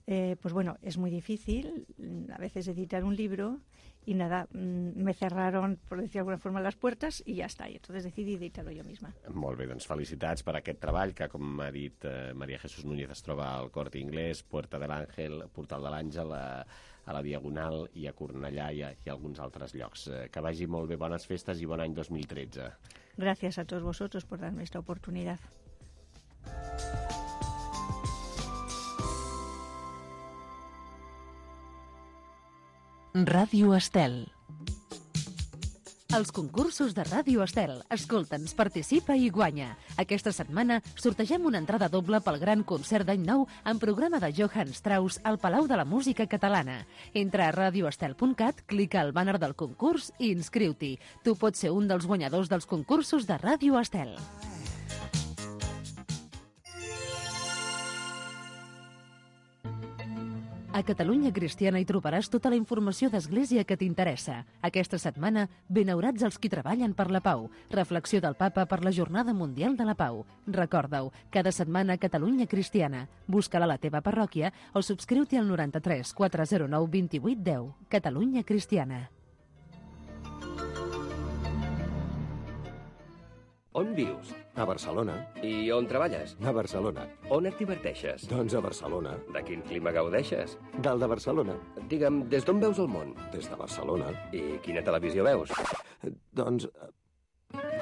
eh, pues bueno, es muy difícil a veces editar un libro y nada, me cerraron, por decir de alguna forma, las puertas y ya está, y entonces decidí editarlo yo misma. Molt bé, doncs felicitats per aquest treball que, com ha dit eh, María Jesús Núñez, es troba al Corte Inglés, Puerta de l'Àngel, Portal de l'Àngel, a, a la Diagonal i a Cornellà i a, i a alguns altres llocs. Eh, que vagi molt bé, bones festes i bon any dos mil tretze. Gracias a todos vosotros por darme esta oportunidad. Ràdio Estel. Els concursos de Ràdio Estel. Escolta'ns, participa i guanya. Aquesta setmana sortegem una entrada doble pel gran concert d'any nou en programa de Johann Strauss al Palau de la Música Catalana. Entra a radioestel punt cat, clica al bàner del concurs i inscriu-t'hi. Tu pots ser un dels guanyadors dels concursos de Ràdio Estel. A Catalunya Cristiana hi trobaràs tota la informació d'Església que t'interessa. Aquesta setmana, benaurats els qui treballen per la pau. Reflexió del Papa per la Jornada Mundial de la Pau. Recorda-ho, cada setmana a Catalunya Cristiana. Busca-la a la teva parròquia o subscriu-t'hi al noranta-tres quatre zero nou vint vuit deu. Catalunya Cristiana. On vius? A Barcelona. I on treballes? A Barcelona. On et diverteixes? Doncs a Barcelona. De quin clima gaudeixes? Del de Barcelona. Digue'm, des d'on veus el món? Des de Barcelona. I quina televisió veus? Doncs...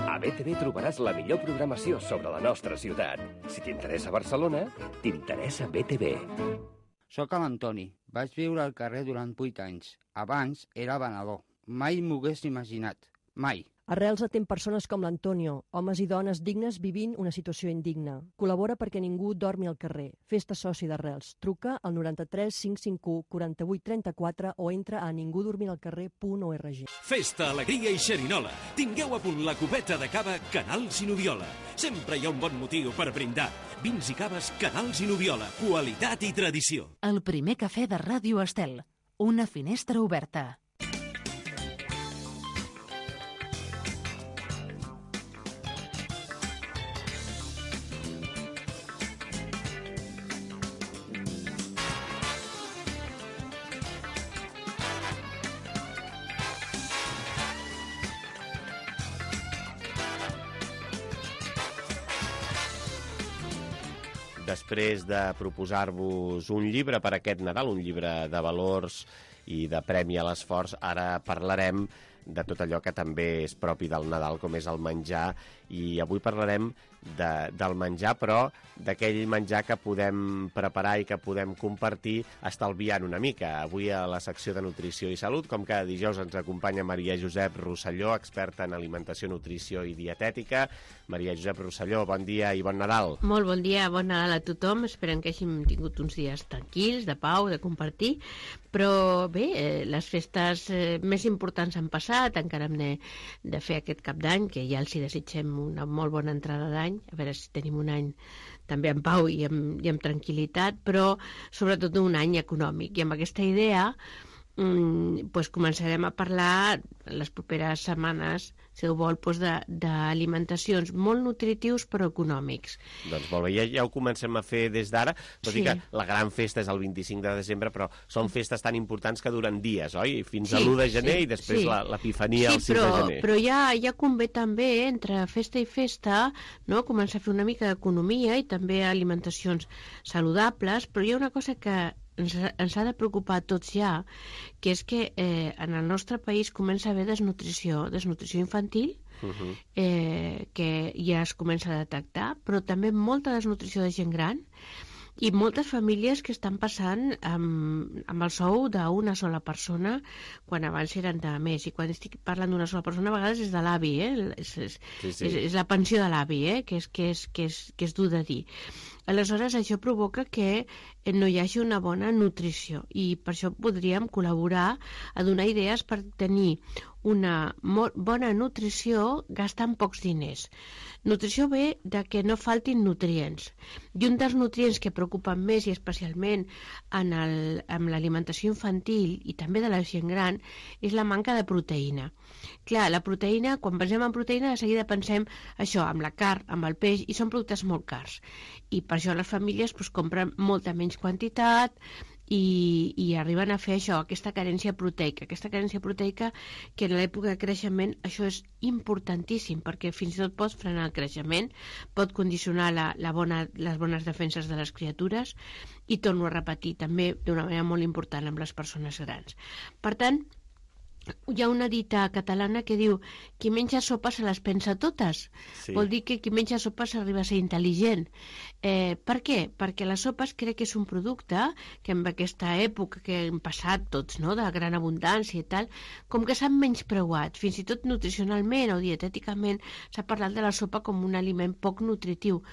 A B T V trobaràs la millor programació sobre la nostra ciutat. Si t'interessa Barcelona, t'interessa B T V. Soc l'Antoni. Vaig viure al carrer durant vuit anys. Abans era venedor. Mai m'ho hagués imaginat. Mai. Arrels atén persones com l'Antonio, homes i dones dignes vivint una situació indigna. Col·labora perquè ningú dormi al carrer. Fes-te soci d'Arrels. Truca al noranta-tres cinc cinc u quaranta-vuit trenta-quatre o entra a ningudormiralcarrer punt org. Festa, alegria i xerinola. Tingueu a punt la cubeta de cava Canals i Noviola. Sempre hi ha un bon motiu per brindar. Vins i caves Canals i Noviola. Qualitat i tradició. El primer cafè de Ràdio Estel. Una finestra oberta. Després de proposar-vos un llibre per aquest Nadal, un llibre de valors i de premi a l'esforç, ara parlarem de tot allò que també és propi del Nadal, com és el menjar, i avui parlarem de, del menjar, però d'aquell menjar que podem preparar i que podem compartir estalviant una mica. Avui a la secció de Nutrició i Salut, com cada dijous, ens acompanya Maria Josep Rosselló, experta en alimentació, nutrició i dietètica. Maria Josep Rosselló, bon dia i bon Nadal. Molt bon dia, bon Nadal a tothom. Esperem que hàgim tingut uns dies tranquils, de pau, de compartir. Però bé, eh, les festes eh, més importants han passat, encara hem de, de fer aquest cap d'any, que ja els hi desitgem una molt bona entrada d'any, a veure si tenim un any també en pau i amb, i amb tranquil·litat, però sobretot un any econòmic. I amb aquesta idea mm, pues començarem a parlar les properes setmanes, si ho vol, doncs d'alimentacions molt nutritius però econòmics. Doncs molt bé, ja, ja ho comencem a fer des d'ara, tot sí. i que la gran festa és el vint-i-cinc de desembre, però són festes tan importants que duren dies, oi? Fins sí, a l'u de gener sí, i després sí. l'Epifania sí, el cinc però, de gener. Però ja, ja convé també, entre festa i festa, no? Començar a fer una mica d'economia i també alimentacions saludables, però hi ha una cosa que ens, ens ha de preocupar a tots ja, que és que eh, en el nostre país comença a haver desnutrició, desnutrició infantil, uh-huh. eh, que ja es comença a detectar, però també molta desnutrició de gent gran i moltes famílies que estan passant amb, amb el sou d'una sola persona quan abans eren de més. I quan estic parlant d'una sola persona a vegades és de l'avi, eh? és, és, sí, sí. és, és la pensió de l'avi, eh? que, és, que, és, que, és, que és dur de dir. Aleshores, això provoca que no hi hagi una bona nutrició i per això podríem col·laborar a donar idees per tenir una bona nutrició gastant pocs diners. Nutrició ve de que no faltin nutrients. I un dels nutrients que preocupen més i especialment en, el, en l'alimentació infantil i també de la gent gran és la manca de proteïna. Clar, la proteïna, quan pensem en proteïna, de seguida pensem això, amb la carn, amb el peix, i són productes molt cars. I per això les famílies doncs, compren molta menys quantitat i, i arriben a fer això, aquesta carència proteica. Aquesta carència proteica que en l'època de creixement això és importantíssim perquè fins i tot pot frenar el creixement, pot condicionar la, la bona, les bones defenses de les criatures i torno a repetir també d'una manera molt important amb les persones grans. Per tant, hi ha una dita catalana que diu qui menja sopa se les pensa totes. Sí. Vol dir que qui menja sopa s'arriba a ser intel·ligent. Eh, per què? Perquè les sopes crec que és un producte que en aquesta època que hem passat tots, no?, de gran abundància i tal, com que s'han menyspreuat. Fins i tot nutricionalment o dietèticament s'ha parlat de la sopa com un aliment poc nutritiu,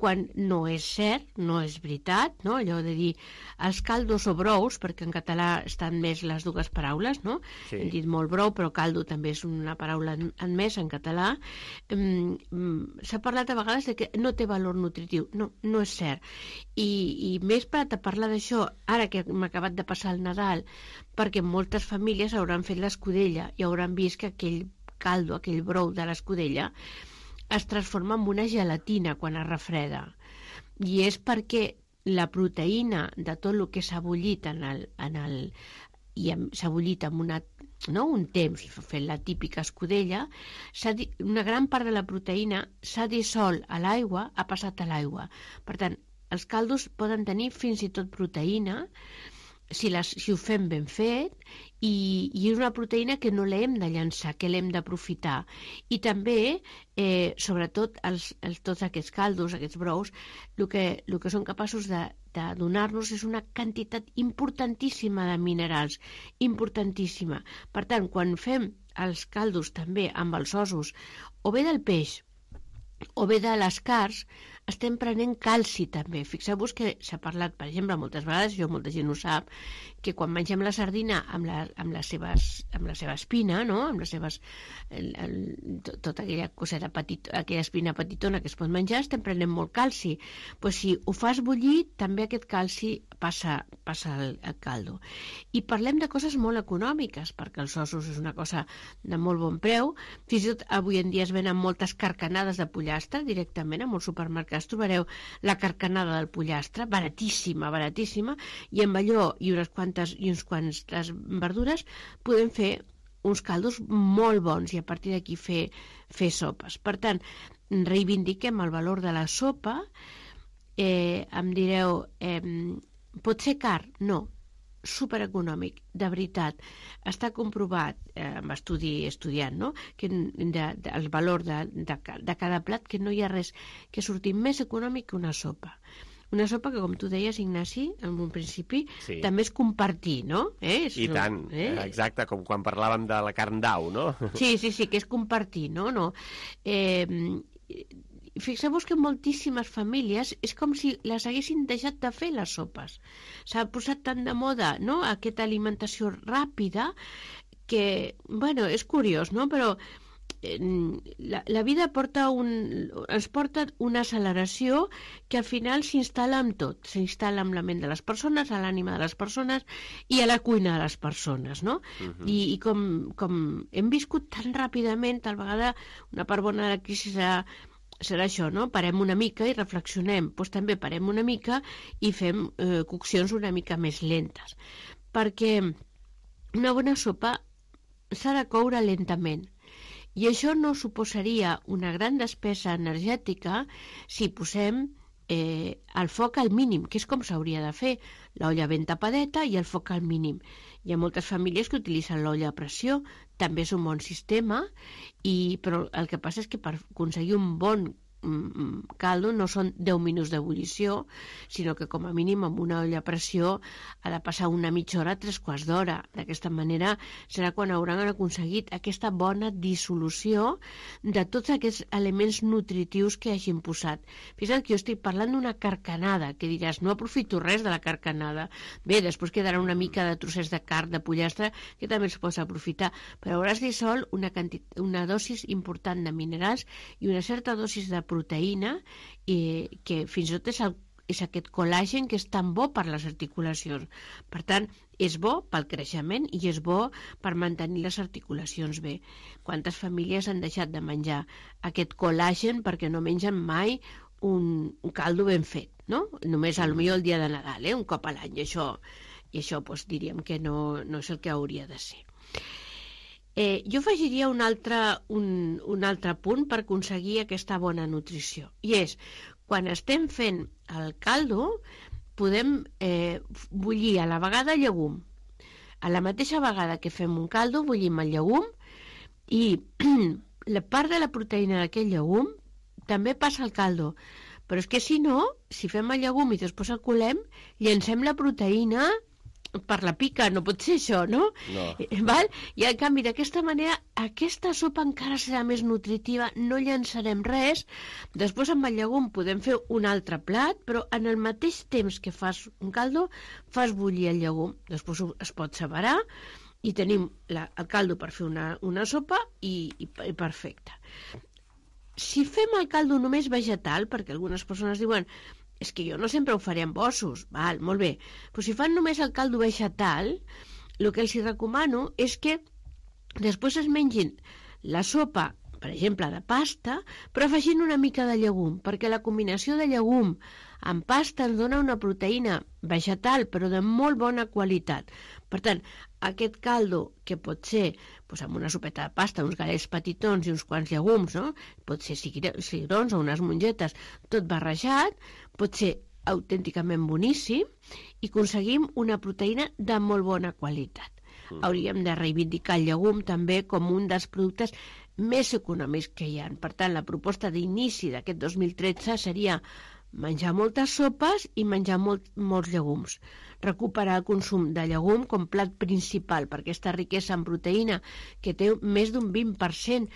quan no és cert, no és veritat, no? Allò de dir els caldos o brous, perquè en català estan més les dues paraules, no? Sí. Hem dit molt brou, però caldo també és una paraula admesa en català. Um, um, s'ha parlat a vegades de que no té valor nutritiu. No, no és cert. I, i m'he esperat a parlar d'això ara que m'ha acabat de passar el Nadal, perquè moltes famílies hauran fet l'escudella i hauran vist que aquell caldo, aquell brou de l'escudella es transforma en una gelatina quan es refreda. I és perquè la proteïna de tot el que s'ha bullit en el, en el, i s'ha bullit amb una, no, un temps fent la típica escudella, una gran part de la proteïna s'ha dissolt a l'aigua, ha passat a l'aigua. Per tant, els caldos poden tenir fins i tot proteïna si, les, si ho fem ben fet, i, i és una proteïna que no l'hem de llançar, que l'hem d'aprofitar. I també, eh, sobretot, els, els, tots aquests caldos, aquests brous, el que, el que són capaços de, de donar-nos és una quantitat importantíssima de minerals, importantíssima. Per tant, quan fem els caldos també amb els ossos, o bé del peix, o bé de les carns, estem prenent calci també. Fixeu-vos que s'ha parlat, per exemple, moltes vegades, jo molta gent ho sap, que quan mengem la sardina amb la, amb les seves, amb la seva espina, no? Amb les seves, el, el, tota aquella coseta petit, aquella espina petitona que es pot menjar, estem prenent molt calci. Pues si ho fas bullir, també aquest calci passa, passa al, al caldo. I parlem de coses molt econòmiques, perquè els ossos és una cosa de molt bon preu. Fins i tot avui en dia es venen moltes carcanades de pollastre directament a molts supermercats. Trobareu la carcanada del pollastre, baratíssima, baratíssima, i amb allò i unes quantes i uns quantes verdures podem fer uns caldos molt bons i a partir d'aquí fer, fer sopes. Per tant, reivindiquem el valor de la sopa. Eh, em direu, eh, pot ser car? No. Supereconòmic, de veritat. Està comprovat, eh, amb estudi estudiant, no? Que de, de, el valor de, de, de cada plat, que no hi ha res que surti més econòmic que una sopa. Una sopa que, com tu deies, Ignasi, en un principi, sí, també és compartir, no? Eh? És, I tant, eh? Exacte, com quan parlàvem de la carn d'au, no? Sí, sí, sí, que és compartir, no? no. Eh, Fixeu-vos que moltíssimes famílies és com si les haguessin deixat de fer les sopes. S'ha posat tan de moda, no?, aquesta alimentació ràpida que, bueno, és curiós, no?, però eh, la, la vida porta un, ens porta una acceleració que al final s'instal·la amb tot. S'instal·la amb la ment de les persones, a l'ànima de les persones i a la cuina de les persones, no? Uh-huh. I, i com, com hem viscut tan ràpidament, tal vegada una part bona de la crisi serà serà això, no? Parem una mica i reflexionem. Doncs també parem una mica i fem eh, coccions una mica més lentes. Perquè una bona sopa s'ha de coure lentament. I això no suposaria una gran despesa energètica si posem eh, el foc al mínim, que és com s'hauria de fer. L'olla ben tapadeta i el foc al mínim. Hi ha moltes famílies que utilitzen l'olla a pressió, també és un bon sistema, i, però el que passa és que per aconseguir un bon caldo no són deu minuts d'ebullició, sinó que com a mínim amb una olla a pressió ha de passar una mitja hora, tres quarts d'hora. D'aquesta manera serà quan hauran aconseguit aquesta bona dissolució de tots aquests elements nutritius que hagin posat. Fixa't que jo estic parlant d'una carcanada, que diràs, no aprofito res de la carcanada. Bé, després quedarà una mica de trossets de carn, de pollastre, que també es pot aprofitar, però hauràs dissolt una, quantitat, una dosis important de minerals i una certa dosis de proteïna, i que fins i tot és, el, és aquest col·làgen que és tan bo per les articulacions. Per tant, és bo pel creixement i és bo per mantenir les articulacions bé. Quantes famílies han deixat de menjar aquest col·làgen perquè no mengen mai un, un caldo ben fet, no? Només al millor el dia de Nadal, eh? Un cop a l'any, i això, i això doncs, diríem que no, no és el que hauria de ser. Eh, jo afegiria un altre, un, un altre punt per aconseguir aquesta bona nutrició, i és, quan estem fent el caldo, podem eh, bullir a la vegada llegum. A la mateixa vegada que fem un caldo, bullim el llegum, i la part de la proteïna d'aquest llegum també passa al caldo. Però és que si no, si fem el llegum i després el colem, llancem la proteïna per la pica, no pot ser això, no? No. Val? I en canvi, d'aquesta manera, aquesta sopa encara serà més nutritiva, no llançarem res, després amb el llegum podem fer un altre plat, però en el mateix temps que fas un caldo, fas bullir el llegum, després es pot separar, i tenim la, el caldo per fer una, una sopa i, i, i perfecte. Si fem el caldo només vegetal, perquè algunes persones diuen és que jo no sempre ho faré amb ossos, val, molt bé, però si fan només el caldo vegetal, el que els recomano és que després es mengin la sopa, per exemple, de pasta, però afegint una mica de llegum, perquè la combinació de llegum amb pasta ens dona una proteïna vegetal, però de molt bona qualitat. Per tant, aquest caldo, que pot ser doncs, amb una sopeta de pasta, uns gallets petitons i uns quants llegums, no? Pot ser cigrons o unes mongetes, tot barrejat, pot ser autènticament boníssim i aconseguim una proteïna de molt bona qualitat. Mm. Hauríem de reivindicar el llegum també com un dels productes més econòmics que hi ha. Per tant, la proposta d'inici d'aquest dos mil tretze seria menjar moltes sopes i menjar molt, molts llegums. Recuperar el consum de llegum com plat principal per aquesta riquesa en proteïna que té més d'un vint per cent,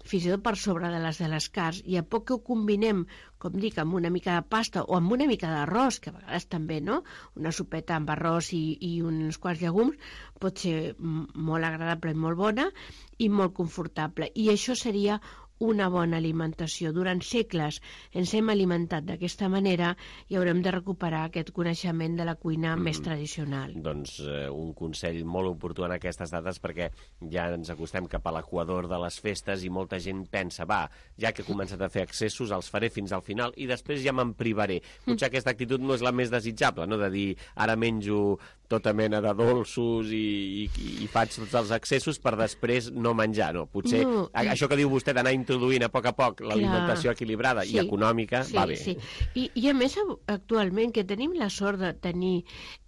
fins i tot per sobre de les de les carns, i a poc que ho combinem, com dic, amb una mica de pasta o amb una mica d'arròs, que a vegades també, no? Una sopeta amb arròs i, i uns quants llegums pot ser molt agradable i molt bona i molt confortable. I això seria una bona alimentació. Durant segles ens hem alimentat d'aquesta manera i haurem de recuperar aquest coneixement de la cuina mm. més tradicional. Doncs eh, un consell molt oportú en aquestes dates, perquè ja ens acostem cap a l'equador de les festes i molta gent pensa, va, ja que he començat a fer excessos, els faré fins al final i després ja me'n privaré. Potser mm. aquesta actitud no és la més desitjable, no? De dir, ara menjo tota mena de dolços i, i, i faig tots els excessos per després no menjar. No, potser no, i... això que diu vostè d'anar introduint a poc a poc l'alimentació equilibrada sí, i econòmica sí, va bé. Sí. I, I a més, actualment, que tenim la sort de tenir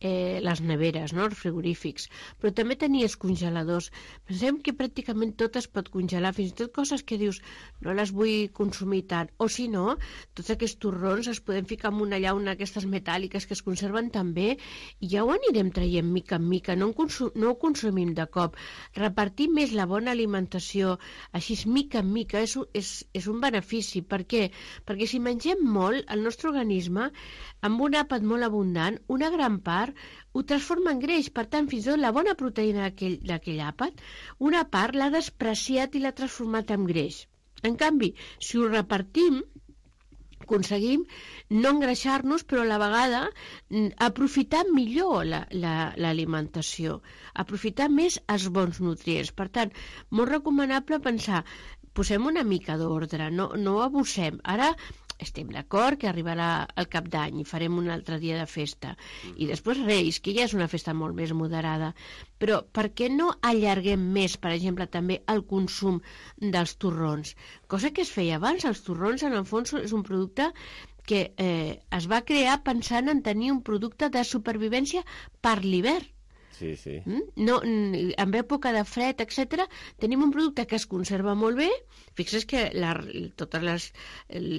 eh, les neveres, no? Els frigorífics, però també tenir els congeladors. Pensem que pràcticament tot es pot congelar, fins i tot coses que dius no les vull consumir tant, o si no, tots aquests torrons es poden ficar en una llauna aquestes metàl·liques que es conserven també i ja ho anirem traient mica en mica, no, consum, no ho consumim de cop. Repartir més la bona alimentació, així mica en mica, és, és, és un benefici. Per què? Perquè si mengem molt, el nostre organisme, amb un àpat molt abundant, una gran part ho transforma en greix. Per tant, fins i tot la bona proteïna d'aquell àpat, una part l'ha despreciat i l'ha transformat en greix. En canvi, si ho repartim, aconseguim no engreixar-nos, però a la vegada aprofitar millor l'alimentació, la, la, aprofitar més els bons nutrients. Per tant, molt recomanable pensar, posem una mica d'ordre, no, no abusem. Ara estem d'acord que arribarà el Cap d'Any i farem un altre dia de festa. I després Reis, que ja és una festa molt més moderada. Però per què no allarguem més, per exemple, també el consum dels torrons? Cosa que es feia abans. Els torrons, en el fons, és un producte que eh, es va crear pensant en tenir un producte de supervivència per l'hivern. Sí, sí. No, en època de fred, etcètera, tenim un producte que es conserva molt bé. Fixa't que la, totes les,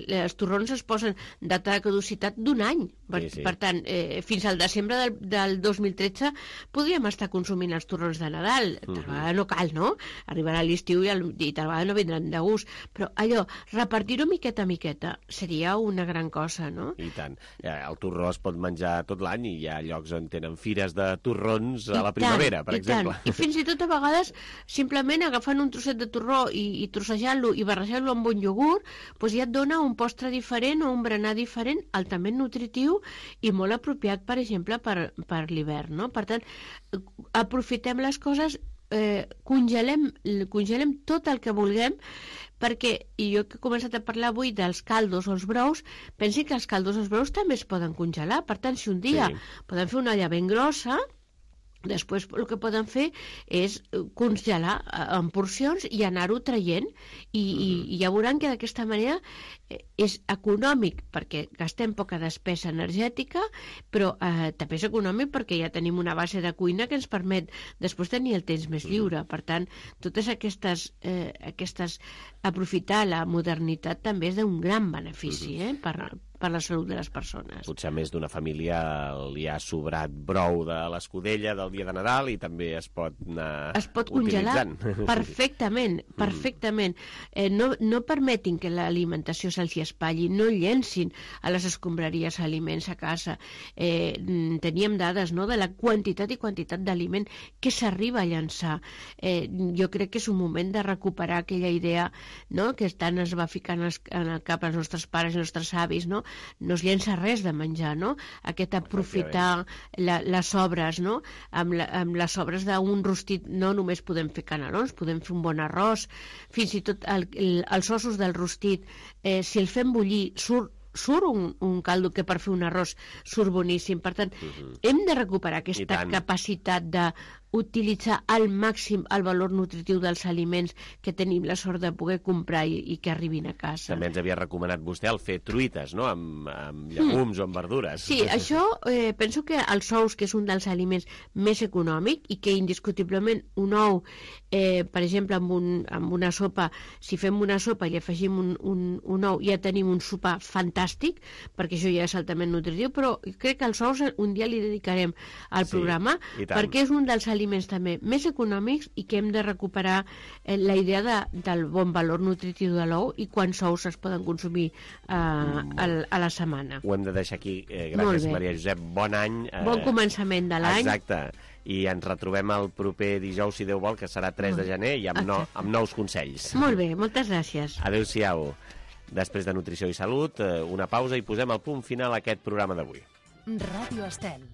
les torrons es posen data de caducitat d'un any. Per, sí, sí. per tant, eh, fins al desembre del, del dos mil tretze podríem estar consumint els torrons de Nadal. Tal uh-huh. vegada no cal, no? Arribarà l'estiu i, el, i tal vegada no vindran de gust. Però allò, repartir-ho miqueta a miqueta seria una gran cosa, no? I tant. El torró es pot menjar tot l'any i hi ha llocs on tenen fires de torrons a la primavera, per I exemple. Tant. I fins i tot a vegades simplement agafant un trosset de torró i, i trossejant-lo i barrejant-lo amb un iogurt, doncs ja et dona un postre diferent o un berenar diferent, altament nutritiu i molt apropiat, per exemple, per, per l'hivern, no? Per tant, aprofitem les coses, eh, congelem, congelem tot el que vulguem, perquè, i jo que he començat a parlar avui dels caldos o els brous, pensi que els caldos o els brous també es poden congelar. Per tant, si un dia sí. poden fer una olla ben grossa, després el que poden fer és congelar en porcions i anar-ho traient i, i, i ja veuran que d'aquesta manera és econòmic perquè gastem poca despesa energètica, però eh, també és econòmic perquè ja tenim una base de cuina que ens permet després tenir el temps més lliure. Per tant, totes aquestes, eh, aquestes aprofitar la modernitat també és d'un gran benefici eh, per, per la salut de les persones. Potser a més d'una família li ha sobrat brou de l'escudella del dia de Nadal i també es pot anar es pot congelar perfectament, perfectament. Eh, no, no permetin que l'alimentació se'ls hi espatlli, no llencin a les escombraries aliments a casa. Eh, teníem dades, no?, de la quantitat i quantitat d'aliment que s'arriba a llançar. Eh, jo crec que és un moment de recuperar aquella idea, no?, que tant es va ficar en, els, en el cap als nostres pares i els nostres avis, no? No es llença res de menjar, no? Aquest aprofitar la, les sobres, no? Amb, la, amb les sobres d'un rostit no només podem fer canelons, podem fer un bon arròs, fins i tot el, el, els ossos del rostit, eh, si el fem bullir, surt surt un, un caldo que per fer un arròs surt boníssim. Per tant, uh-huh. hem de recuperar aquesta capacitat de utilitzar al màxim el valor nutritiu dels aliments que tenim la sort de poder comprar i, i que arribin a casa. També ens havia recomanat vostè el fer truites, no?, amb, amb llegums mm. o amb verdures. Sí, això eh, penso que els ous, que és un dels aliments més econòmic i que indiscutiblement un ou, eh, per exemple, amb, un, amb una sopa, si fem una sopa i li afegim un, un, un ou, ja tenim un sopar fantàstic, perquè això ja és altament nutritiu, però crec que els ous un dia li dedicarem al Sí, programa, perquè és un dels aliments també més econòmics i que hem de recuperar eh, la idea de, del bon valor nutritiu de l'ou i quants ous es poden consumir eh, a, a la setmana. Ho hem de deixar aquí. Eh, gràcies, Maria Josep. Bon any. Eh, bon començament de l'any. Exacte. I ens retrobem el proper dijous, si Déu vol, que serà tres de gener, i amb, no, amb nous consells. Molt bé, moltes gràcies. Adéu-siau. Després de Nutrició i Salut, una pausa i posem el punt final a aquest programa d'avui. Ràdio Estel.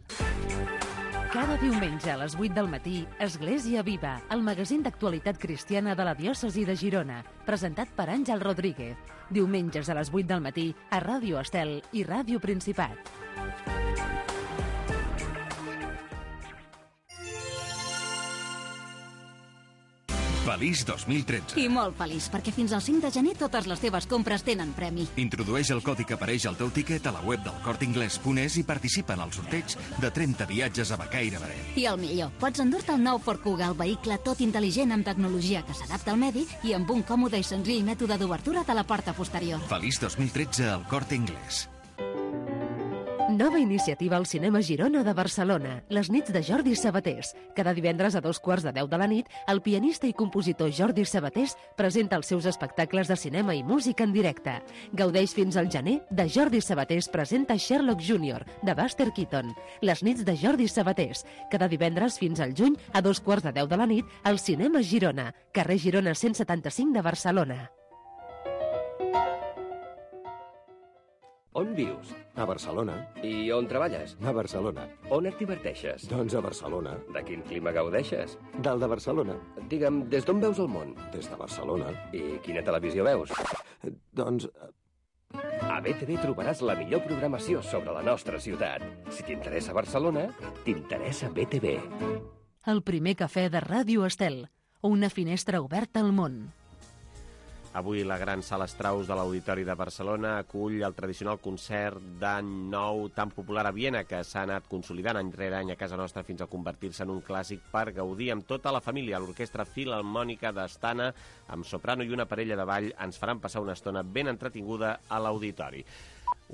Cada diumenge a les vuit del matí, Església Viva, el magazín d'actualitat cristiana de la diòcesi de Girona, presentat per Àngel Rodríguez. Diumenges a les vuit del matí a Ràdio Estel i Ràdio Principat. Feliç dos mil tretze. I molt feliç, perquè fins al cinc de gener totes les teves compres tenen premi. Introdueix el codi que apareix al teu tiquet a la web del corte inglés punt es i participa en el sorteig de trenta viatges a Becaire Beret. I el millor, pots endur-te el nou Ford Kuga, el vehicle tot intel·ligent amb tecnologia que s'adapta al medi i amb un còmode i senzill mètode d'obertura de la porta posterior. Feliç dos mil tretze al Corte Inglés. Nova iniciativa al Cinema Girona de Barcelona, les nits de Jordi Sabatés. Cada divendres a dos quarts de deu de la nit, el pianista i compositor Jordi Sabatés presenta els seus espectacles de cinema i música en directe. Gaudeix fins al gener de Jordi Sabatés presenta Sherlock júnior, de Buster Keaton. Les nits de Jordi Sabatés. Cada divendres fins al juny, a dos quarts de deu de la nit, al Cinema Girona, carrer Girona cent setanta-cinc de Barcelona. On vius? A Barcelona. I on treballes? A Barcelona. On et diverteixes? Doncs a Barcelona. De quin clima gaudeixes? Del de Barcelona. Digue'm, des d'on veus el món? Des de Barcelona. I quina televisió veus? Doncs... A B T V trobaràs la millor programació sobre la nostra ciutat. Si t'interessa Barcelona, t'interessa B T V. El primer cafè de Ràdio Estel. Una finestra oberta al món. Avui la gran sala Strauss de l'Auditori de Barcelona acull el tradicional concert d'any nou tan popular a Viena que s'ha anat consolidant any rere any a casa nostra fins a convertir-se en un clàssic per gaudir amb tota la família. L'Orquestra Filharmònica d'Astana, amb soprano i una parella de ball, ens faran passar una estona ben entretinguda a l'Auditori.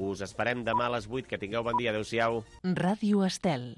Us esperem demà a les vuit. Que tingueu bon dia. Adéu-siau. Ràdio Estel.